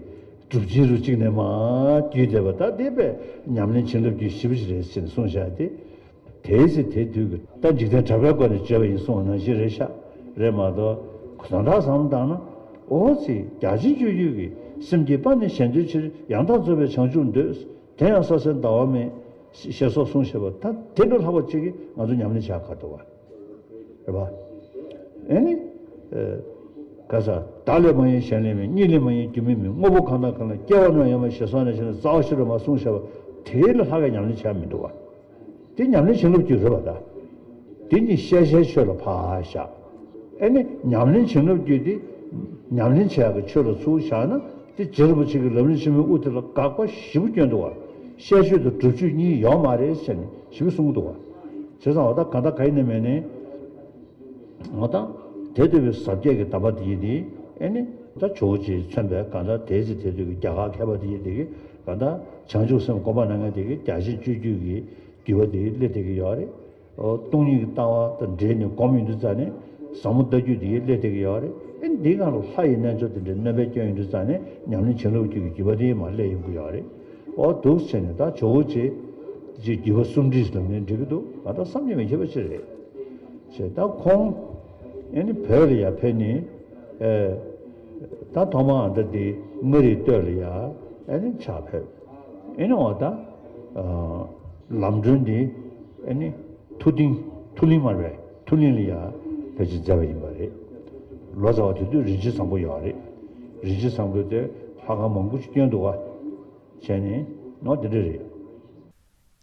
གྲུབ་ཆེན་རུ་གཅིག་ནས་མར་བརྒྱུད་བསྡད་པ། ད་དེ་པས་ཉམས་ལེན་བྱིན་རླབས་བརྒྱུད་ཞེ་པོ་ཞིག་རེད་ཟེར་ནས་གསུངས་བཞག་སྟེ། དེའི་ཚེ་དེའི་དུས་ཀྱི་ད་འཇིག་རྟེན་གྲགས་པའི་སྒོ་ནས་བརྗོད་པ་ཡིན་གསུངས་པ་ནང་བཞིན་རེད་ཤག། རེད་མ་གཏོགས་དོན་དག་བསམ་བློ་བཏང་ན། འོ་ཙི་རྒྱ་ཆེན་སྤྱོད་རྒྱུད་ཀྱི། སེམས་བསྐྱེད་པ་ནི་གཞན་དོན་ཕྱིར། ཡང་དག་རྫོགས་པའི་བྱང་ཆུབ་འདོད། དེ་ཡང་ས་གསེར་ཟླ་བ་མེད། ཞེས་སོགས་གསུངས་བཞག་པ། ད་དེ་འདྲ་ལྷག་པ་ཅིག་གིས་ང་ཚོ་ཉམས་ལེན་བྱ་ག་འདུག་བ། རེད་པ། ཨེ་ནི། ཨེ། ག་ས། བདག་ལས་མ་གཡེངས་གཞན་ལས་མིན། གཉིས་ལས་མ་གཡེངས་རྒྱུ་མེད་མིན། དངོས་པོ་གང་དང་གང་ལ། སྐྱེ་བ་རྣམས་ཡོད་མིན་ཞེས་སོགས་ནས་བྱས་ནས། རྩ་བ་ཤེས་རབ་མ་གསུངས་བཞག་པ། དེ་ལས་ལྷག་ག་ཉམས་ལེན་བྱ་མི་འདུག་བ། དེ་ཉམས་ལེན་བྱིན་རླབས་བརྒྱུད་རེད་པ། ད་དེ་གཉིས་ཤེས་བྱའི་ཆོས་ལ་ཕར་བཞག། ཨེ་ནི་ཉམས་ལེན་བྱིན་རླབས་བརྒྱུད་དེ། ཉམས་ལེན་བྱེད་ཡག་གི་ཆོས་ལ་ཚུར་བཞག་ན། དེ་རྗེ་རིན་པོ་ཆེ་གི་ལམ་རིམ་ཆེན་མོའི་དབུ་དེ་ལ་དགག་པ་ཞེ་པོ་སྐྱོན་འདུག་བ། ཤེས་ཆོས་དང་སྒྲུབ་ཆོས་གཉིས་ཡོད་མ་རེད་ཟེར་ནས་ཞེ་པོ་གསུང་གི་འདུག་བ། བྱས་ཙང་འོ་ད་གང་ལྟར་གང་ཡིན་ནའི་མིན་ནའི། འོ་ད་དེ་འདོད་པའི་ཟབ་རྒྱས་ཀྱི་གདམས་པ་དེ་ཡིན་དེ། ཨེ་ནི་ད་ཇོ་བོ་རྗེས་མཚོན་པའི་གང་ལྟར་དེའི་ཚེ་དེ་དུས་ཀྱི་རྒྱ་གར་མཁས་པ་དེ་ཡིན་དེ་གིས་གང་ལྟར་བྱང་ཆུབ་སེམས་སྒོམ་པ་གནང་མཁན་དེ་གིས་རྒྱ་ཆེན་སྤྱོད་རྒྱུད་ཀྱི་བརྒྱུད་པ་དེ་སླེབས་བསྡད་ཀྱི་ཡོད་རེད། སྟོང་ཉིད་ཀྱི་ལྟ་བ་དང་འབྲེལ་ནས་སྒོམ་ཡོང་དུས་ཙ་ནས་ཟབ་མོ་ལྟ་རྒྱུད་དེ་སླེབས་བསྡད་ཀྱི་ཡོད་རེད། ཨེ་འདིའི་སྒང་ལ་ལྷ་ཡི་རྣལ་འབྱོར་དེ་འདྲའི་སྣོན་པ་སྐྱོན་ཡོང་དུས་ཙ་ནས་ཉམས་ལེན་བྱིན་རླབས་བརྒྱུད་ཀྱི་བརྒྱུད་པ་དེ་མར་སླེབས་ཡོང་གི་ཡོད་རེད། འོ་འདུག་བྱས་ནས་ད་ཇོ་བོ་རྗེ་ཀྱི་བརྒྱུད་པ་གསུམ་སྒྲིལ་ལབ་ནས་འགྲིག་གི་འདུག། ང་ད་བསམ་གྱིས་མི་ཁྱབ་པ་ཅིག་རེད། བྱས་ད་ཁོང་ཨེ་ནི་བོད་ལ་ཡར་ཕེབས་ནས། ཨེ། ད་ཐོག་མར་ཨ་ད་དེ་མངའ་རིས་སྟོད་ལ་ཡར་ཨེ་ནི་ཕྱག་ཕེབས། ཨེ་ནི་འོ་ད། ཨ། ལམ་སྒྲོན་འདི་ཨེ་ནི་ཐུ་ཏིང་། ཐུ་ལིང་མ་རེད། ཐུ་ལིང་ལ་ཡར་ཕལ་ཆེར་མཛད་པ་ཡིན་པ་རེད། ལོ་ཙཱ་བ་དེ་དུས་རིན་ཆེན་བཟང་པོ་ཡོད་རེད། རིན་ཆེན་བཟང་པོ་དེ་ལྷ་ཁང་མང་པོ་ཞིག་བསྐྱོན་འདུག་ག། བྱས་ནས་ནོ་དེ་འདྲ་རེད།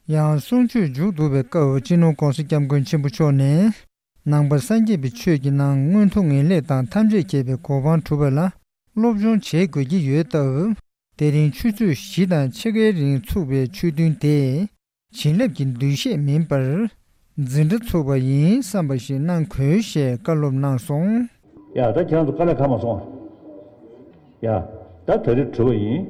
ཡང་གསུང་ཆོས་མཇུག་བསྡུ་བའི་སྐབས་སྤྱི་ནོར་༸གོང་ས་༸སྐྱབས་མགོན་ཆེན་པོ་མཆོག་ནས། ནང་པ་སངས་རྒྱས་པའི་ཆོས་ཀྱི་ནང་མངོན་མཐོ་ངེས་ལེགས་དང་ཐམས་ཅད་མཁྱེན་པའི་གོ་འཕང་སྒྲུབ་པ་ལ་སློབ་སྦྱོང་བྱེད་དགོས་ཀྱི་ཡོད་སྟབས། དེ་རིང་ཆུ་ཚོད་བཞི་དང་ཕྱེད་ཀའི་རིང་ཚུགས་པའི་ཆོས་ཐུན་དེ། བྱིན་རླབས་ཀྱི་འདུ་ཤེས་མིན་པར། འཛིན་གྲྭ་ཚུགས་པ་ཡིན་བསམ་པ་ཞིག་གནང་དགོས་ཞེས་བཀའ་སློབ་གནང་སོང་། ཡ་ད་ཁྱེད་རང་ཚོ་དཀའ་ལས་ཁག་མ་སོང་ཨ། ཡ། ད་ད་རེས་གྲུབ་པ་ཡིན།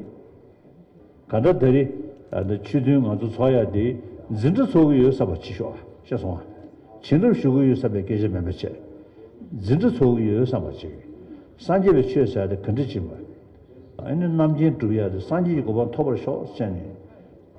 ག་ད་ད་རེས་ཨ་ད་ཆོས་ཐུན་ང་ཚོ་ཚོགས་ཡ་དེ་འཛིན་གྲྭ་ཚུགས་ཀྱི་ཡོད་བསམ་པ་ཅིག་ཤོག་ཨ། ཤེས་སོང་ཨ། བྱིན་རླབས་ཞུ་གི་ཡོད་བསམ་པའི་སྐད་ཆ་མིན་པ་བྱས། འཛིན་གྲྭ་ཚུགས་ཀྱི་ཡོད་བསམ་པ་ཅིག། སངས་རྒྱས་པའི་ཆོས་ཟེར་ཡ་དེ་ག་འདྲ་ཅིག་ཡིན་པ། ཨ་ནི་རྣམ་མཁྱེན་སྒྲུབ་ཡ་དེ་སངས་རྒྱས་ཀྱི་གོ་འཕང་ཐོབ་པར་ཤོག་ཟེར་ནས།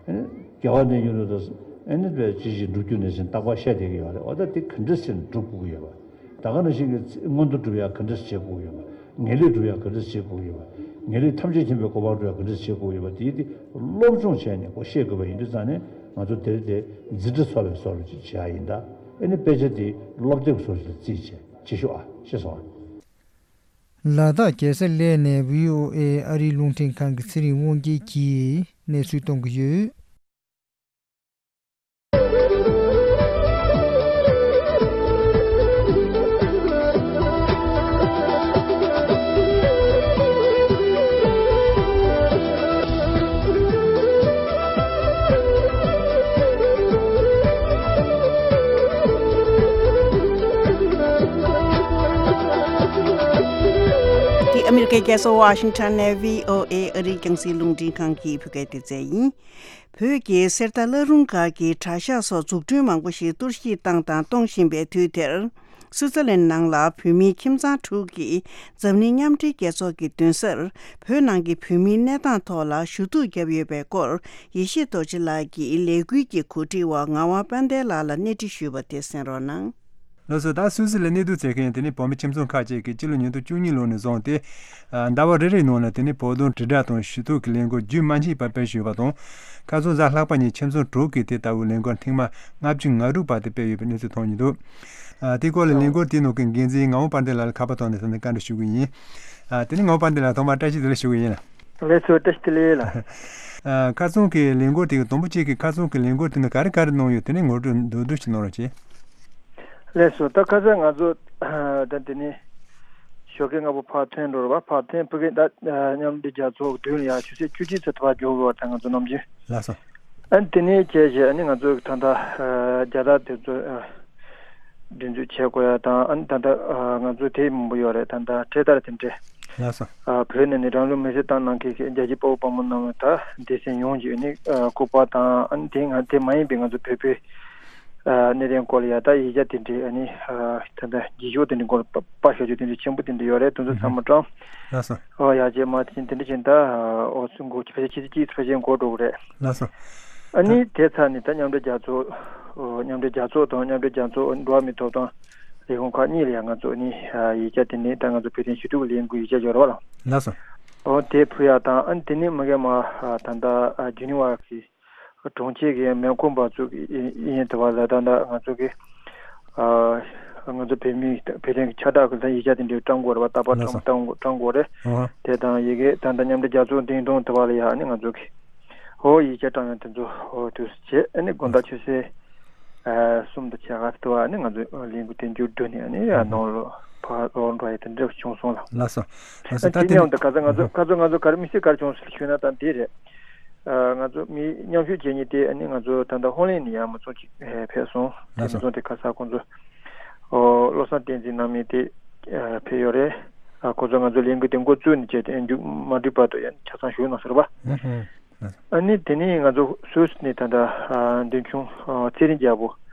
ཨ་ནི་རྒྱལ་བ་དོན་གྱི་ལུགས་དང་། ཨ་ནི་དཔེ་ཅི་ཞིག་སྒྲུབ་རྒྱུ་ནས་ཟིན་རྟག་པར་བཤད་བསྡད་ཀྱི་ཡོད་རེད། འོ་ད་དེ་ག་འདྲ་ཟེར་ནས་སྒྲུབ་དགོས་ཀྱི་ཡོད་པ། ད་ག་ནང་བཞིན་གྱི་མངོན་མཐོ་སྒྲུབ་ཡ་ག་འདྲ་བྱེད་དགོས་ཀྱི་ཡོད་པ། ངེས་ལེགས་སྒྲུབ་ཡ་ག་འདྲ་བྱེད་དགོས་ཀྱི་ཡོད་པ། ངེས་ལེགས་ཐམས་ཅད་མཁྱེན་པའི་གོ་འཕང་སྒྲུབ་ཡ་ག་འདྲ་བྱེད་དགོས་ཀྱི་ཡོད་པ། དེ་དེ་སློབ་སྦྱོང་བྱས་ནས་ཁོ་ཤེས་དགོས་པ་ཡིན་དུས་ཙང་ནས། ང་ཚོ་དེ་རིང་དེ་འཛིན་གྲྭ་ཚོགས་པའི་བཟོ་འདྲ་ཅིག་བྱེད་ཡ་ཡིན་ད། ཨ་ནི་དཔེ་ཆ་དེ་སློབ་དེབ་བཟོ་འདྲ་ཅིག་ལ་རྩིས་བྱས་བྱེད་ཤོག་ཨ། ཤེས་སོང་ཨ། ལ་དྭགས་རྒྱལ་ས་གླེ་ནས་བྷི་ཨོ་ཨེ་ཨ་རིའི་རླུང་འཕྲིན་ཁང་གི་ཚེ་རིང་དབང་རྒྱལ་གྱིས་གནས་ཚུལ་གཏོང་གི་ཡོད། འདི་ཨ་མི་རི་ཀའི་རྒྱལ་ས་ཝ་ཤིང་ཊོན་ནས་བྷི་ཨོ་ཨེ་ཨ་རིའི་རྒྱང་སྲིང་རླུང་འཕྲིན་ཁང་གི་བོད་སྐད་སྡེ་ཚན་ཡིན། བོད་ཀྱི་གསེར་རྟ་བླ་རུང་སྒར་གྱི་གྲྭ་ཤག་སོགས་འཛུགས་སྐྲུན་མང་པོ་ཞིག་གཏོར་བཤིག་བཏང་དང་གཏོང་བཞིན་པའི་དུས་དེར། སུའུ་ཙེར་ལན་ནང་ལ་བོད་མིའི་ཁྱིམ་ཚང་དྲུག་གིས་འཛམ་གླིང་མཉམ་འབྲེལ་རྒྱལ་ཚོགས་ཀྱི་མདུན་སར་བོད་ནང་གི་བོད་མིའི་གནས་སྟངས་ཐོག་ལ་ཞུ་གཏུག་བརྒྱབ་ཡོད་པའི་སྐོར། ཡེ་ཤེས་རྡོ་རྗེ་ལགས་ཀྱིས་ལས་འགུལ་གྱི་གོ་སྒྲིག་པ་ངག་དབང་དཔལ་ལྡན་ལགས་ལ་གནས་འདྲི་ཞུས་པ་དེ་གསན་རོགས་གནང་། ལགས་སོ། ད་སུད་སི་ལ་གནས་སྡོད་བྱེད་མཁན་དེ་ནི་བོད་མི་ཁྱིམ་ཚང་ཁག་ཅིག་གིས་སྤྱི་ལོ་ཉིས་སྟོང་བཅུ་གཉིས་ལོ་ནས་བཟུང་སྟེ། ཟླ་བ་རེ་རེའི་ནང་ལ་དེ་ནི་བོད་དོན་དྲིལ་བསྒྲགས་དང་ཞུ་གཏུག་གི་ལས་འགུལ་རྒྱུན་མ་ཆད་པར་སྤེལ་བཞིན་ཡོད་པ་དང་། ཁ་སང་གཟའ་ལྷག་པ་ཉིན་ཁྱིམ་ཚང་དྲུག་གིས་དེ་ལྟ་བུའི་ལས་འགུལ་ཐེངས་མ་ལྔ་བཅུ་ང་དྲུག་བར་དུ་སྤེལ་ཡོད་པའི་གནས་ཚུལ་ཐོན་ཡོད་འདུག། ཨ། དེའི་སྐོར་ལ་ལས་འགུལ་དེའི་ནང་གི་འགན་འཛིན་ངག་དབང་དཔལ་ལྡན་ལགས་ལ་ཁ་པར་ཐོག་ནས་ད་ནི་བཀའ་འདྲི་ཞུ་གི་ཡིན། ཨ། དེ་ནི་ངག་དབང་དཔལ་ལྡན་ལགས་ཐོག་མར་བཀྲ་ཤིས་བདེ་ལེགས་ཞུ་གི་ཡིན། ལགས་སོ། བཀྲ་ཤིས་བདེ་ལེགས་ལགས། ཨ། ཁ་སང་གི་ལས་འགུལ་དེ་གི་དང་པོ་གཅིག་གི་ཁ་སང་གི་ལས་འགུལ་དེ་ནི་ག་རེ་ག་རེ་གནང་ཡོད། དེ་ནི་ངོ་སྤྲོད་མདོར་བསྡུས་ཤིག་གནང་རོགས་གྱིས། ལགས་སོ། ད་ཁ་སང་ང་ཚོ་ད་དེ་ནས་ཞོགས་ཀས་སྔ་པོ་ཕར་ཐོན་འགྲོ་རེད་པ། ཕར་ཐོན་ཕ་གི་ད་མཉམ་འབྲེལ་རྒྱལ་ཚོགས་མདུན་ལ་ཡ་ཆུ་ཚོད་བཅུ་གཅིག་ཙམ་ཕར་འགྲོ་དགོས་པ། ད་ང་ཚོ་ནམ་རྒྱུན། ལགས་སོ། ཨ་ནི་དེ་ནས་བྱས་བྱས་ཨ་ནི་ང་ཚོ་ད་ལྟ་རྒྱལ་དར་དེ་ཚོ་སྒྲེང་འཛུགས་བྱེད་དགོས་ཡ་དང་། ཨ་ནི་ད་ལྟ་ང་ཚོ་དེ་མང་པོ་ཡོད་རེད། ད་ལྟ་འཕྲེད་དར་དེ་འདྲས། ལགས་སོ། བོད་ནས་ནི་རང་ལུས་མེར་སྲེག་བཏང་གནང་མཁན་གྱི་རྒྱལ་གཅེས་དཔའ་བོ་དཔའ་མོ་རྣམས་ལ་ད་སྡེ་ཚན་ཡོངས་ཀྱི་ནི་སྐུ་པར་དང་། ཨ་ནི་དེ་ང་དེ་མ་ཡིན་པའི་ང་ཚོ་བོད་པའི་གནད་དོན་སྐོར་ལ་ཡ་ད་ཡིག་ཆ་དེ་འདྲས། ཨ་ནི་ད་ལྟ་རྗེས་ཕྱོགས་དེ་འདྲས་སྐོར་ལ་པར་ཤོག་ཆུ་དེ་འདྲས་ཆེན་པོ་དེ་འདྲས་ཡོད་རེད། དེ་ཚོ་ཚང་མ་བཀྲམ། ལགས་སོ། ཨོ་ཡ་རྗེས་མ་དེ་བཞིན་དེ་འདྲས་བྱས་ད་ཨོ་ཚུན་ཕལ་ཆེར་ཕྱི་ཚེས་གཅིག་ཕལ་ཆེར་འགོར་འགྲོ་གི་རེད། ལགས་སོ། ཨ་ནི་དེ་ཚར་ནས་ད་མཉམ་འབྲེལ་རྒྱལ་ཚོགས་མཉམ་འབྲེལ་རྒྱལ་ཚོགས་དང་མཉམ་འབྲེལ་རྒྱལ་ཚོགས་འགྲོ་བ་མིའི་ཐོབ་ཐང་ལས་ཁུངས་ཁག་གཉིས་ལ་ཡང་ང་ཚོ་ནི་ཡིག་ཆ་དེ་ནས་ད་ང་ཚོ་བོད་དོན་ཞུ་གཏུག་ལས་འགུལ་ཡིག་ཆ་འབྱོར་བ་ལ། ལགས་སོ། འོ་དེ་ཕུལ་ཡ་དང་། ཨ་ནི་དེ་ནས་མ་གི་མ་ད་ལྟ་ཇི་ནི་ཝ་གི་གྲོང་ཁྱེར་གྱི་མེ་འཁོར་འབབ་ཚུགས་ཡིན་དུ་བ་ལ་ད་ལྟ་ང་ཚོ་གི་ང་ཚོ་བོད་མི་བོད་དོན་གྱི་ཁྱབ་བསྒྲགས་ཀྱི་ཡིག་ཆ་དེ་འདྲའི་བཀྲམ་དགོས་རེད་པ། རྟག་པར་ལགས་སོ། བཀྲམ་བཀྲམ་དགོས་རེད། ཨོ། དེ་དང་ཡི་གེ་ད་ལྟ་མཉམ་འབྲེལ་རྒྱལ་ཚོགས་འདིང་གྲོངས་དུ་བ་ལ་ཡ་ཨ་ནི་ང་ཚོ་གི་ཨོ་ཡིག་ཆ་བཀྲམ་ཡ་དེ་ཚོ་ཨོ་དུས་སུ་བྱས། ཨ་ནི་དགོང་དག་ཆུ་ཚོད་གསུམ་དང་ཕྱེད་ཀ་དུ་བ་ཨ་ནི་ང་ཚོ་ལས་འགུལ་དེ་མཇུག་བསྒྲིལ་ནས་ཨ་ནི་ཡ་ནང་ལོགས་ཕར་ལོག་འགྲོ་ཡ་དེ་འདྲ་བྱུང་སོང་ལགས། ལགས་སོ། ལགས་སོ། ད་དེ་དེ་མཉམ་དུ་ཁ་སང་ང་ཚོ་ཁ་ཚོ་ང་ཚོ་ག་རེ་དམིགས་བསལ་ག་རེ་བྱུང་སོང་ཞུས་ན་ད་འདི་རེད། ང་ཚོ་མི་མཉམ་ཞུགས་བྱེད་མཁན་དེ་ཨ་ནི་ང་ཚོ་ད་ལྟ་ཧོ་ལན་ནས་ཡང་མི་ཚང་གཅིག་ཕེབས་སོང་། དེ་ལགས་སོ། མི་ཚང་དེ་ཁ་སང་ཁོང་ཚོ་ཨོ་བློ་བཟང་བསྟན་འཛིན་ནང་མི་དེ་ཕེབས་ཡོད་རེད། ཁོང་ཚོ་ང་ཚོ་ལས་འགུལ་དེ་འགོ་བཙུགས་ནས་བྱས་ཏེ་མཇུག་མ་སྒྲིལ་བར་དུ་ཡང་ཆ་ཚང་བཞུགས་གནང་ཟེར་བ། ཨ་ནི་དེ་ནས་ང་ཚོ་སུད་སི་ནས་ད་ལྟ་མདུན་ཆུང་ཚེ་རིང་རྒྱལ་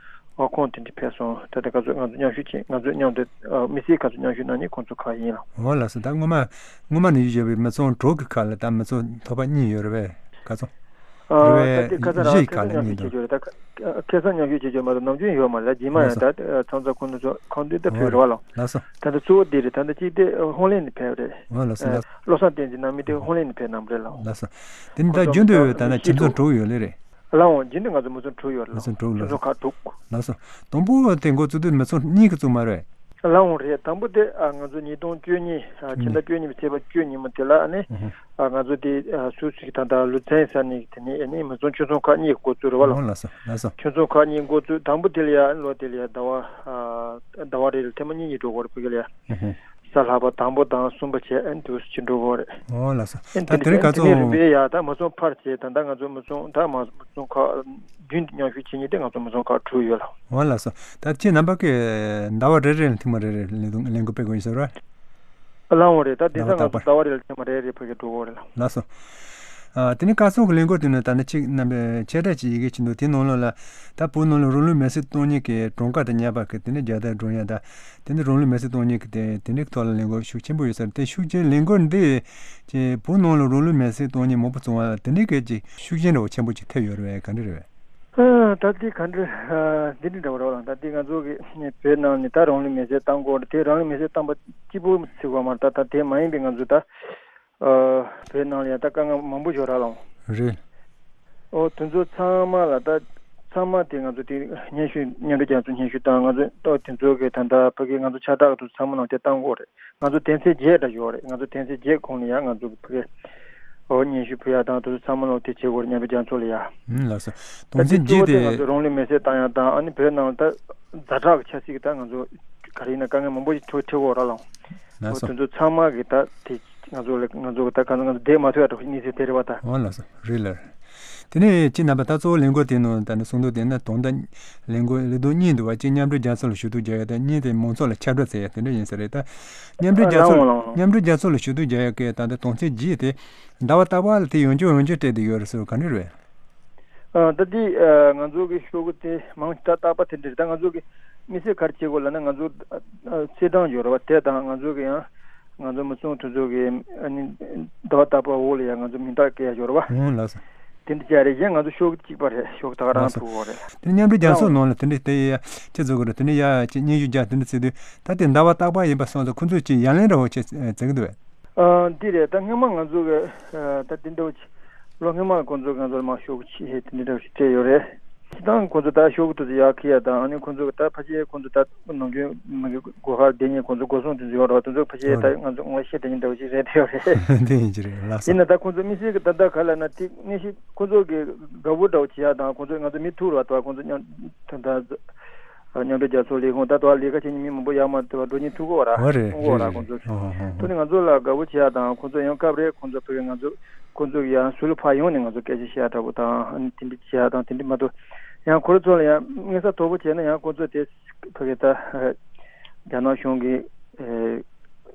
པོ་ཁོང་དེ་འདྲ་ཕེབས་སོང་། ད་ལྟ་ཁོང་ཚོ་ང་ཚོ་མཉམ་ཞུགས་བྱས། ང་ཚོ་མཉམ་དུ་མི་སེར་ཁོང་ཚོ་མཉམ་ཞུགས་གནང་མཁན་ཁོང་ཚོ་ཁག་ཡིན་ལགས། འོ་ལགས་སོ། ད་སྔོན་མ་སྔོན་མ་ནས་ཡོད་པའི་མི་ཚང་དྲུག་གི་ཁ་ལ་ད་མི་ཚང་ཐོབ་པ་གཉིས་ཡོད་རེད་པས། ག་ཚོད་རེད་པས། ད་ལྟ་ཁ་སང་རང་བཞི་ཡི་ཁ་ཁ་སང་ལ་མཉམ་གཉིས་ཞུགས་འདུག་བྱེད་རྒྱུ་རེད། ད་ཁ་སང་མཉམ་ཞུགས་བྱེད་རྒྱུ་མ་གཏོགས་ནམ་རྒྱུན་ཡོད་མ་རེད། རྗེས་མ་ཡང་ད་ཚང་ཚང་ཁོང་ཚོ་ཁང་དུ་ད་ཕེབས་རེད་པ་ལགས། ལགས་སོ། ད་ལྟ་གཙོ་བོ་འདི་རེད། ད་ལྟ་གཅིག་དེ་ཧོ་ལན་ནས་ཕེབས་རེད། འོ་ལགས་སོ། ལགས་སོ། བློ་བཟང་བསྟན་འཛིན་ནང་མི་དེ་ཧོ་ལན་ནས་ཕེབས་གནང་རེད་ལགས། ལགས་སོ། དེ་ནི་ད་རྒྱུན་དུ་ཡོད། ད་ནི་ཁྱིམ་ཚང་དྲུག་ཡོད་ལེ་རེད། ལགས་འོང་། རྒྱུན་དུ་ང་ཚོ་མི་ཚང་དྲུག་ཡོད་རེད་ལགས། མི་ཚང་དྲུག་ལགས། ཁྱིམ་ཚང་ཁག་དྲུག་ལགས་སོ། དང་པོ་དེ་འགོ་བཙུགས་དུས་མི་ཚང་གཉིས་ཀྱིས་བཙུགས་མ་རེད། ལགས་འོང་། རེད། དང་པོ་དེ་ང་ཚོ་ཉིས་སྟོང་བཅུ་གཉིས་ཕྱི་ཟླ་བཅུ་གཉིས་པའི་ཚེས་པ་བཅུ་ཉིན་མོ་དེ་ལ་ཨ་ནི་ང་ཚོ་དེ་སུད་སི་གི་ད་ལྟ་ལུ་ཚན་ས་གནས་དེ་ནས་ཨ་ནི་མི་ཚང་ཁྱིམ་ཚང་ཁག་གཉིས་འགོ་བཙུགས་རེད་པ་ལགས། ལགས་སོ། ལགས་སོ། ཁྱིམ་ཚང་ཁག་གཉིས་འགོ་བཙུགས། དང་པོ་དེ་ལ་ཡ་ལོ་དེ་ལ་ཡ་ཟླ་བ་ཟླ་བ་རེ་ལ་ཐེངས་མ་གཉིས་གཉིས་འགྲོ་དགོས་རེད། ཕ་གི་ལ་ཡ། གཟའ་ལྷག་པ་དང་པོ་དང་གསུམ་པ་བྱས་ཨ་ནི་དུས་སུ་ཕྱིར་འགྲོ་དགོས་རེད། འོ་ལགས་སོ། ཨ་ནི་ད་དེ་དེ་རིང་ག་ཚོད་དེ་ནས་རིམ་པས་ཡ་ད་མི་ཚང་ཕར་བྱས། ད་ལྟ་ང་ཚོ་མི་ཚང་ད་མ་མི་ཚང་ཁག་རྒྱུན་དུ་མཉམ་ཞུགས་བྱེད་མཁན་དེ་ང་ཚོ་མི་ཚང་ཁག་དྲུག་ཡོད་ལགས། འོ་ལགས་སོ། ད་ཁྱེད་རྣམ་པ་གིས་ཟླ་བ་རེ་རེ་ལ་ཐེངས་མ་རེ་རེ་ལས་དོན་ལས་འགུལ་སྤེལ་དགོས་ཡིན་ཟེར་བ། ལགས་འོང་། རེད། ད་དེང་སང་ང་ཚོ་ཟླ་བ་རེ་ལ་ཐེངས་མ་རེ་རེ་ཕ་གི་འགྲོ་དགོས་རེད་ལགས། ལགས་སོ། ཨ། དེ་ནས་ཁ་སང་གི་ལས་འགུལ་དེ་ནི་ད་ནི་ཅིག་རྣམ་པས་ཆེ་ཕྲ་ཅིག་ཡི་གེ་ཅིག་འདུག་དེའི་ནང་ལོགས་ལ་ད་བོད་ནང་ལ་རང་ལུས་མེར་སྲེག་གཏོང་མཁན་གྱི་གྲངས་ཀ་དང་ཉམས་པ་གི་དེ་ནས་རྒྱལ་དར་སྒྲེང་ཡ་ད་དེ་ནས་རང་ལུས་མེར་སྲེག་གཏོང་མཁན་གྱི་དེ་དེ་འདྲའི་ཐོག་ལ་ལས་འགུལ་ཤུགས་ཆེན་པོ་ཡོད་ས་རེད། དེ་ཤུགས་ཆེན་ལས་འགུལ་འདི་ཅིག་བོད་ནང་ལ་རང་ལུས་མེར་སྲེག་གཏོང་མཁན་མང་པོ་བྱུང་བ་ལ་དེ་འདྲའི་གི་ཅིག་ཤུགས་རྐྱེན་འདྲ་བོ་ཆེན་པོ་ཅིག་ཐེབས་ཡོད་རེད་པས། ག་འདྲ་རེད་པས། ཨ། ད་ལྟའི་ག་འདྲ་འདི་འདྲ་འདྲ་བོ་རེད་པ་ལགས། ད་ལྟའི་ང་ཚོ་གི་བོད་ནང་ནས་ད་རང་ལུས་མེར་སྲེག་བཏང་དགོས་རེད། དེ་རང་ལུས་མེར་སྲེག་བཏང་པ་གཅིག་པུ་ཟེར་དགོས་མ་རེད། ད་ད་དེ་མ་ཡིན་པའི་ང་ཚོ་ད་ཨ། བོད་ནང་ལ་ཡང་ད་དཀའ་ངལ་མང་པོ་ཞིག་ཡོད་རེད་ལགས། རེད། ཨོ་དེ་ཚོ་ཚང་མ་ལ་ད་ཚང་མ་དེ་ང་ཚོ་དེ་སྙན་ཞུ་མཉམ་འབྲེལ་རྒྱལ་ཚོགས་སྙན་ཞུ་དང་། ང་ཚོ་ཨོ་དེ་ཚོ་གི་ད་ལྟ་ཕ་གི་ང་ཚོ་ཁྱབ་བསྒྲགས་དེ་ཚོ་ཚང་མ་ནང་དེ་བཏང་དགོས་རེད། ང་ཚོ་དོན་ཚན་བརྒྱད་འདྲ་ཡོད་རེད། ང་ཚོ་དོན་ཚན་བརྒྱད་གོང་ལ་ཡང་ང་ཚོ་གི་ཕ་གི་ཨོ་སྙན་ཞུ་ཕུལ་ཡ་དང་དེ་ཚོ་ཚང་མ་ལ་དེ་བྱེད་དགོས་རེད། མཉམ་འབྲེལ་རྒྱལ་ཚོགས་ལ་ཡ། ཨུམ། ལགས་སོ། ད་དོན་ཚན་དེ་གཙོ་བོ་དེ་ང་བརྒྱད་དེ། ཚོ་རང་ལུས་མེར་སྲེག་བཏང་ཡ་དང་། ཨ་ནི་བོད་ནང་ལ་ད་ཛ་དྲག་གི་ཆབ་སྲིད་ཀྱི་ད་ང་ཚོ་ག་རེ་ཡིན་ན་དཀའ་ངལ་མང་པོ་ཞིག་འཕྲད་འཕྲད་ཀྱི་ཡོད་རེད་ལགས། ལགས་སོ། འོ་དེ་ཚོ་ཚང་མ་གི་ད་དེ་ང་ཚོ་ལ་ང་ཚོ་གི་ད་ག་ང་ཚོ་བསྡད་མ་ཐུབ་ཡ་འདྲ་བོ་ཞིག་གནས་ཚུལ་དེ་རེད་པ་ད། འོ་ལགས་སོ། རེད་ལགས། དེ་ནས་ཁྱེད་རྣམ་པ་ད་གཙོ་བོ་ལས་འགུལ་དེ་ནང་ད་ནི་གསུང་དོན་དེ་ནི་དོན་དག་ལས་འགུལ་ལས་དོན་གཉིས་འདུག་པ། གཅིག་མཉམ་འབྲེལ་རྒྱལ་ཚོགས་ལ་ཞུ་གཏུག་རྒྱག་ཡ་དང་། གཉིས་དེ་མང་ཚོགས་ལ་ཁྱབ་བསྒྲགས་བྱེད་ཡ་དེ་འདྲ་ཡིན་ས་རེད། ད་མཉམ་འབྲེལ་རྒྱལ་ཚོགས་ལ་ལགས་འོང་ལགས་འོང་། མཉམ་འབྲེལ་རྒྱལ་ཚོགས་ལ་ཞུ་གཏུག་རྒྱག་ཡ་གི་ད་ལྟ་དོན་ཚན་བརྒྱད་དེ་ཟླ་བ་རྟག་པར་ལ་དེ་ཡང་བསྐྱར་ཡང་བསྐྱར་སྤྲད་བསྡད་ཡོད་རེད་ཟེར་བ་ག་འདྲ་རེད། ཨ། ད་འདི་ཨ་ང་ཚོ་གི་ཤོག་གུ་དེ་མང་ཆེ་ད་རྟག་པ་དེ་འདྲ་རེད། ད་ང་ཚོ་གི་དམིགས་བསལ་ག་རེ་བྱེད་དགོས་ལབ་ན། ང་ཚོ་ཨ་ཨ་ཚེས་གྲངས་ཡོད་རེད་པ། དེ་དང་ང་ཚོ་གི་ཡང་ང་ཚོ་མི་ཚང་དེ་ཚོ་གི་ཨ་ནི་ཟླ་བ་རྟག་པར་འོག་ལ་ཡང་ང་ཚོ་མིང་རྟགས་བཀོད་ཡ་ཡོད་རེད་པ། ཨང་། ལགས་སོ། དེ་འདྲ་བྱས་རེད། གཞན་ང་ཚོ་ཤོག་གུ་གཅིག་པ་རེད། ཤོག་གུ་ད་ག་རང་ལགས་སོ། ཐུག་གོ་རེད། དེ་ནི་མཉམ་འབྲེལ་རྒྱལ་ཚོགས་ནང་ལ་དེ་འདྲ་དེ་ཡ་ཅི་བཟོ་དགོས་རེད། དེ་ནི་ཡ་ཅི་སྙན་ཞུ་རྒྱག་དེ་འདྲ་བྱེད་དུས་ད་དེ་ཟླ་བ་རྟག་པར་ཡིན་པ་སོང་ཙང་ཁོ་ཚོས་ཅི་ཡ་ལན་འདྲ་བོ་ཅི་བྱེད་ཀྱི་འདུག་པས། ཨ། འདི་རེད། ད་སྔོན་མ་ང་ཚོ་གི་ཨ་ད་འདི་འདྲ་བོ་ཅིག་ལོ་སྔོན་མ་ཁོང་ཚོ་ང་ཚོ་ལ་མར་ཤོག་གུ་ཅིག་དེ་འདྲ་འདྲ་བོ་ཞིག་སྤྲད་ཡོད་རེད། སྤྱིར་བཏང་ཁོང་ཚོ་ད་ཤོག་གུ་དེ་ཚོ་ཡར་འཁྱེར་ཡ་དང་། ཨ་ནི་ཁོང་ཚོ་གི་ད་ཕལ་ཆེར་ཁོང་ཚོ་ད་ནམ་རྒྱུན་མ་གི་སྒོ་ཁར་བསྡད་མཁན་ཁོང་ཚོ་སྒོ་སྲུང་དེ་ཚོ་ཡོད་རེད་པ། དེ་ཚོ་ཕལ་ཆེར་ད་ང་ཚོ་ངོ་ཤེས་དེ་འདྲ་འདྲ་བོ་ཞིག་རེད་དེ་ཡོད་རེད། དེ་ཡིན་གྱི་རེད། ལགས་སོ། ཡིན་ན་ད་ཁོང་ཚོ་དམིགས་བསལ་གི་ད་ལྟ་ག་ལབ་ན་དེ་ནས་ཤིག་ཁོང་ཚོ་གི་དགའ་པོ་འདྲ་བོ་བྱེད་ཡ་དང་། ཁོང་ཚོ་ང་ཚོ་མི་ཐུག་རེད་པ། ད་ཁོང་ཚོ་མཉམ་ད་ད་ མཉམ་འབྲེལ་རྒྱལ་ཚོགས་ལས་ཁུངས་ད་ལྟ་ལས་ཀ་བྱེད་མཁན་མི་མང་པོ་ཡར་མར་འགྲོ་མཁན་ཐུག་གི་ཡོད་རེད། འོ་རེད། ཐུག་གི་ཡོད་རེད། རེད། ཁོང་ཚོ། རེད། ཨོ་ཧོ་ཧོ། ཐུག་ནས་ང་ཚོ་ལ་དགའ་པོ་བྱེད་ཡག་དང་ཁོང་ཚོ་ཡང་སྐབས་རེ་ཁོང་ཚོ་ཕ་གི་ང་ཚོ་ཁོང་ཚོ་ཡང་ཟུར་ལ་ཕར་ཡོང་ནས་ང་ཚོ་སྐད་ཆ་བཤད་ཡག་འདྲ་པོ་དང་ཨ་ནི་དེ་འདྲ་བྱེད་ཡག་དང་དེ་འདྲ་མ་གཏོགས་ཡང་ཁོ་རང་ཚོ་ལ་ཡང་མངོན་གསལ་དོད་པོ་བྱས་ན་ཡང་ཁོང་ཚོ་དེ་ཕ་གི་ད་རྒྱ་ནག་གཞུང་གི་ཨེ་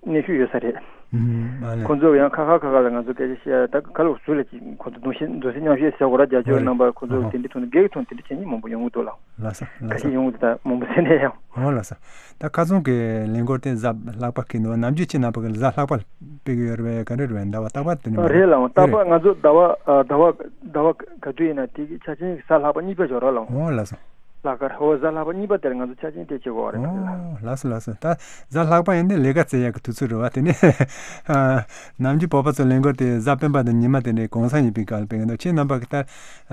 གནོན་ཤུགས་ཡོད་ས་རེད། ཨུམ། ཨ་ལས། ཁོང་ཚོ་ཡང་ཁ་ཁ་ཁ་ཁ་ལ་ང་ཚོ་སྐད་ཆ་བཤད་ཡག་ད་ག་ལ་ཟུར་ལ་ཅིག་ཁོང་ཚོ་གདུང་སེམས་གདུང་སེམས་མཉམ་སྐྱེད་ཟེར་དགོས་ར། རྒྱ་ཆེ་བའི་རྣམ་པ་ཁོང་ཚོ་དེ་འདྲ་ཐོག་ནས་སྒེར་གྱི་ཐོག་ནས་དེ་འདྲ་བྱེད་མཁན་མང་པོ་ཡོང་གི་འདུག་ལགས། ལགས་སོ། ལགས་སོ། ཁ་ཤས་ཡོང་གི་འདུག་ད་མང་པོ་ཟེར་ནས་ཡང་། འོ་ལགས་སོ། ད་ཁ་སང་གི་ལས་འགུལ་དེ་གཟའ་ལྷག་པ་གི་འདུག་ནམ་རྒྱུན་ཁྱེད་རྣམ་པ་གི་གཟའ་ལྷག་པ་སྤེལ་གི་ཡོད་རེད་པས། ག་འདྲ་རེད་པས། ཟླ་བ་རྟག་པར་དེ་འདྲ་མ་རེད། རེད་ལགས། རྟག་པར། རེད། ང་ཚོ་ཟླ་བ་ཨ་ཟླ་བ་ཟླ་བ་ག་དུས་ཡིན་ན་དེ་གི་ཆ་ཆེན་གྱི་གཟའ་ལྷག་པ་གཉིས་པ་འབྱོར་ར་ལགས། འོ་ལགས་སོ། ལྷག་དཀར། འོ་གཟའ་ལྷག་པ་གཉིས་པ་དེར་ང་ཚོ་ཆ་ཆེན་དེ་བྱེད་དགོས་པ་རེད། འོ་ལགས་སོ། ལགས་སོ། ད་གཟའ་ལྷག་པ་ཡིན་དུས་ལས་ཀ་བཙལ་ཡག་གི་དུས་ཚོད་རེད་པ། དེ་ནས་ཨ་ནམ་རྒྱུན་བོད་པ་ཚོ་ལས་འགུལ་དེ་གཟའ་སྤེན་པ་དང་ཉི་མ་དེ་འདྲའི་གུང་སེང་ཡིན་པའི་སྐབས་ལ་སྤེལ་གི་འདུག་ཁྱེད་རྣམ་པ་གི་ད་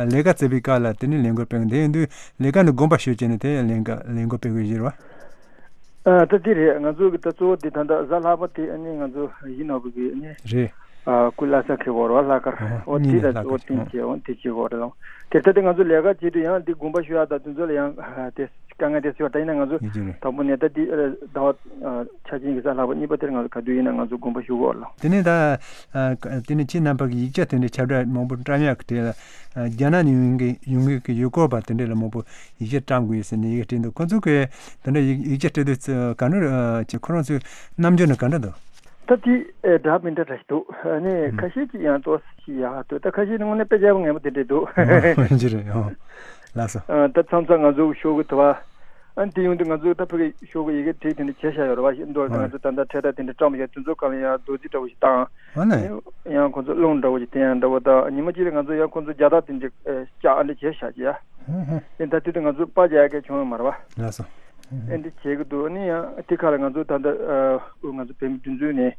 ལས་ཀ་བཙལ་བའི་སྐབས་ལ་དེ་ནས་ལས་འགུལ་སྤེལ་གི་འདུག་དེ་ཡིན་དུས་ལས་ཀ་ནས་དགོངས་པ་ཞུས་བྱས་ནས་དེ་ལས་ཀ་ལས་འགུལ་སྤེལ་དགོས་ཀྱི་རེད་པ། ཨ་ད་དེ་རེད། ང་ཚོ་གི་ད་གཙོ་བོ་དེ་ད་ལྟ་གཟའ་ལྷག་པ་དེ་ཨ་ནི་ང་ཚོ་ཡིན་ནོ་བུ་གི་ཨ་ནི་རེད། ཨ་སྐུ་བླ་གཟའ་གི་འོ་རེད་པ། ལྷག་དཀར། ཨ་འོ་གཉིས་དེ་ནས་ད་ལྷག་གཙོ་བོ་དཀར། བསྟན་བྱས་འོ་དེ་བྱེད་འོ་རེད་ལགས། དེ་ལྟ་དེ་ང་ཚོ་ལས་ཀ་བྱེད་དུས་ཡང་དེ་དགོངས་པ་ཞུ་ཡག་དང་དེ་ཚོ་ལ་ཡང་ཨ་དེ་དཀའ་ངལ་དེ་སྲིད་པ། ད་ཡིན་ན་ང་ཚོ་ཡིན་གྱི་རེད། དང་པོ་ནས་ད་དེ་ཨ་ཟླ་བ་ཨ་ཆ་ཆེན་གྱི་གཟའ་ལྷག་པ་གཉིས་པ་དེར་ང་ཚོ་ག་དུས་ཡིན་ན་ང་ཚོ་དགོངས་པ་ཞུ་གི་འོ་རེད་ལགས། དེ་ནས་ད་ཨ་དེ་ནས་ཁྱེད་རྣམ་པ་གི་ཡིག་ཆ་དེ་འདྲའི་ཁྱབ་བསྒྲགས་མང་པོ་བཀྲམ་ཡག་གི་གྲས་ལ་ཨ་རྒྱ་ནག་ནས་ཡོང་གི་ཡོང་གི་གི་ཡུལ་སྐོར་བ་དེ་འདྲས་ལ་མང་པོ་ཡིག་ཆ་བཀྲམ་དགོས་ཟེར་ནས་ཡི་གེ་བྲིས་འདུག་ཁོ་ཚོ་གིས་དེ་འདྲ་ཡིག་ཡིག་ཆ་སྤྲད་དུས་ཚོད་ག་འདྲ་ཨ་ཅིག་ཁོ་རང་ཚོའི་རྣམ་འགྱུར་ནི་ག་འདྲ་འདུག་ད་དེ་ཨེ་འདྲ་མི་འདྲ་འདྲ་ཞིག་འདུག་ཨ་ནི་ཨུམ། ཁ་ཤས་ཀྱིས་ཡང་ཏོག་ཙམ་ཞིག་ཡག་འདུག་ད་ཁ་ཤས་ནི་དངོས་གནས་དཔེ་རྒྱལ་པོ་ངན་པོ་དེ་འདྲས་འདུག་ཨ་ཡིན་གྱི་རེད། ཨོ་ལགས་སོ། ཨ་ད་མཚམས་མཚམས་ང་ཚོ་ཤོག་གུ་དུ་བ་ཨ་ནི་དེ་ཡོང་དུས་ང་ཚོ་ད་ཕ་གི་ཤོག་གུ་ཡི་གེ་བྲིས་དེ་འདྲ་བྱས་བཞག་ཡོད་རེད་པ། མདོར་ན་ང་ཚོ་ད་ལྟ་འཕྲེད་དར་དེ་འདྲ་བཀྲམ་བཞག་དེ་ཚོ་སྒང་ལ་ཡང་རྡོག་རྫིས་འདྲ་པོ་ཞིག་བཏང་། ཨ་ནི། ཡང་ཁོང་ཚོ་རླུང་འདྲ་པོ་ཅིག་བསྟན་ཡག་འདྲ་པོ་དང་ཉི་མ་གཅིག་ལ་ང་ཚོ་ཡང་ཁོང་ཚོ་རྒྱ་ཐག་དེ་འདྲ་ཨེ་བཅག་ཨ་འདྲ་བྱས་བཞག་ཅིག་ཡ། ཧུམ་ཧུམ། དེ་ད་དུས་དུ་ང་ཚོ་པར་རྒྱག་ཡག་གི་བྱུང་ཡོད་མ་རེད་པ། ལགས་སོ། ཨེ་འདྲ་བྱེད་ཀྱི་འདུག་ཨ་ནི་ཡང་དེ་ཁ་ལ་ང་ཚོ་ད་ལྟ་ཨ་ང་ཚོ་བོད་མི་སྒྲིག་འཛུགས་ནས་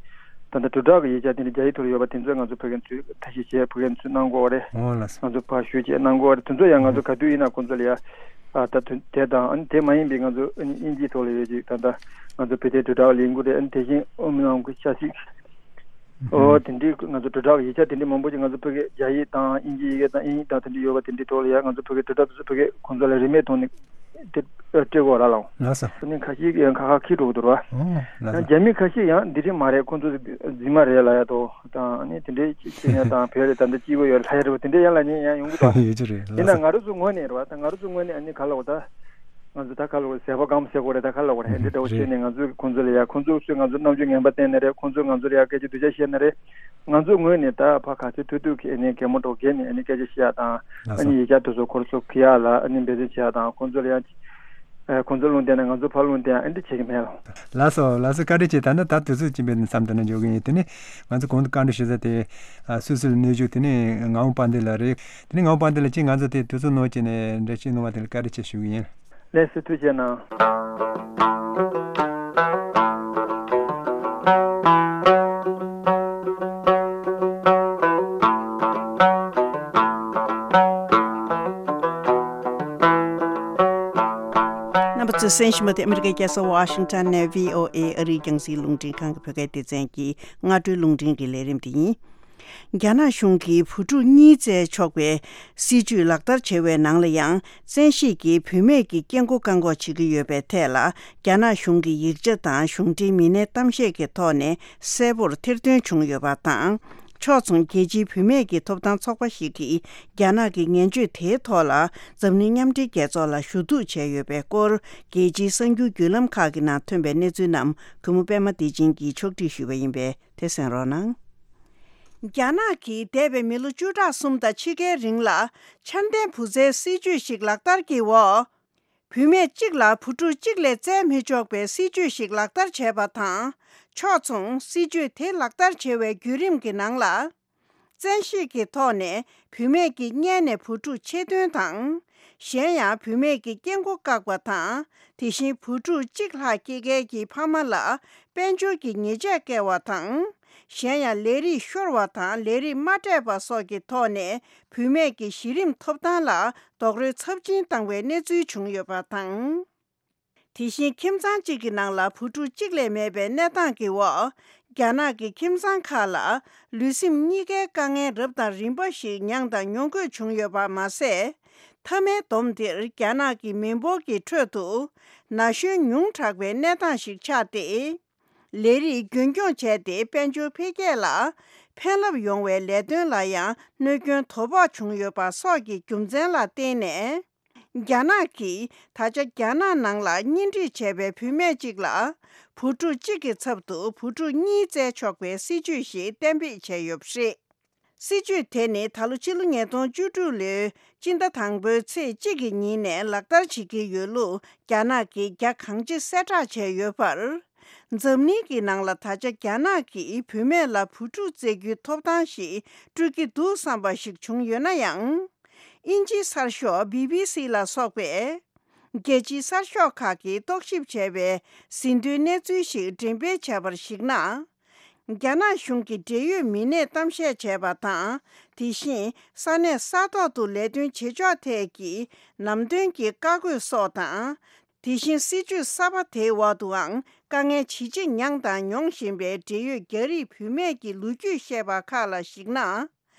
ད་ལྟ་དྲིལ་བསྒྲགས་ཀྱི་ཡིག་ཆ་དེ་འདྲ་རྒྱ་ཡིག་ཐོག་ལ་ཡོད་པ་དེ་ཚོ་ང་ཚོ་ཕ་གི་ཚོས་ཐབས་ཤེས་བྱས་ཕ་གི་ཚོས་གནང་དགོས་པ་རེད། ཨོ་ལགས་སོ། ང་ཚོ་ཕར་ཞུ་བྱས་གནང་དགོས་པ་རེད། དེ་ཚོ་ཡང་ང་ཚོ་ག་དུས་ཡིན་ན་ཁོང་ཚོ་ལ་ཡ་ཨ་ད་དུ་དེ་དང་ཨ་ནི་དེ་མ་ཡིན་པའི་ང་ཚོ་ཨ་ནི་དབྱིན་ཇིའི་ཐོག་ལ་ཡོད་ཅིག་ད་ལྟ་ང་ཚོ་བོད་དོན་དྲིལ་བསྒྲགས་ལས་འགུལ་རེད། ཨ་ནི་དེ་བཞིན་ཨོམ་ལང་གི་ཆབ་སྲིད། ཨོ་དེ་འདྲའི་ང་ཚོ་དྲིལ་བསྒྲགས་ཡིག་ཆ་དེ་འདྲའི་མང་པོ་ཅིག་ང་ཚོ་ཕ་གི་རྒྱ་ཡིག་དང་དབྱིན་ཇི་ཡི་གེ་དང་དབྱིན་ཡིག་དང་དེ་འདྲ་ཡོད་པ་དེ་འདྲའི་ཐོག་ལ་ཡང་ང་ཚོ་ཕ་གི་དྲིལ་བསྒྲགས་དེ་ཚོ་ཕ་གི་ཁོང་ཚོ་ལ་རིན་མེད་ཐོག་ནས་དེ་སྤྲད་དགོས་ར་ལགས། ལགས་སོ། ཨ་ནི་ཁ་ཤས་ཀྱིས་ཡང་ཁ་ཁ་འཁྱེར་འགྲོ་གི་འདུག་ར། ཨོ་ལགས་སོ། ཡང་རྒྱ་མི་ཁ་ཤས་ཡང་འདི་འདྲ་མ་རེད། ཁོང་ཚོ་རྫུན་མ་རེད་ལབ་ཡག་དང་ཨ་ནི་དེ་འདྲའི་ཅིག་བྱེད་མཁན་དང་བོད་ལ་ད་ལྟ་སྐྱིད་པོ་ཡོད་ལབ་ཡག་རེད་པ། དེ་འདྲ་ཡང་ལབ་མཁན་ཡང་ཡོང་གི་འདུག་ཡོད་ཀྱི་རེད། ཡིན་ལགས་ན་སོ། ང་རང་ཚོ་ངོས་ནས་རེད་པ། ད་ང་རང་ཚོ་ངོས་ནས་ཨ་ནི་ག་ལབ་དགོས་ད། ང་ཚོ་ད་ག་ལབ་དགོས། ཟད་པ་སྐམ་ཟེར་དགོས་རེད། ད་ག་ལབ་དགོས་རེད། ཨེ་འདྲ་འདྲ་བོ་བྱས་ནས་ང་ཚོ་གིས་ཁོང་ཚོ་ལ་ཡ་ཁོང་ཚོ་ཚོས་ང་ཚོ་རྣམ་འགྱུར་ངན་པ་བསྟན་ནི་རེད། ཁོང་ཚོས་ང་ཚོ་ལ་ཡ་སྐད་ཆ་སྡུག་ཅག་བཤད་ནི་རེད། ང་ཚོ་ངོས་ནས་ད་ཕར་ག་ཚོད་ཐུབ་ཐུབ་ཀྱིས་ཨ་ནི་གད་མོ་འདྲ་བོ་བགད་ནས་ཨ་ནི་སྐད་ཆ་བཤད་ཡག་དང་ལགས་ཨ་ནི་སོ། ཡིག་ཆ་དེ་ཚོ་ཁོ་རང་ཚོ་གི་ཡག་ལ་ཨ་ནི་འབད་བརྩོན་བྱེད་ཡག་དང་ཁོང་ཚོ་ལ་ཡ་ཨ་ཁོང་ཚོ་རླུང་བསྟན་ན་ང་ཚོ་ཕར་རླུང་བསྟན་ཡག་ཨེ་འདྲ་བྱེད་ཀྱི་མེད་ལགས། ལགས་སོ། ལགས་སོ། བཀའ་དྲིན་ཆེ། ད་ནི་ད་དུས་ཚོད་ཀྱིས་འབད་ནས་མཚམས་འདི་ན་འཇོག་གི་ཡིན། དེ་ནས་ང་ཚོ་གོང་དུ་བཀའ་འདྲི་ཞུ་ས་དེ་ཨ་སུད་སི་ལ་གནས་བཞུགས་དེ་ནས་ངག་དབང་དཔལ་ལྡན་ལགས་རེད། དེ་ནས་ངག་དབང་དཔལ་ལྡན་ལགས་ཀྱིས་ང་ཚོ་དེ་དུས་ཚོད་ནོར་བྱས་ནས་འགྲེལ་བཤད་གནང་བ་དེ་ལ་བཀའ་དྲིན་ཆེ་ཞུ་གི་ཡིན། ལགས་སོ། ཐུགས་རྗེ་གནང་། རྣམ་པ་ཚོས་གསན་བཞིན་པ་དེ་ཨ་མི་རི་ཀའི་རྒྱལ་ས་ཝ་ཤིང་ཊོན་ནས་བྷི་ཨོ་ཨེ་ཨ་རིའི་རྒྱང་སྲིང་རླུང་འཕྲིན་ཁང་གི་བོད་སྐད་སྡེ་ཚན་གྱི་སྔ་དྲོའི་རླུང་འཕྲིན་གྱི་ལས་རིམ་དེ་ཡིན། རྒྱ་ནག་གཞུང་གིས་བུ་ཕྲུག་གཉིས་བཙལ་ཆོག་པའི་སྲིད་ཇུས་ལག་བསྟར་བྱས་པའི་ནང་ལ་ཡང་བཙན་ཤེད་ཀྱིས་བུད་མེད་ཀྱི་སྐྱེ་སྒོ་བཀག་འགོག་བྱེད་ཀྱི་ཡོད་པའི་ཐད་ལ་རྒྱ་ནག་གཞུང་གི་ཡིག་ཆ་དང་གཞུང་འབྲེལ་མི་སྣའི་གཏམ་བཤད་ཀྱི་ཐོག་ནས་གསལ་པོར་ཐེར་འདོན་བྱུང་ཡོད་པ་དང་། ཕྱོགས་མཚུངས་རྒྱལ་སྤྱིའི་བུད་མེད་ཀྱི་ཐོབ་ཐང་ཚོགས་པ་ཞིག་གིས་རྒྱ་ནག་གི་ངན་བྱུས་དེའི་ཐོག་ལ་འཛམ་གླིང་མཉམ་འབྲེལ་རྒྱལ་ཚོགས་ལ་ཞུ་གཏུག་བྱས་ཡོད་པའི་སྐོར། རྒྱལ་སྤྱིའི་གསར་འགྱུར་བརྒྱུད་ལམ་ཁག་གི་ནང་ཐོན་པའི་གནས་ཚུལ་རྣམས་གུས་མོ་པད་མ་བདེ་ཆེན་གྱིས་ཕྱོགས་སྒྲིག་ཞུས་པ་ཡིན་པས། དེ་གསན་རོགས་གནང་། རྒྱ་ནག་གིས་འདས་པའི་མི་ལོ་བཅུ་ཕྲག་གསུམ་དང་ཕྱེད་ཀའི་རིང་ལ་འཆར་ལྡན་བུ་བཙའི་སྲིད་ཇུས་ཤིག་ལག་བསྟར་གྱི་འོག་བུད་མེད་གཅིག་ལ་བུ་ཕྲུག་གཅིག་ལས་བཙལ་མི་ཆོག་པའི་སྲིད་ཇུས་ཤིག་ལག་བསྟར་བྱས་པ་དང་། ཕྱོགས་མཚུངས་སྲིད་ཇུས་དེ་ལག་བསྟར་བྱེད་པའི་བརྒྱུད་རིམ་གྱི་ནང་ལ། བཙན་ཤེད་ཀྱི་ཐོག་ནས་བུད་མེད་ཀྱི་མངལ་ནས་བུ་ཕྲུག་ཆེད་འདོན་དང་། གཞན་ཡང་བུད་མེད་ཀྱི་སྐྱེ་སྒོ་བཀག་པ་དང་། དེ་བཞིན་བུ་ཕྲུག་གཅིག་ལྷག་སྐྱེ་མཁན་གྱི་ཕ་མ་ལ་དཔལ་འབྱོར་གྱི་ཉེས་ཆད་བཀལ་བ་དང་། གཞན་ཡང་ལས་རིགས་ཤོར་བ་དང་ལས་རིགས་མ་སྤྲད་པ་སོགས་ཀྱི་ཐོག་ནས་བུད་མེད་ཀྱི་གཞི་རིམ་ཐོབ་ཐང་ལ་རྡོག་རོལ་ཚབས་ཆེན་བཏང་བའི་གནས་ཚུལ་བྱུང་ཡོད་པ་དང་། དེ་བཞིན་ཁྱིམ་ཚང་གཅིག་གི་ནང་ལ་བུ་ཕྲུག་གཅིག་ལས་མེད་པའི་གནས་སྟངས་ཀྱི་འོག་རྒྱ་ནག་གི་ཁྱིམ་ཚང་ཁག་ལ་ལུས་སེམས་གཉིས་ཀའི་དཀའ་ངལ་རབ་དང་རིམ་པ་ཞིག་མྱངས་དང་མྱོང་དགོས་བྱུང་ཡོད་པ་མ་ཟད། མཐའ་མའི་སྡོམ་འདིར་རྒྱ་ནག་གི་མི་འབོར་གྱི་ཁྲོད་དུ་ན་གཞོན་ཉུང་དྲགས་པའི་གནས་སྟངས་ཤིག་ཆགས་ཏེ། ལས་རིགས་རྒྱུན་འཁྱོངས་བྱས་ཏེ་དཔལ་འབྱོར་འཕེལ་རྒྱས་ལ་ཕན་རླབས་ཡོང་བའི་ལས་དོན་ལ་ཡང་གནོད་སྐྱོན་དོ་ཕོག་བྱུང་ཡོད་པ་སོགས་ཀྱི་རྒྱུ་མཚན་ལ་བརྟེན་ནས། རྒྱ་ནག་གིས་ད་ཆ་རྒྱ་ནག་ནང་ལ་གཉེན་སྒྲིག་བྱས་པའི་བུད་མེད་ཅིག་ལ་བུ་ཕྲུག་གཅིག་གི་ཚབ་ཏུ་བུ་ཕྲུག་གཉིས་བཙལ་ཆོག་པའི་སྲིད་ཇུས་ཤིག་གཏན་འབེབས་བྱས་ཡོད་པ་རེད། སྲིད་ཇུས་དེ་ནི་ད་ལོ་ཕྱི་ལོ་ཉིས་སྟོང་བཅུ་དྲུག་ལོའི་སྤྱི་ཟླ་དང་པོའི་ཚེས་གཅིག་གི་ཉིན་ནས་ལག་བསྟར་བྱེད་ཀྱི་ཡོད་ལུགས་རྒྱ་ནག་གིས་རྒྱ་གང་ཆེ་གསལ་བསྒྲགས་བྱས་ཡོད་པར། འཛམ་གླིང་གི་ནང་ལ་ད་ཆ་རྒྱ་ནག་གིས་བུད་མེད་ལ་བུ་ཕྲུག་བཙལ་རྒྱུའི་ཐོབ་ཐང་ཞིག་སྤྲོད་ཀྱི་འདུག་བསམ་པ་ཞིག་བྱུང་ཡོད་ན་ཡང་། དབྱིན་ཇིའི་གསར་ཤོག་བྷི་བྷི་སི་ལ་སོགས་པས། རྒྱལ་སྤྱིའི་གསར་ཤོག་ཁག་གིས་རྟོག་ཞིབ་བྱས་པའི་ཟིན་ཐོའི་གནས་ཚུལ་ཞིག་འགྲེམས་སྤེལ་བྱས་པར་གཞིགས་ན། རྒྱ་ནག་གཞུང་གིས་འབྲེལ་ཡོད་མི་སྣས་གཏམ་བཤད་བྱས་པ་དང་། དེ་བཞིན་ས་གནས་ས་ཐོག་ཏུ་ལས་དོན་བྱེད་ཕྱོགས་ཐད་ཀྱི་ནམ་དོན་གྱི་བཀའ་བཀོད་སོགས་དང་། དེ་བཞིན་སྲིད་ཇུས་གསར་པ་དེའི་འོག་ཏུའང་དཀའ་ངལ་ཇི་ཆེ་མྱངས་དང་མྱོང་བཞིན་པའི་འབྲེལ་ཡོད་རྒྱ་རིགས་བུད་མེད་ཀྱི་ལོ་རྒྱུས་བཤད་པ་ཁག་ལ་གཞིགས་ན།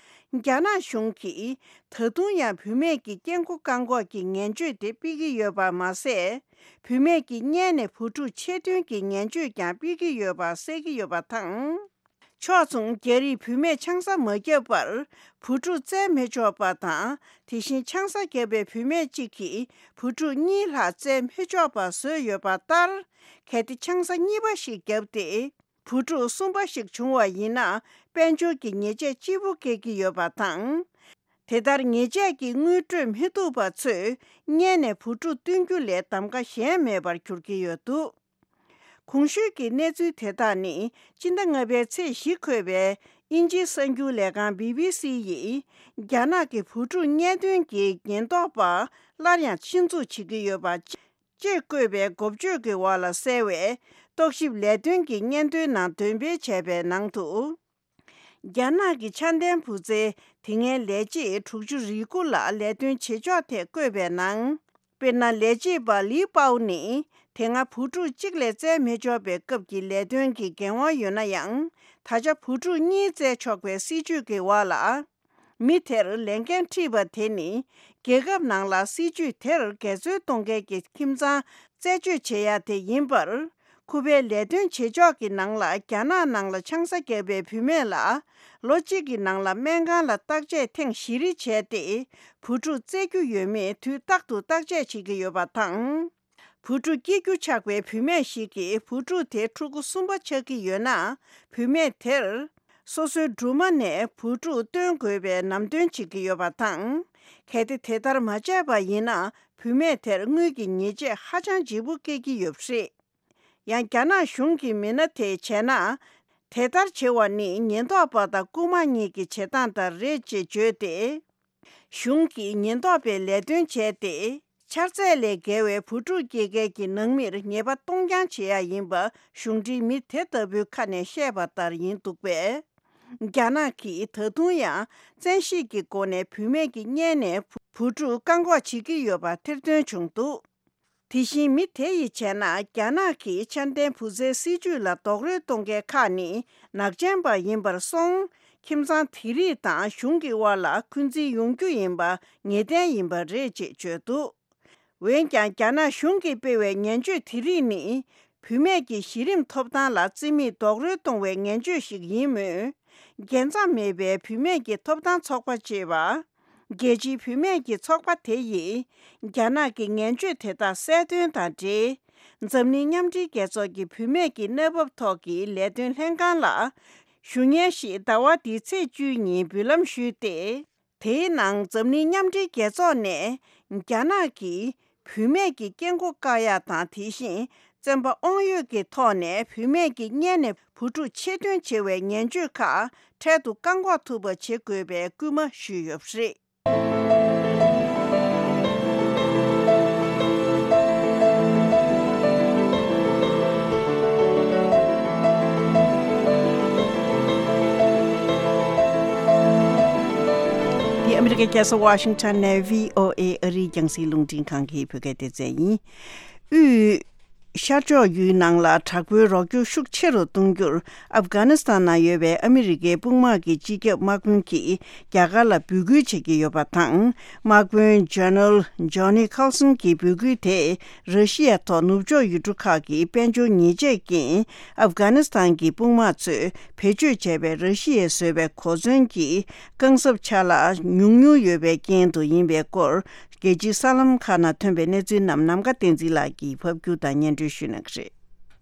རྒྱ་ནག་གཞུང་གིས་ད་དུང་ཡང་བུད་མེད་ཀྱི་སྐྱེ་འགོ་བཀག་འགོག་གི་ངན་བྱུས་དེ་སྤེལ་གྱི་ཡོད་པ་མ་ཟད། བུད་མེད་ཀྱི་གཉེན་ནས་བུ་ཕྲུག་ཆེད་འདོན་གྱི་ངན་བྱུས་ཀྱང་སྤེལ་གྱི་ཡོད་པ་གསལ་གྱི་ཡོད་པ་དང་། ཕྱོགས་མཚུངས། རྒྱ་རིགས་བུད་མེད་ཆང་ས་མ་བརྒྱབ་པར་བུ་ཕྲུག་བཙལ་མི་ཆོག་པ་དང་། དེ་བཞིན་ཆང་ས་བརྒྱབ་པའི་བུད་མེད་གཅིག་གིས་བུ་ཕྲུག་གཉིས་ལྷག་བཙལ་མི་ཆོག་པ་བཟོས་ཡོད་པ་ལྟར། གལ་ཏེ་ཆང་ས་གཉིས་པ་ཞིག་བརྒྱབ་སྟེ། བུ་ཕྲུག་གསུམ་པ་ཞིག་བྱུང་བ་ཡིན་ན། དཔལ་འབྱོར་གྱི་ཉེས་ཆད་ལྕི་པོ་བཀལ་གྱི་ཡོད་པ་དང་། དེ་ལྟར་ཉེས་ཆད་ཀྱི་དངུལ་སྤྲོད་མི་ཐུབ་པ་ཚོས་གཉེན་ནས་བུ་ཕྲུག་བསྟུན་རྒྱུ་ལས་གདམ་ག་གཞན་མེད་པར་གྱུར་གྱི་ཡོད་འདུག་གོང་ཞུས་ཀྱི་གནས་ཚུལ་དེ་དག་ནི། སྤྱི་ཟླ་ལྔ་པའི་ཚེས་བཞི་འཁོད་པའི་དབྱིན་ཇིའི་གསར་འགྱུར་ལས་ཁང་བྷི་བྷི་སི་ཡིས། རྒྱ་ནག་གི་བུ་ཕྲུག་གཉེན་སྟོན་གྱི་ཉེན་རྟོག་པ་སླར་ཡང་ཆེད་འཛུགས་བྱེད་ཀྱི་ཡོད་པ། ཅེས་བཀོད་པའི་འགོ་བརྗོད་ཀྱི་འོག་ལ་གསལ་བའི་རྟོག་ཞིབ་ལས་དོན་གྱི་སྙན་ཐོའི་ནང་འདོན་སྤེལ་བྱས་པའི་ནང་དུ། རྒྱ་ནག་གི་ཆ་ལྡན་བུ་བཙའི་དེ་སྔའི་ལས་བྱེད་དྲུག་ཅུ་རེ་དགུ་ལ་ལས་དོན་བྱེད་ཕྱོགས་ཐད་བཀོད་པའི་ནང་། དཔེར་ན། ལས་བྱེད་པ་ལི་པའོ་ནི་དེ་སྔ་བུ་ཕྲུག་གཅིག་ལས་བཙལ་མི་ཆོག་པའི་སྐབས་ཀྱི་ལས་དོན་གྱི་འགན་དབང་ཡོད་ན་ཡང་། ད་ཆ་བུ་ཕྲུག་གཉིས་བཙལ་ཆོག་པའི་སྲིད་ཇུས་ཀྱི་འོག་ལ། མི་དེར་ལས་འགན་འཁྲི་བ་དེ་ནི། རྒྱལ་ཁབ་ནང་ལ་སྲིད་ཇུས་དེར་འགལ་འཛོལ་གཏོང་མཁན་གྱི་ཁྱིམ་ཚང་རྩད་གཅོད་བྱེད་ཡ་དེ་ཡིན་པར། ཁོ་པའི་ལས་དོན་བྱེད་ཕྱོགས་ཀྱི་ནང་ལ། རྒྱ་ནག་ནང་ལ་ཆང་ས་བརྒྱབ་པའི་བུད་མེད་ལ། ལོ་གཅིག་གི་ནང་ལ་སྨན་ཁང་ལ་བརྟག་དཔྱད་ཐེངས་བཞི་རེ་བྱས་ཏེ། བུ་ཕྲུག་བཙའ་རྒྱུ་ཡོད་མེད་དུས་རྟག་ཏུ་བརྟག་དཔྱད་བྱེད་ཀྱི་ཡོད་པ་དང་། བུ་ཕྲུག་སྐྱེ་རྒྱུ་ཆགས་པའི་བུད་མེད་ཞིག་གིས་བུ་ཕྲུག་དེ་ཕྲུ་གུ་གསུམ་པ་ཆགས་ཀྱི་ཡོད་ན། བུད་མེད་དེར་སོ་སོའི་སྦྲུམ་མ་ནས་བུ་ཕྲུག་བཏོན་དགོས་པའི་ལམ་སྟོན་བྱེད་ཀྱི་ཡོད་པ་དང་། གལ་ཏེ་དེ་ལྟར་མ་བྱས་པ་ཡིན་ན། བུད་མེད་དེར་དངུལ་གྱི་ཉེས་ཆད་ཧ་ཅང་ལྗིད་པོ་བཀལ་གྱི་ཡོད་པ་རེད། ཡང་། རྒྱ་ནག་གཞུང་གི་མི་སྣ་དེས་བྱས་ན། དེ་ལྟར་བྱེད་པ་ནི་ཉེན་རྟོག་པ་དང་རྐུ་མ་གཉིས་ཀྱི་བྱེད་སྟངས་ལྟར་རེད་ཅེས་བརྗོད་དེ། གཞུང་གིས་ཉེན་རྟོག་པའི་ལས་དོན་བྱས་ཏེ། འཆར་ཚད་ལས་བརྒལ་བའི་བུ་ཕྲུག་སྐྱེ་མཁན་གྱི་ནང་མིར་ཉེས་པ་གཏོང་རྐྱང་བྱེད་ཡ་ཡིན་པ་གཞུང་འབྲེལ་མི་དེ་ལྟ་བུའི་ཁ་ནས་བཤད་པ་ལྟར་ཡིན་འདུག་པས། རྒྱ་ནག་གིས་ད་དུང་ཡང་བཙན་ཤེད་ཀྱི་སྒོ་ནས་བུད་མེད་ཀྱི་གཉེན་ནས་བུ་ཕྲུག་བཀག་འགོག་བྱེད་ཀྱི་ཡོད་པ་ཐེར་འདོན་བྱུང་འདུག་དེ་བཞིན་མི་དེ་ཡིས་བྱས་ན། རྒྱ་ནག་གིས་ཆ་ལྡན་བུ་བཙའི་སྲིད་ཇུས་ལ་རྡོག་རོལ་གཏོང་མཁན་ཁག་ནི་ནག་ཅན་པ་ཡིན་པར་སོང་། ཁྱིམ་ཚང་དེ་རིགས་དང་གཞུང་གི་དབར་ལ་འཁོན་འཛིན་ཡོང་རྒྱུ་ཡིན་པ་ངེས་གཏན་ཡིན་པ་རེད་ཅེས་བརྗོད་འདུག་འོན་ཀྱང་། རྒྱ་ནག་གཞུང་གིས་སྤེལ་བའི་ངན་བྱུས་དེ་རིགས་ནི། བུད་མེད་ཀྱི་གཞི་རིམ་ཐོབ་ཐང་ལ་བརྩི་མེད་རྡོག་རོལ་གཏོང་བའི་ངན་བྱུས་ཤིག་ཡིན་མོད། རྒྱལ་མཚམས་མེད་པའི་བུད་མེད་ཀྱི་ཐོབ་ཐང་ཚོགས་པ་ཅེས་པ། རྒྱལ་སྤྱིའི་བུད་མེད་ཀྱི་ཚོགས་པ་དེ་ཡིས། རྒྱ་ནག་གི་ངན་བྱུས་དེ་དག་གསལ་སྟོན་དང་འབྲེལ། འཛམ་གླིང་མཉམ་འབྲེལ་རྒྱལ་ཚོགས་ཀྱི་བུད་མེད་ཀྱི་གནས་བབ་ཐོག་གི་ལས་དོན་ལྷན་ཁང་ལ། ཞུ་སྙན་ཞིག་ཟླ་བ་འདིའི་ཚེས་བཅུའི་ཉིན་འབུལ་ལམ་ཞུས་ཏེ། དེའི་ནང་འཛམ་གླིང་མཉམ་འབྲེལ་རྒྱལ་ཚོགས་ནས། རྒྱ་ནག་གིས་བུད་མེད་ཀྱི་སྐྱེ་འགོ་བཀག་ཡ་དང་། དེ་བཞིན་བཙན་པ་དབང་ཡོད་ཀྱི་ཐོག་ནས་བུད་མེད་ཀྱི་གཉེན་ནས་བུ་ཕྲུག་ཆེད་འདོན་བྱེད་པའི་ངན་བྱུས་ཁག་འཕྲལ་དུ་བཀག་འགོག་ཐུབ་པ་བྱེད་དགོས་པའི་སྐུལ་མ་ཞུས་ཡོད་པ་རེད། འདི་ཨ་མི་རི་ཀའི་རྒྱལ་ས་ཝ་ཤིང་ཊོན་ནས་བྷི་ཨོ་ཨེ་ཨ་རིའི་རྒྱང་སྲིང་རླུང་འཕྲིན་ཁང་གི་བོད་སྐད་སྡེ་ཚན་ཡིན། དབུས་ ཤར་ཕྱོགས་ཡུལ་ནང་ལ་དྲག་པོའི་རོགས་སྐྱོར་ཤུགས་ཆེ་རུ་གཏོང་རྒྱུར་ཨབ་གྷ་ནི་སི་ཐན་ནང་ཡོད་པའི་ཨ་མི་རི་ཀའི་དཔུང་དམག་གི་སྤྱི་ཁྱབ་དམག་དཔོན་གྱིས་རྒྱ་གར་ལ་འབོད་སྐུལ་བྱེད་ཀྱི་ཡོད་པ་དང་། དམག་དཔོན་ཇེ་ནེ་རལ་ཇོ་ནི་ཁཱལ་སོན་གྱི་འབོད་སྐུལ་དེས་ར་ཤི་ཡའི་ཐོག་ནུབ་ཕྱོགས་ཡུལ་གྲུ་ཁག་གི་དཔལ་འབྱོར་ཉེས་ཆད་རྐྱེན། ཨབ་གྷ་ནི་སི་ཐན་གྱི་དཔུང་དམག་ཚོས་བེད་སྤྱོད་བྱས་པའི་ར་ཤི་ཡས་བཟོས་པའི་གོ་མཚོན་གྱི་རྐང་གཟབ་ཆ་ལག་ཉུང་ཉུང་ཡོད་པའི་རྐྱེན་དུ་ཡིན་པའི་སྐོར། རྒྱལ་སྤྱིའི་གསར་ལམ་ཁག་ནང་ཐོན་པའི་གནས་ཚུལ་རྣམས་ནམ་མཁའ་བསྟན་འཛིན་ལགས་ཀྱིས་ཕབ་སྒྱུར་དང་སྙན་སྒྲོན་ཞུ་གནང་གི་རེད།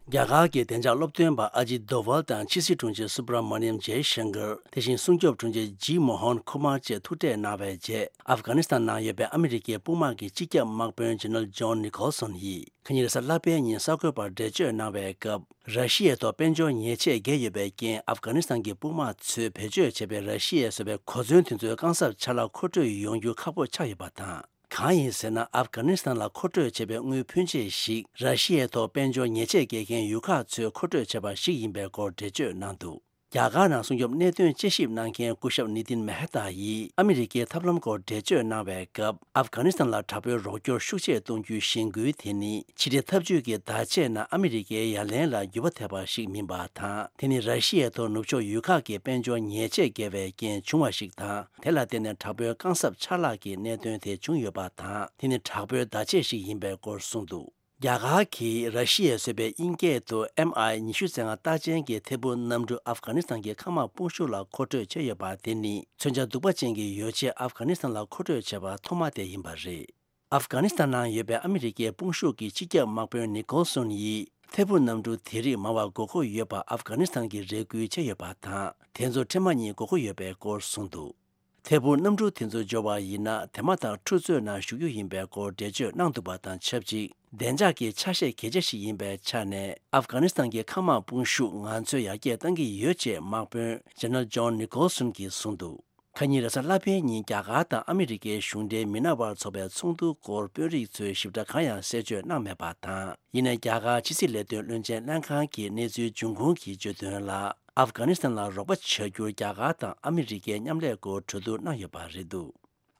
རྒྱ་གར་གྱི་བདེ་འཇགས་སློབ་སྟོན་པ་ཨ་ཇིད་དོ་ཝལ་དང་ཕྱི་སྲིད་དྲུང་ཆེ་སུ་བྷ་ར་མ་ནི་ཡམ་ཇེ་ཤང་ཀར། དེ་བཞིན་སྲུང་སྐྱོབ་དྲུང་ཆེ་ཇི་མོ་ཧོན་ཁུ་མར་བཅས་ཐུག་འཕྲད་གནང་བའི་རྗེས། ཨབ་གྷ་ནི་སི་ཐན་ནང་ཡོད་པའི་ཨ་མི་རི་ཀའི་དཔུང་དམག་གི་སྤྱི་ཁྱབ་དམག་དཔོན་ཇེ་ནེ་རལ་ཇོན་ནི་ཁོལ་སོན་ཡིས་ཁ་ཉིན་རེས་གཟའ་ལྷག་པའི་ཉིན་གསར་འགོད་པར་འགྲེལ་བརྗོད་གནང་བའི་སྐབས། ར་ཤི་ཡའི་ཐོག་དཔལ་འབྱོར་ཉེས་ཆད་བཀལ་ཡོད་པའི་རྐྱེན། ཨབ་གྷ་ནི་སི་ཐན་གྱི་དཔུང་དམག་ཚོས་བེད་སྤྱོད་བྱས་པའི་ར་ཤི་ཡས་བཟོས་པའི་གོ་མཚོན་དེ་ཚོའི་རྐང་གཟབ་ཆ་ལག་མཁོ་སྤྲོད་ཡོང་རྒྱུ་ཁག་པོ་ཆགས་ཡོད་པ་དང་། གང་ཡིན་ཟེར་ན། ཨབ་གྷ་ནི་སི་ཐན་ལ་མཁོ་སྤྲོད་བྱས་པའི་དངུལ་ཕོན་ཆེ་ཞིག་ར་ཤི་ཡའི་ཐོག་དཔལ་འབྱོར་ཉེས་ཆད་བཀལ་མཁན་ཡུལ་ཁག་ཚོས་མཁོ་སྤྲོད་བྱས་པ་ཞིག་ཡིན་པའི་སྐོར་འགྲེལ་བརྗོད་གནང་འདུག་རྒྱ་གར་ནང་སྲུང་སྐྱོབ་གནད་དོན་དཔྱད་ཞིབ་གནང་མཁན་སྐུ་ཞབས་ནི་ཏིན་མེ་ཧ་ཏཱ་ཡིས་ཨ་མི་རི་ཀའི་ཐབས་ལམ་སྐོར་འགྲེལ་བརྗོད་གནང་བའི་སྐབས། ཨབ་གྷ་ནི་སི་ཐན་ལ་དྲག་པོའི་རོགས་སྐྱོར་ཤུགས་ཆེ་གཏོང་རྒྱུའི་གཞེན་སྐུལ་དེ་ནི་ཕྱི་འབྲེལ་འཐབ་ཇུས་ཀྱི་བརྡ་ཆད་ནང་ཨ་མི་རི་ཀའི་ཡ་ལན་ལ་འགྱུར་བ་ཐེབས་པ་ཞིག་མིན་པ་དང་། དེ་ནི་ར་ཤི་ཡའི་ཐོག་ནུབ་ཕྱོགས་ཡུལ་ཁག་གི་དཔལ་འབྱོར་ཉེས་ཆད་བཀལ་བའི་རྐྱེན་བྱུང་བ་ཞིག་དང་། དེ་ལ་བརྟེན་ནས་དྲག་པོའི་རྐང་གཟབ་ཆ་ལག་གི་གནད་དོན་དེ་བྱུང་ཡོད་པ་དང་། དེ་ནི་དྲག་པོའི་བརྡ་ཆད་ཞིག་ཡིན་པའི་སྐོར་གསུངས་འདུག་རྒྱ་གར་གྱིས་ར་ཤི་ཡས་བཟོས་པའི་དབྱིན་སྐད་དུ་ཨེམ་ཨའི་ཉི་ཤུ་རྩ་ལྔ་རྟགས་ཅན་གྱི་ཐད་འཕུར་གནམ་གྲུ་ཨབ་གྷ་ནི་སི་ཐན་གྱི་མཁའ་དམག་དཔུང་ཤུགས་ལ་མཁོ་སྤྲོད་བྱས་ཡོད་པ་དེ་ནི། མཚོན་ཆ་གདུག་པ་ཅན་གྱི་ཡོ་བྱད་ཨབ་གྷ་ནི་སི་ཐན་ལ་མཁོ་སྤྲོད་བྱས་པ་ཐོག་མ་དེ་ཡིན་པ་རེད། ཨབ་གྷ་ནི་སི་ཐན་ནང་ཡོད་པའི་ཨ་མི་རི་ཀའི་དཔུང་ཤུགས་ཀྱི་སྤྱི་ཁྱབ་དམག་དཔོན་ནི་ཀོལ་སོན་ཡིས། ཐད་འཕུར་གནམ་གྲུ་དེ་རིགས་མང་བ་དགོས་མཁོ་ཡོད་པ་ཨབ་གྷ་ནི་སི་ཐན་གྱིས་རེ་སྐུལ་བྱས་ཡོད་པ་དང་། དེ་ཚོ་འཕྲལ་མ་ཉིད་དགོས་མཁོ་ཡོད་པའི་སྐོར་གསུངས་འདུག་ཐད་འཕུར་གནམ་གྲུ་དེ་ཚོ་འབྱོར་བ་ཡིན་ན། དེ་མ་ཐག་འཁྲུག་རྩོད་ནང་ཞུགས་རྒྱུ་ཡིན་པའི་སྐོར་འགྲེལ་བརྗོད་གནང་འདུག་པ་དང་ཆབས་ཅིག་བདེ་འཇགས་ཀྱི་ཆ་ཤས་གལ་ཆེ་ཞིག་ཡིན་པའི་ཆ་ནས། ཨབ་གྷ་ནི་སི་ཐན་གྱི་མཁའ་དམག་དཔུང་ཤུགས་ང་ཚོས་ཡར་རྒྱས་གཏང་གི་ཡོད་ཅེས་དམག་དཔོན་ཇེ་ནེ་རལ་ཇོན་ནི་ཀོལ་སོན་གྱིས་གསུངས་འདུག་ཁ་ཉིན་རེས་གཟའ་ལྷག་པའི་ཉིན་རྒྱ་གར་དང་ཨ་མི་རི་ཀའི་གཞུང་འབྲེལ་མི་སྣ་བར་ཚོགས་པའི་ཚོགས་འདུ་སྐོར་དཔོན་རིགས་ཚོས་ཞིབ་ཕྲ་གང་ཡང་གསལ་བརྗོད་གནང་མེད་པ་དང་། ཡིན་ནའི་རྒྱ་གར་ཕྱི་སྲིད་ལས་དོན་བློན་ཆེན་ལྷན་ཁང་གིས་གནས་ཚུལ་འབྱུང་ཁུངས་ཀྱིས་བརྗོད་དོན་ལ། ཨབ་གྷ་ནི་སི་ཐན་ལ་རོགས་པ་བྱ་རྒྱུར་རྒྱ་གར་དང་ཨ་མི་རི་ཀའི་མཉམ་ལས་སྐོར་གྲོས་བསྡུར་གནང་ཡོད་པ་རེད་འདུག་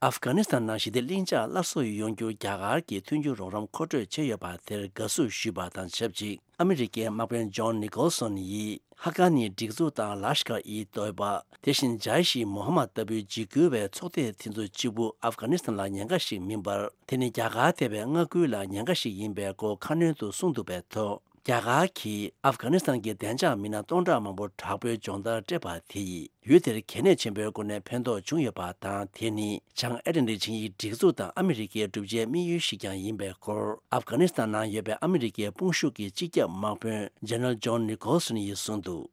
ཨབ་གྷ་ནི་སི་ཐན་ནང་ཞི་བདེ་ལྷིང་འཇགས་སླར་གསོ་ཡོང་རྒྱུར་རྒྱ་གར་གྱིས་མཐུན་འགྱུར་རོགས་རམ་མཁོ་སྤྲོད་བྱས་ཡོད་པ་དེར་དགའ་བསུ་ཞུས་པ་དང་ཆབས་ཅིག་ཨ་མི་རི་ཀའི་དམག་དཔོན་ཇོན་ནི་ཀོལ་སོན་ཡིས་ཧ་ཀ་ནི་སྒྲིག་འཛུགས་དང་ལ་ཤ་ཀར་ཨི་ཏོའི་པ། དེ་བཞིན་ཇཱ་ཡིཤ་ཨི་མོ་ཧ་མད་ལྟ་བུའི་འཇིགས་སྐུལ་བའི་ཚོགས་སྡེ་དེ་ཚོ་གཅིག་པུ་ཨབ་གྷ་ནི་སི་ཐན་ལ་ཉེན་ཁ་ཞིག་མིན་པར། དེ་ནི་རྒྱ་གར་ཐེ་བའི་མངའ་ཁུལ་ལ་ཉེན་ཁ་ཞིག་ཡིན་པའི་སྐོར་ཁ་སྣོན་དུ་གསུངས་འདུག་པའི་ཐོག་རྒྱ་གར་གྱིས་ཨབ་གྷ་ནི་སི་ཐན་གྱི་བདེ་འཇགས་མི་སྣ་སྟོང་ཕྲག་མང་པོ་དྲག་པོའི་སྦྱོང་བརྡར་སྤྲད་པ་དེ་ཡིས་ཡུལ་དེར་གལ་གནད་ཆེན་པོའི་སྒོ་ནས་ཕན་ཐོགས་བྱུང་ཡོད་པ་དང་། དེ་ནི་བྱང་ཨེ་ཏན་ཏིག་ཆིངས་ཡིག་སྒྲིག་འཛུགས་དང་ཨ་མི་རི་ཀའི་གྲུབ་ཆའི་དམིགས་ཡུལ་ཞིག་ཀྱང་ཡིན་པའི་སྐོར། ཨབ་གྷ་ནི་སི་ཐན་ནང་ཡོད་པའི་ཨ་མི་རི་ཀའི་དཔུང་ཤུགས་ཀྱི་སྤྱི་ཁྱབ་དམག་དཔོན་ཇེ་ནེ་རལ་ཇོན་ནི་ཀོལ་སོན་ཡིས་གསུངས་འདུག་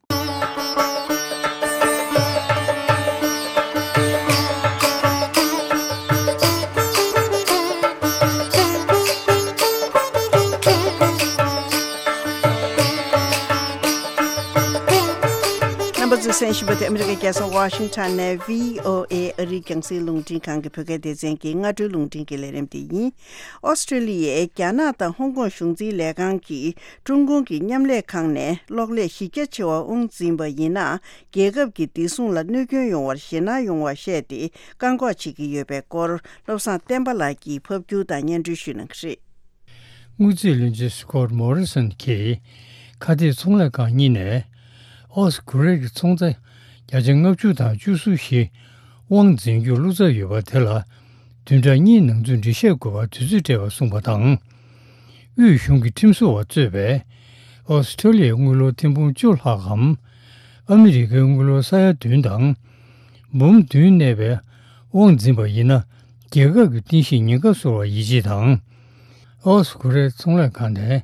རྣམ་པ་ཚོས་གསན་བཞིན་པ་དེ་ཨ་མི་རི་ཀའི་རྒྱལ་ས་ཝ་ཤིང་ཊོན་ནས་བྷི་ཨོ་ཨེ་ཨ་རིའི་རྒྱང་སྲིང་རླུང་འཕྲིན་ཁང་གི་བོད་སྐད་སྡེ་ཚན་གྱི་སྔ་དྲོའི་རླུང་འཕྲིན་གྱི་ལས་རིམ་དེ་ཡིན། ཨོ་སི་ཀྲི་ལི་ཡའི་རྒྱ་ནག་དང་ཧོང་ཀོང་གཞུང་འཛིན་ལས་ཁང་གིས་ཀྲུང་གུང་གི་མཉམ་ལས་ཁང་ནས་གློག་ཀླད་གཞི་རྒྱ་ཆེ་བ་དབང་འཛིན་པ་ཡིན་ན། རྒྱལ་ཁབ་ཀྱི་བདེ་སྲུང་ལ་གནོད་སྐྱོན་ཡོང་བར་ཞེད་སྣང་ཡོང་བ་བཤད་དེ་བཀག་འགོག་བྱེད་ཀྱི་ཡོད་པའི་སྐོར། བློ་བཟང་བསྟན་པ་ལགས་ཀྱིས་ཕབ་སྒྱུར་དང་སྙན་སྒྲོན་ཞུ་གནང་གི་རེད། དངུལ་རྩིས་བློན་ཆེན་སི་ཀོ་ཊི་མོ་རི་སོན་གྱིས་ཁ་གཏད་ཚོང་ལས་ཁང་གཉིས་ནས་ཨོ་སི་ཁུ་རེ་གི་ཚོང་རྫས་བརྒྱ་ཆ་ལྔ་བཅུ་དང་བཅུ་གསུམ་བཞི་དབང་འཛིན་རྒྱུར་བློ་འཚབ་ཡོད་པ་དེ་ལ་བདུན་ཕྲག་གཉིས་ནང་ཚུད་འགྲེལ་བཤད་དགོས་པ་དུས་ཚོད་སྤྲད་པ་གསུངས་པ་དང་། དབུས་གཞུང་གི་ཁྲིམས་བཟོ་བ་གཙོས་པའི་ཨོ་སི་ཁྲེ་ལི་ཡའི་དངུལ་ལོར་ཐེར་འབུམ་བཅུ་ལྷག་གམ། ཨ་མི་རི་ཀའི་དངུལ་ལོར་ས་ཡ་བདུན་དང་། འབུམ་བདུན་གནས་པའི་དབང་འཛིན་པ་ཡིན་ན། རྒྱལ་ཁབ་ཀྱི་རྟེན་གཞི་ཉེན་ཁ་གསོ་བར་ཡིད་ཆེས་དང་། ཨོ་སི་ཁུ་རེ་ཚོང་ལས་ཁང་ནས་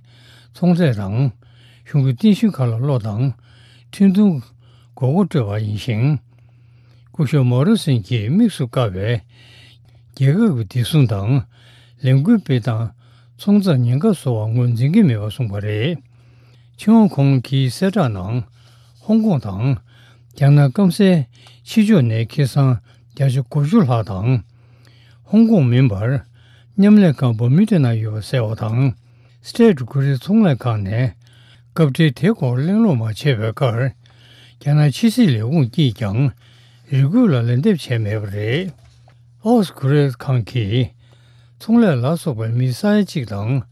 ཚོང་རྫས་དང་གཞུང་གི་རྟེན་གཞི་ཁག་ལ་བློ་དང་ཁྲིམས་མཐུན་དགོས་མཁོ་སྤྲོད་པ་ཡིན་ཞིང་། སྐུ་ཞབས་མོ་རི་སོན་གྱིས་དམིགས་སུ་བཀར་བའི་རྒྱལ་ཁབ་ཀྱི་བདེ་སྲུང་དང་ལས་འགུལ་སྤེལ་སྟངས་ཚོང་རྫས་ཉེན་ཁ་བཟོ་བར་ངོས་འཛིན་གྱི་མེད་པ་གསུངས་པ་རེད། ཕྱི་དབང་ཁང་གི་གསལ་བསྒྲགས་ནང་། ཧོང་ཀོང་དང་རྒྱ་ནག་སྐམ་སའི་ཕྱི་ཕྱོགས་ནས་ཁེ་བཟང་བརྒྱ་ཆ་དགུ་བཅུ་ལྷག་དང་། ཧོང་ཀོང་མིན་པར་མཉམ་ལས་ཁང་བར་མུ་ཌ་ནང་ཡོད་པ་གསལ་བ་དང་། སི་ཊེཊ་ཀུ་རི་ཚོང་ལས་ཁང་ནས་སྐབས་འཕྲལ་དེའི་སྐོར་གླེང་སློང་མ་བྱས་པའི་ཁར། རྒྱ་ནག་ཕྱི་སྲིད་ལས་ཁུངས་ཀྱིས་ཀྱང་རེ་སྐུལ་ལ་ལན་འདེབས་བྱས་མེད་པ་རེད། ཨོ་སི་ཁུ་རེ་ཁང་གིས་ཚོང་ལས་ལ་སོགས་པའི་མི་ས་ཡ་གཅིག་དང་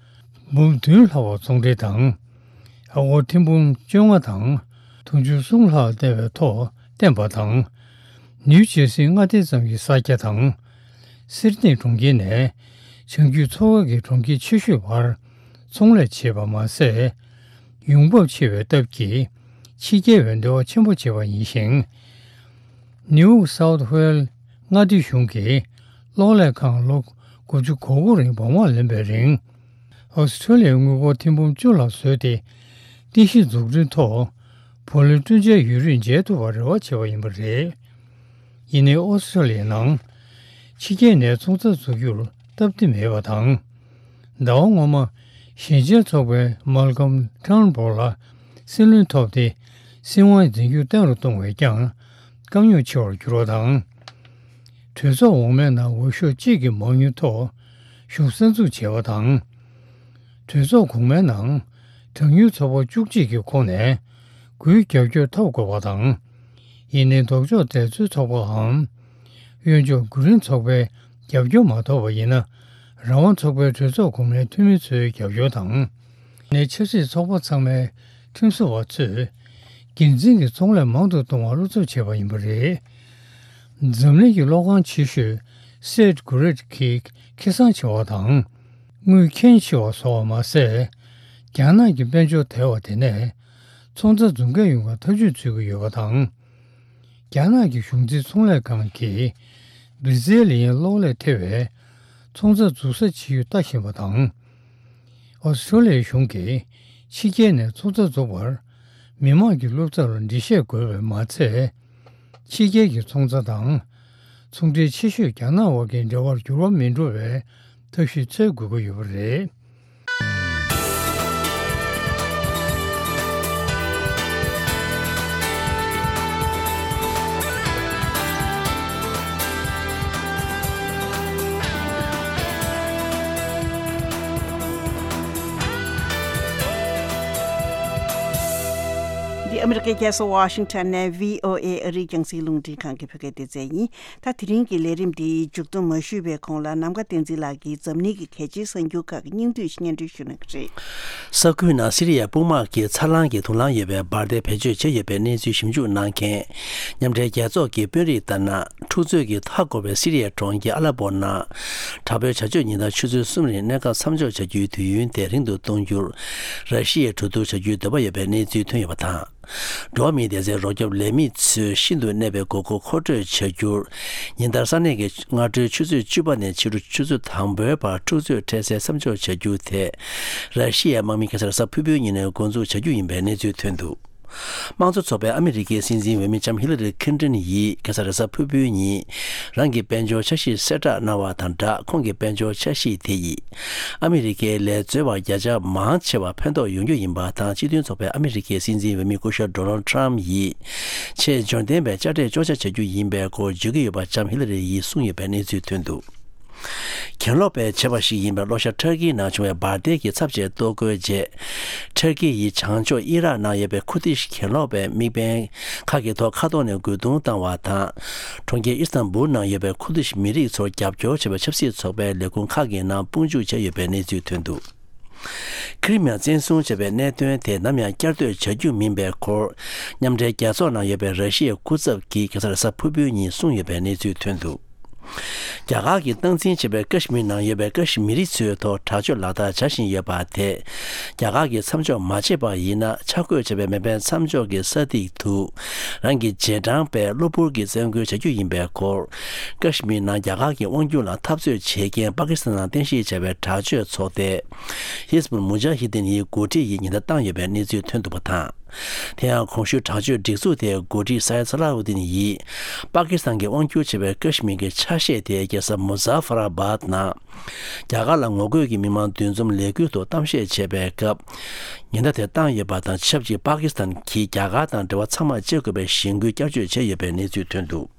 འབུམ་བདུན་ལྷག་པ་ཚོང་འབྲེལ་དང་། ཨ་སྒོར་ཐེར་འབུམ་བཅོ་ལྔ་དང་དུང་ཕྱུར་གསུམ་ལྷག་བསྟན་པའི་ཐོག་བསྟན་པ་དང་། ནིའུ་ཇེར་སིའི་མངའ་སྡེ་ཙམ་གྱི་ས་སྐྱ་དང་། སིད་ནི་གྲོང་ཁྱེར་ནས་བྱང་རྒྱུད་མཚོ་ཁ་གི་གྲོང་ཁྱེར་ཆེ་ཤོས་བར་ཚོང་ལས་བྱེད་པ་མ་ཟད། ཡོང་འབབ་ཆེ་བའི་སྟབས་ཀྱིས་ཕྱི་རྒྱལ་བའི་འབྲེལ་བ་ཆེན་པོ་བྱེད་པ་ཡིན་ཞིང་། ནིའུ་སའུཐ་ཝེལ་མངའ་སྡེ་གཞུང་གིས་གློག་ཀླད་ཁང་ལོ་དགུ་བཅུ་གོ་དགུ་རིང་སྦོང་བར་ལེན་པའི་རིང་། ཨོ་སི་ཁྲུ་ལི་ཡའི་དངུལ་སྒོར་ཐེར་འབུམ་བཅུ་ལྷག་བཟོས་ཏེ། རྟེན་གཞི་འཛུགས་སྐྲུན་ཐོག་བུ་ལོན་སྤྲོད་འཇལ་ཡུན་རིང་འཇལ་ཐུབ་པར་རེ་བ་བྱས་པ་ཡིན་པ་རེད། ཡིན་ནའི་ཨོ་སི་ཁྲུ་ལི་ཡའི་ནང་ཕྱི་རྒྱལ་ནས་ཚོང་རྩ་འཛུགས་རྒྱུར་སྟབས་བདེ་མེད་པ་དང་། ཟླ་བ་སྔོན་མ་ཞན་ཅན་ཚོགས་པའི་མལ་ཀམ་ཊརན་བྷོ་ལ་སྲིད་བློན་ཐོབ་སྟེ། སྲིད་དབང་འཛིན་སྐྱོང་བརྟན་རུ་གཏོང་བའི་ཀྱང་དཀའ་རྙོག་ཆེ་བར་གྱུར་བ་དང་། གྲོས་ཚོགས་འོག་མའི་ནང་འོས་ཤོག་གཅིག་གི་མང་ཉུང་ཐོག་གཞུང་གསར་འཛུགས་བྱས་པ་དང་། གྲོས་ཚོགས་གོང་མའི་ནང་གྲངས་ཉུང་ཚོགས་པ་བཅུ་གཅིག་གི་ཁོངས་ནས་དགུའི་རྒྱབ་སྐྱོར་ཐོབ་དགོས་པ་དང་། ཡིན་ནའི་ལྡོག་ཕྱོགས་འབྲེལ་མཐུད་ཚོགས་པའམ་གཡོན་ཕྱོགས་དགུ་རིང་ཚོགས་པའི་རྒྱབ་སྐྱོར་མ་ཐོབ་པ་ཡིན་ན། རང་དབང་ཚོགས་པའི་གྲོས་ཚོགས་གོང་མའི་འཐུས་མི་ཚོའི་རྒྱབ་སྐྱོར་དང་། ནས་ཆབ་སྲིད་ཚོགས་པ་ཚང་མའི་ཁྲིམས་བཟོ་བ་ཚོས་འགན་འཛིན་གྱི་ཚོང་ལས་མང་དུ་གཏོང་བར་བློ་འཚབ་བྱས་པ་ཡིན་པ་རེད། འཛམ་གླིང་གི་གློག་ཁང་ཆེ་ཤོས་སེད་གྷུ་རེད་ཀྱི་ཁེ་བཟང་ཆེ་བ་དང་། དངུལ་ཁེངས་ཆེ་བ་བཟོ་བ་མ་ཟད། རྒྱ་ནག་གི་དཔལ་འབྱོར་དལ་བ་དེ་ནས་ཚོང་རྩ་འཛུགས་མཁན་ཡོང་བར་ཐག་གཅོད་བྱེད་ཀྱི་ཡོད་པ་དང་། རྒྱ་ནག་གི་གཞུང་འཛིན་ཚོང་ལས་ཁང་གིས་སྦིར་ཟེལ་ལ་ཡང་གློག་ཀླད་ཐེ་བའི་ཚོང་རྩ་འཛུགས་ས་ཇི་ཡོད་ལྟ་བཞིན་པ་དང་། ཨོ་སི་ཁྲུ་ལི་ཡའི་གཞུང་གིས་ཕྱི་རྒྱལ་ནས་ཚོང་རྩ་འཛུགས་པར་མི་དམངས་ཀྱི་བློ་འཚབ་ལ་འགྲེལ་བཤད་དགོས་པས་མ་ཚད། ཕྱི་རྒྱལ་གྱི་ཚོང་རྩ་དང་ཚོང་འབྲེལ་ཆེ་ཤོས་རྒྱ་ནག་བར་གྱི་འབྲེལ་བར་འགྱུར་བ་མི་འགྲོ་བའི་ཐབས་ཤེས་འཚོལ་དགོས་ཀྱི་ཡོད་པ་རེད། འདི་ཨ་མི་རི་ཀའི་རྒྱལ་ས་ཝ་ཤིང་ཊོན་ནས་བྷི་ཨོ་ཨེ་ཨ་རིའི་རྒྱང་སྲིང་རླུང་འཕྲིན་ཁང་གི་བོད་སྐད་སྡེ་ཚན་ཡིན། ད་དེ་རིང་གི་ལས་རིམ་འདི་མཇུག་སྡོམ་མ་ཞུས་པའི་གོང་ལ་ནམ་མཁའ་བསྟན་འཛིན་ལགས་ཀྱིས་འཛམ་གླིང་གི་གལ་ཆེའི་གསར་འགྱུར་ཁག་གི་སྙིང་བསྡུས་ཤིག་སྙན་སྒྲོན་ཞུ་གནང་གི་རེད། ས་ཁུལ་ནང་སི་རི་ཡའི་དཔུང་དམག་གིས་འཚར་ལོངས་ཀྱི་དུག་རླངས་ཡོད་པའི་འབར་མདེལ་བེད་སྤྱོད་བྱས་ཡོད་པའི་གནས་ཚུལ་ཞིབ་འཇུག་གནང་མཁན་མཉམ་འབྲེལ་རྒྱལ་ཚོགས་ཀྱི་དཔོན་རིགས་ལྟར་ན། འཁྲུག་རྩོད་ཀྱིས་མཐའ་བསྐོར་བའི་སི་རི་ཡའི་གྲོང་ཁྱེར་ཨ་ལ་པོ་ནང་དྲག་པོའི་བྱ་སྤྱོད་ཉིན་ལྟར་ཆུ་ཚོད་གསུམ་རིང་གནས་སྐབས་མཚམས་འཇོག་བྱ་རྒྱུའི་དུས་ཡུན་དེ་རིང་དུ་གཏོང་རྒྱུར་ར་ཤི་ཡས་གྲོས་བསྡུར་བྱ་རྒྱུའི་འདོད་པ་ཡོད་པའི་གནས་ཚུལ་ཐོན་ཡོད་པ་དང་། འགྲོ་བ་མིའི་སྡེ་ཚན་རོགས་སྐྱོབ་ལས་མི་ཚོས་ཤིན་ཏུ་གནས་པའི་དགོས་མཁོ་མཁོ་སྤྲོད་བྱ་རྒྱུར། ཉིན་ལྟར་ས་གནས་ཀྱི་སྔ་དྲོའི་ཆུ་ཚོད་བཅུ་པ་ནས་ཕྱི་དྲོ་ཆུ་ཚོད་དང་པོའི་བར་འཁྲུག་རྩོད་འཕྲལ་སེལ་མཚམས་འཇོག་བྱ་རྒྱུ་དེ། ར་ཤི་ཡའི་དམག་མི་ཁ་སང་རེས་གཟའ་ཕུར་བུའི་ཉིན་ནས་འགོ་འཛུགས་བྱ་རྒྱུ་ཡིན་པའི་གནས་ཚུལ་ཐོན་འདུག་དམངས་གཙོ་ཚོགས་པའི་ཨ་མི་རི་ཀའི་སྲིད་འཛིན་འོས་མི་ལྕམ་ཧི་ལ་རི་ཁིན་ཏོན་ཡིས་ཁ་སང་རེས་གཟའ་ཕུར་བུའི་ཉིན་རང་གི་དཔལ་འབྱོར་འཆར་གཞི་གསལ་བསྒྲགས་གནང་བ་དང་སྦྲགས། ཁོང་གི་དཔལ་འབྱོར་འཆར་གཞི་དེ་ཡིས་ཨ་མི་རི་ཀའི་ལས་འཛོལ་བ་བརྒྱ་ཆ་མང་ཆེ་བར་ཕན་ཐོགས་ཡོང་རྒྱུ་ཡིན་པ་དང་། སྤྱི་མཐུན་ཚོགས་པའི་ཨ་མི་རི་ཀའི་སྲིད་འཛིན་འོས་མི་སྐུ་ཞབས་ཌོ་ནལ་ཊམ་ཡིས་ཆེས་འབྱོར་ལྡན་པའི་དཔྱ་ཁྲལ་གཅོག་ཆ་བྱ་རྒྱུ་ཡིན་པའི་སྐོར་བརྗོད་ཀྱི་ཡོད་པ་ལྕམ་ཧི་ལ་རི་ཡིས་གསུངས་ཡོད་པའི་གནས་ཚུལ་ཐོན་འདུག་གྱེན་ལོག་པས་བྱས་པ་ཞིག་ཡིན་པའི་གློ་ཞྭ་ཊར་ཀིའི་ནང་བྱུང་བའི་འབར་མདེལ་གྱི་ཚབས་ཆེའི་གཏོར་རྒོལ་རྗེས། ཊར་ཀི་ཡིས་བྱང་ཕྱོགས་ཨི་རག་ནང་ཡོད་པའི་ཁུར་དིཤ་གྱེན་ལོག་པའི་དམིགས་འབེན་ཁག་གི་ཐོག་མཁའ་ཐོག་ནས་རྒོལ་རྡུང་བཏང་བ་དང་། གྲོང་ཁྱེར་ཨི་སི་ཐན་བུལ་ནང་ཡོད་པའི་ཁུར་དིཤ་མི་རིགས་ཚོར་རྒྱབ་སྐྱོར་བྱེད་པའི་ཆབ་སྲིད་ཚོགས་པའི་ལས་ཁུངས་ཁག་གི་ནང་དཔུང་འཇུག་བྱས་ཡོད་པའི་གནས་ཚུལ་ཐོན་འདུག་ཁི་རི་མི་ཡ་བཙན་བཟུང་བྱས་པའི་གནད་དོན་དེ་ནམ་ཡང་བསྐྱར་ཟློས་བྱ་རྒྱུ་མིན་པའི་སྐོར། མཉམ་འབྲེལ་རྒྱལ་ཚོགས་ནང་ཡོད་པའི་ར་ཤི་ཡའི་སྐུ་ཚབ་ཀྱིས་ཁ་སང་རེས་གཟའ་ཕུར་བུའི་ཉིན་གསུངས་ཡོད་པའི་གནས་ཚུལ་ཐོན་འདུག་རྒྱ་གར་གྱིས་སྟངས་འཛིན་བྱས་པའི་ཀ་ཤི་མིར་ནང་ཡོད་པའི་ཀ་ཤི་མི་རི་ཚོའི་ཐོག་དྲག་སྤྱོད་ལག་བསྟར་བྱ་བཞིན་ཡོད་པ་དེ། རྒྱ་གར་གྱིས་མཚམས་འཇོག་མ་བྱས་པ་ཡིན་ན། འཆར་འགོད་བྱས་པའི་མེ་འཕེན་མཚམས་འཇོག་གི་ས་ཐིག་ཏུ་རང་གི་རྗེས་འབྲང་པས་གློ་བུར་གྱིས་བཙན་རྒོལ་བྱ་རྒྱུ་ཡིན་པའི་སྐོར། ཀ་ཤི་མིར་ནང་རྒྱ་གར་གྱི་དབང་སྒྱུར་ལ་འཐབ་རྩོད་བྱེད་མཁན་པ་ཀི་སི་ཐན་ནང་རྟེན་གཞི་བྱས་པའི་དྲག་སྤྱོད་ཚོགས་སྡེ་ཧིས་བུལ་མུ་ཇཱ་ཧི་དིན་ཡི་འགོ་ཁྲིད་ཡིས་ཉེན་བརྡ་བཏང་ཡོད་པའི་གནས་ཚུལ་ཐོན་འདུག་པ་དང་། དེ་ཡང་གོང་ཞུས་དྲག་སྤྱོད་སྒྲིག་འཛུགས་དེའི་འགོ་ཁྲིད་སའེད་སཱ་ལ་ཨུ་དིན་ཡིས། པ་ཀི་སི་ཐན་གྱིས་དབང་སྒྱུར་བྱེད་པའི་ཀ་ཤི་མིར་གྱི་ཆ་ཤས་དེ་རྒྱལ་ས་མུ་ཛ་ཧྥར་ཨ་བཱད་ནང་། རྒྱ་གར་ལ་ངོ་རྒོལ་གྱི་མི་མང་འདུ་འཛོམས་ལས་འགུལ་ཐོག་གཏམ་བཤད་བྱས་པའི་སྐབས། ཉེན་བརྡ་དེ་བཏང་ཡོད་པ་དང་། ཆབས་ཅིག་པ་ཀི་སི་ཐན་གྱིས་རྒྱ་གར་དང་འབྲེལ་བ་ཚང་མ་བཅད་དགོས་པའི་གཞེན་སྐུལ་བསྐྱར་བཅོས་བྱས་ཡོད་པའི་གནས་ཚུལ་ཐོན་འདུག་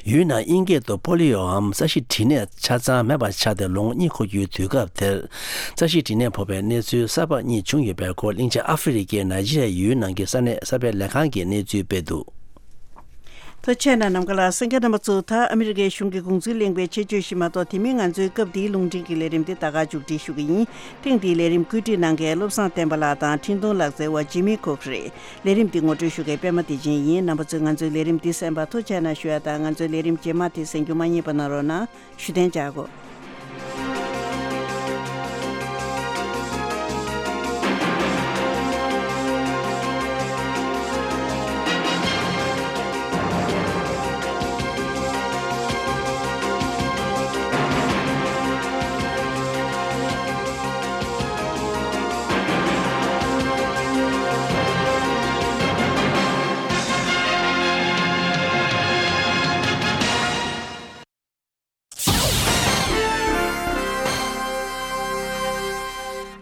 ཡུན་ནན་དབྱིན་སྐད་དུ་པོ་ལི་ཡོའམ་རྩ་ཤེད་དྲི་ནད་ཆ་ཚང་མེད་པ་ཆགས་ཏེ་ལོ་ངོ་གཉིས་འཁོར་རྒྱུའི་དུས་སྐབས་དེར། རྩ་ཤེད་དྲི་ནད་ཕོག་པའི་གནས་ཚུལ་གསར་པ་གཉིས་བྱུང་ཡོད་པའི་སྐོར། གླིང་ཆེན་ཨ་ཧྥེ་རི་ཀའི་ནཱི་ཇི་རི་ཡའི་ཡུལ་ནང་གི་ས་གནས་གསར་སྤེལ་ལས་ཁང་གིས་གནས་ཚུལ་སྤེལ་འདུག་ཐུགས་རྗེ་གནང་། ནམ་མཁའ་ལ་གསན་མཁན་རྣམ་པ་ཚོ། ད་ཨ་མི་རི་ཀའི་གཞུང་གི་དགོངས་ཚུལ་གླེང་བའི་ཆེད་བརྗོད་ཞིག་མ་གཏོགས། དེ་མིན་ང་ཚོའི་སྐབས་འདིའི་རླུང་འཕྲིན་གྱི་ལས་རིམ་འདི་ད་ག་མཇུག་སྒྲིལ་ཞུ་གི་ཡིན། ཐེངས་འདིའི་ལས་རིམ་བཀོད་སྒྲིག་གནང་མཁན་བློ་བཟང་བསྟན་པ་ལགས་དང་འཕྲིན་གཏོང་ལག་རྩལ་བ་ཇི་མི་ཁོག་རེད། ལས་རིམ་འདི་ངོ་སྤྲོད་ཞུ་མཁན་པད་མ་བདེ་ཆེན་ཡིན། རྣམ་པ་ཚོས་ང་ཚོའི་ལས་རིམ་འདི་གསན་པར་ཐུགས་རྗེ་གནང་ཞུ་ཡ་དང་། ང་ཚོའི་ལས་རིམ་རྗེས་མ་དེ་གསན་རྒྱུ་མ་བསྙེལ་བ་གནང་རོགས་གནང་ཞུ་གཏན་འཇགས་གོ།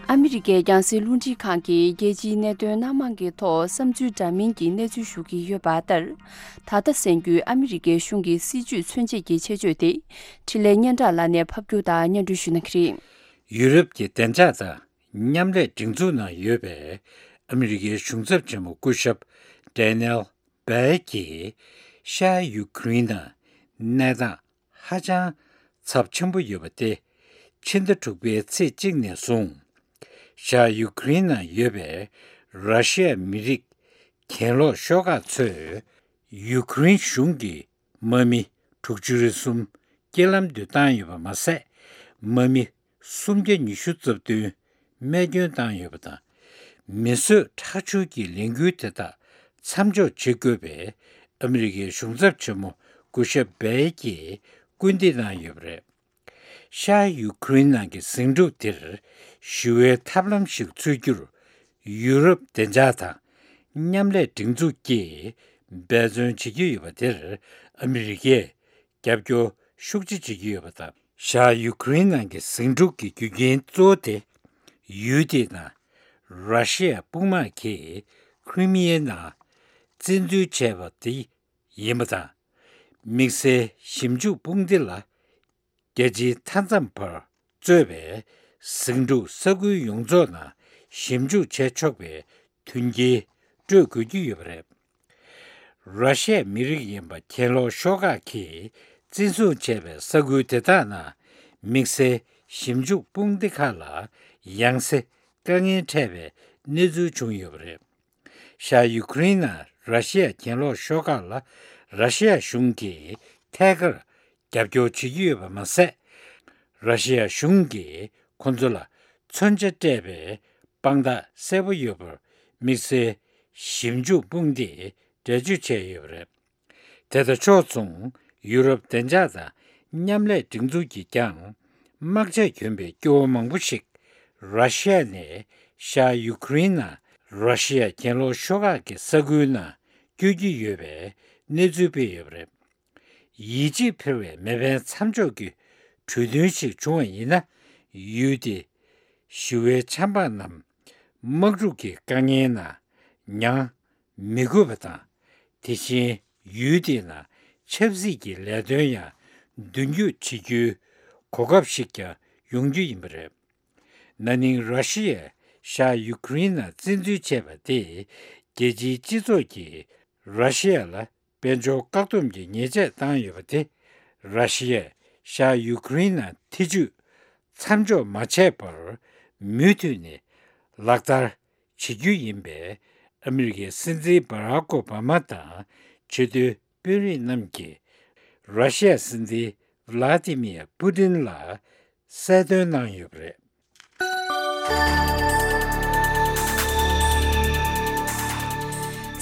ཨ་མི་རི་ཀའི་རྒྱང་སྲིང་རླུང་འཕྲིན་ཁང་གིས་རྒྱལ་སྤྱིའི་གནད་དོན་སྣ་མང་གི་ཐོག་བསམ་ཚུལ་འདྲ་མིན་གྱི་གནས་ཚུལ་ཞུ་གི་ཡོད་པ་ལྟར། ད་ལྟ་གསན་རྒྱུའི་ཨ་མི་རི་ཀའི་གཞུང་གི་སྲིད་ཇུས་མཚོན་བྱེད་ཀྱི་ཆེད་བརྗོད་དེ། འཕྲིན་ལས་སྙན་གྲགས་ལགས་ནས་ཕབ་སྒྱུར་དང་སྙན་སྒྲོན་ཞུ་གནང་གི་རེད། ཡུ་རོབ་ཀྱི་བདེ་འཇགས་དང་མཉམ་ལས་སྒྲིག་འཛུགས་ནང་ཡོད་པའི་ཨ་མི་རི་ཀའི་གཞུང་ཚབ་ཆེན་མོ་སྐུ་ཞབས་ཌེ་ནེལ་སྦལ་གྱིས་ཤར་ཡུ་ཁུ་རེན་ནང་གནས་སྟངས་ཧ་ཅང་ཚབས་ཆེན་པོ་ཡོད་པ་སྟེ། ཕྱི་ཟླ་དྲུག་པའི་ཚེས་གཅིག་ནས་བཟུང་ཤར་ཡུ་ཁུ་རེན་ནང་ཡོད་པའི་ར་ཤི་ཡ་མི་རིགས་གྱེན་ལོག་ཤོག་ཁག་ཚོས་ཡུ་ཁུ་རེན་གཞུང་གི་དམག་མི་དྲུག་ཅུ་རེ་གསུམ་རྐྱེན་ལམ་དུ་བཏང་ཡོད་པ་མ་ཟད། དམག་མི་སུམ་བརྒྱ་ཉི་ཤུ་རྩ་བདུན་རྨས་སྐྱོན་བཏང་ཡོད་པ་དང་། མི་གསོད་ཁྲག་སྦྱོར་གྱི་ལས་འགུལ་དེ་དག་མཚམས་འཇོག་བྱེད་དགོས་པའི་ཨ་མི་རི་ཀའི་གཞུང་ཚབ་ཆེན་མོ་སྐུ་ཞབས་སྦལ་གྱིས་སྐུལ་འདེད་གནང་ཡོད་པ་རེད། ཤར་ཡུ་ཁུ་རེན་ནང་གི་ཟིང་འཁྲུག་དེར་ཞི་བའི་ཐབས་ལམ་ཞིག་འཚོལ་རྒྱུར་ཡུ་རོབ་བདེ་འཇགས་དང་མཉམ་ལས་སྒྲིག་འཛུགས་ཀྱིས་འབད་བརྩོན་བྱེད་ཀྱི་ཡོད་པ་དེར་ཨ་མི་རི་ཀས་རྒྱབ་སྐྱོར་ཤུགས་ཆེ་བྱེད་ཀྱི་ཡོད་པ་དང་། ཤར་ཡུ་ཁུ་རེན་ནང་གི་ཟིང་འཁྲུག་གི་རྒྱུ་རྐྱེན་གཙོ་བོ་དེ་ཡུལ་དེའི་ནང་ར་ཤི་ཡ་དཔུང་དམག་གིས་ཁི་རི་མི་ཡའི་ནང་བཙན་འཛུལ་བྱས་པ་དེ་ཡིན་པ་དང་། དམིགས་བསལ་ཞིབ་འཇུག་དཔུང་སྡེ་ལ་རྒྱལ་སྤྱིའི་མཐའ་མཚམས་བར་གཙོས་པའི་ཟིང་འཁྲུག་ས་ཁུལ་ཡོངས་རྫོགས་ནང་ཞིབ་འཇུག་བྱས་ཆོག་པའི་མཐུན་རྐྱེན་སྤྲོད་དགོས་ཀྱི་ཡོད་པ་རེད། ར་ཤི་ཡའི་མི་རིགས་ཡིན་པ་གྱེན་ལོག་ཤོག་ཁག་གིས་བཙན་བཟུང་བྱས་པའི་ས་ཁུལ་དེ་དག་ནང་དམིགས་བསལ་ཞིབ་འཇུག་དཔུང་སྡེ་ཁག་ལ་ཡང་སེ་དཀའ་ངལ་འཕྲད་པའི་གནས་ཚུལ་བྱུང་ཡོད་པ་རེད། ཤར་ཡུ་ཁུ་རེན་ནང་ར་ཤི་ཡ་གྱེན་ལོག་ཤོག་ཁག་ལ་ར་ཤི་ཡ་གཞུང་གིས་ཐད་ཀར་རྒྱབ་སྐྱོར་བྱེད་ཀྱི་ཡོད་པ་མ་ཟད། ར་ཤི་ཡ་གཞུང་གིས་ཁོ་ཚོ་ལ་མཚོན་ཆ་སྤྲད་པའི་དཔང་རྟགས་གསལ་པོ་ཡོད་པར་དམིགས་བསལ་ཞིབ་འཇུག་དཔུང་སྡེས་འགྲེལ་བརྗོད་བྱས་ཡོད་པ་རེད། དེ་དང་ཕྱོགས་མཚུངས་ཡུ་རོབ་བདེ་འཇགས་དང་མཉམ་ལས་སྒྲིག་འཛུགས་ཀྱིས་ཀྱང་དམག་ཆས་གྱོན་པའི་སྐྱོ་བོ་མང་པོ་ཞིག་ར་ཤི་ཡ་ནས་ཤར་ཡུ་ཁུ་རེན་ནང་ར་ཤི་ཡ་གྱེན་ལོག་ཤོག་ཁག་གི་ས་ཁུལ་ནང་བསྐྱོད་ཀྱི་ཡོད་པའི་གནས་ཚུལ་སྤེལ་ཡོད་པ་རེད། ཡིད་ཆེས་འཕེར་བའི་མེ་འཕེན་མཚམས་འཇོག་གི་གྲོས་མཐུན་ཞིག་བྱུང་བ་ཡིན་ན། ཡུལ་དེའི་ཞི་བའི་ཆབ་འབངས་རྣམས་དམག་འཁྲུག་གི་དཀའ་ངལ་ནང་མྱངས་མི་དགོས་པ་དང་། དེ་བཞིན་ཡུལ་དེའི་ནང་ཆབ་སྲིད་ཀྱི་ལས་དོན་ཡང་མདུན་སྐྱོད་བྱེད་རྒྱུའི་གོ་སྐབས་ཤིག་ཀྱང་ཡོང་རྒྱུ་ཡིན་པ་རེད། ན་ནིང་ར་ཤི་ཡས་ཤར་ཡུ་ཁུ་རེན་ནང་བཙན་འཛུལ་བྱས་པ་དེས་རྒྱལ་སྤྱིའི་སྤྱི་ཚོགས་ཀྱིས་ར་ཤི་ཡ་ལ་དཔལ་འབྱོར་བཀག་སྡོམ་གྱི་ཉེས་ཆད་བཏང་ཡོད་པ་དེ། ར་ཤི་ཡས་ཤར་ཡུ་ཁུ་རེན་ནང་ཐེ་ཇུས་མཚམས་འཇོག་མ་བྱས་པར་མུ་མཐུད་ནས་ལག་བསྟར་བྱེད་རྒྱུ་ཡིན་པས། ཨ་མི་རི་ཀའི་སྲིད་འཛིན་སྦ་རག་ཨོ་བྷ་མ་དང་ཆེས་མཐོའི་དཔོན་རིགས་རྣམས་ཀྱིས་ར་ཤི་ཡ་སྲིད་འཛིན་ཝ་ལ་ཏི་མིར་པུ་ཏིན་ལ་གསལ་སྟོན་གནང་ཡོད་པ་རེད།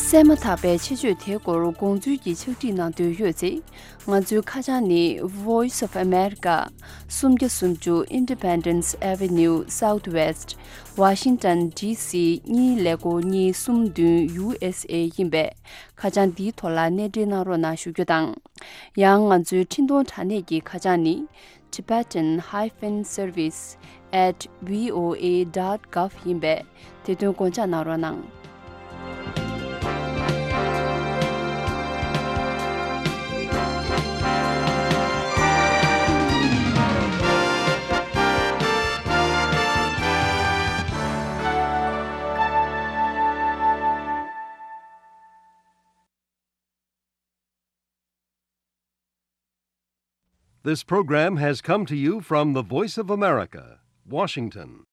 གསན་མ་ཐག་པའི་ཆེད་བརྗོད་དེའི་སྐོར་དགོངས་ཚུལ་གྱི་ཕྱག་བྲིས་གནང་འདོད་ཡོད་ཚེ། ང་ཚོའི་ཁ་བྱང་ནི། Voice of America། སུམ་བརྒྱ་སུམ་ཅུ་Independence Avenue Southwest། Washington D C གཉིས་ཀླད་ཀོར་གཉིས་གསུམ་བདུན། U S A ཡིན་པས། ཁ་བྱང་འདིའི་ཐོག་ལ་གནས་འབྲེལ་གནང་རོགས་གནང་ཞུ་རྒྱུ་དང་། ཡང་ང་ཚོའི་འཕྲིན་གཏོང་དྲ་གནས་ཀྱི་ཁ་བྱང་ནི། Tibetan hyphen service at V O A dot gov ཡིན་པས། དེ་དོན་དགོངས་འཇགས་གནང་རོགས་གནང་། This program has come to you from the Voice of America, Washington.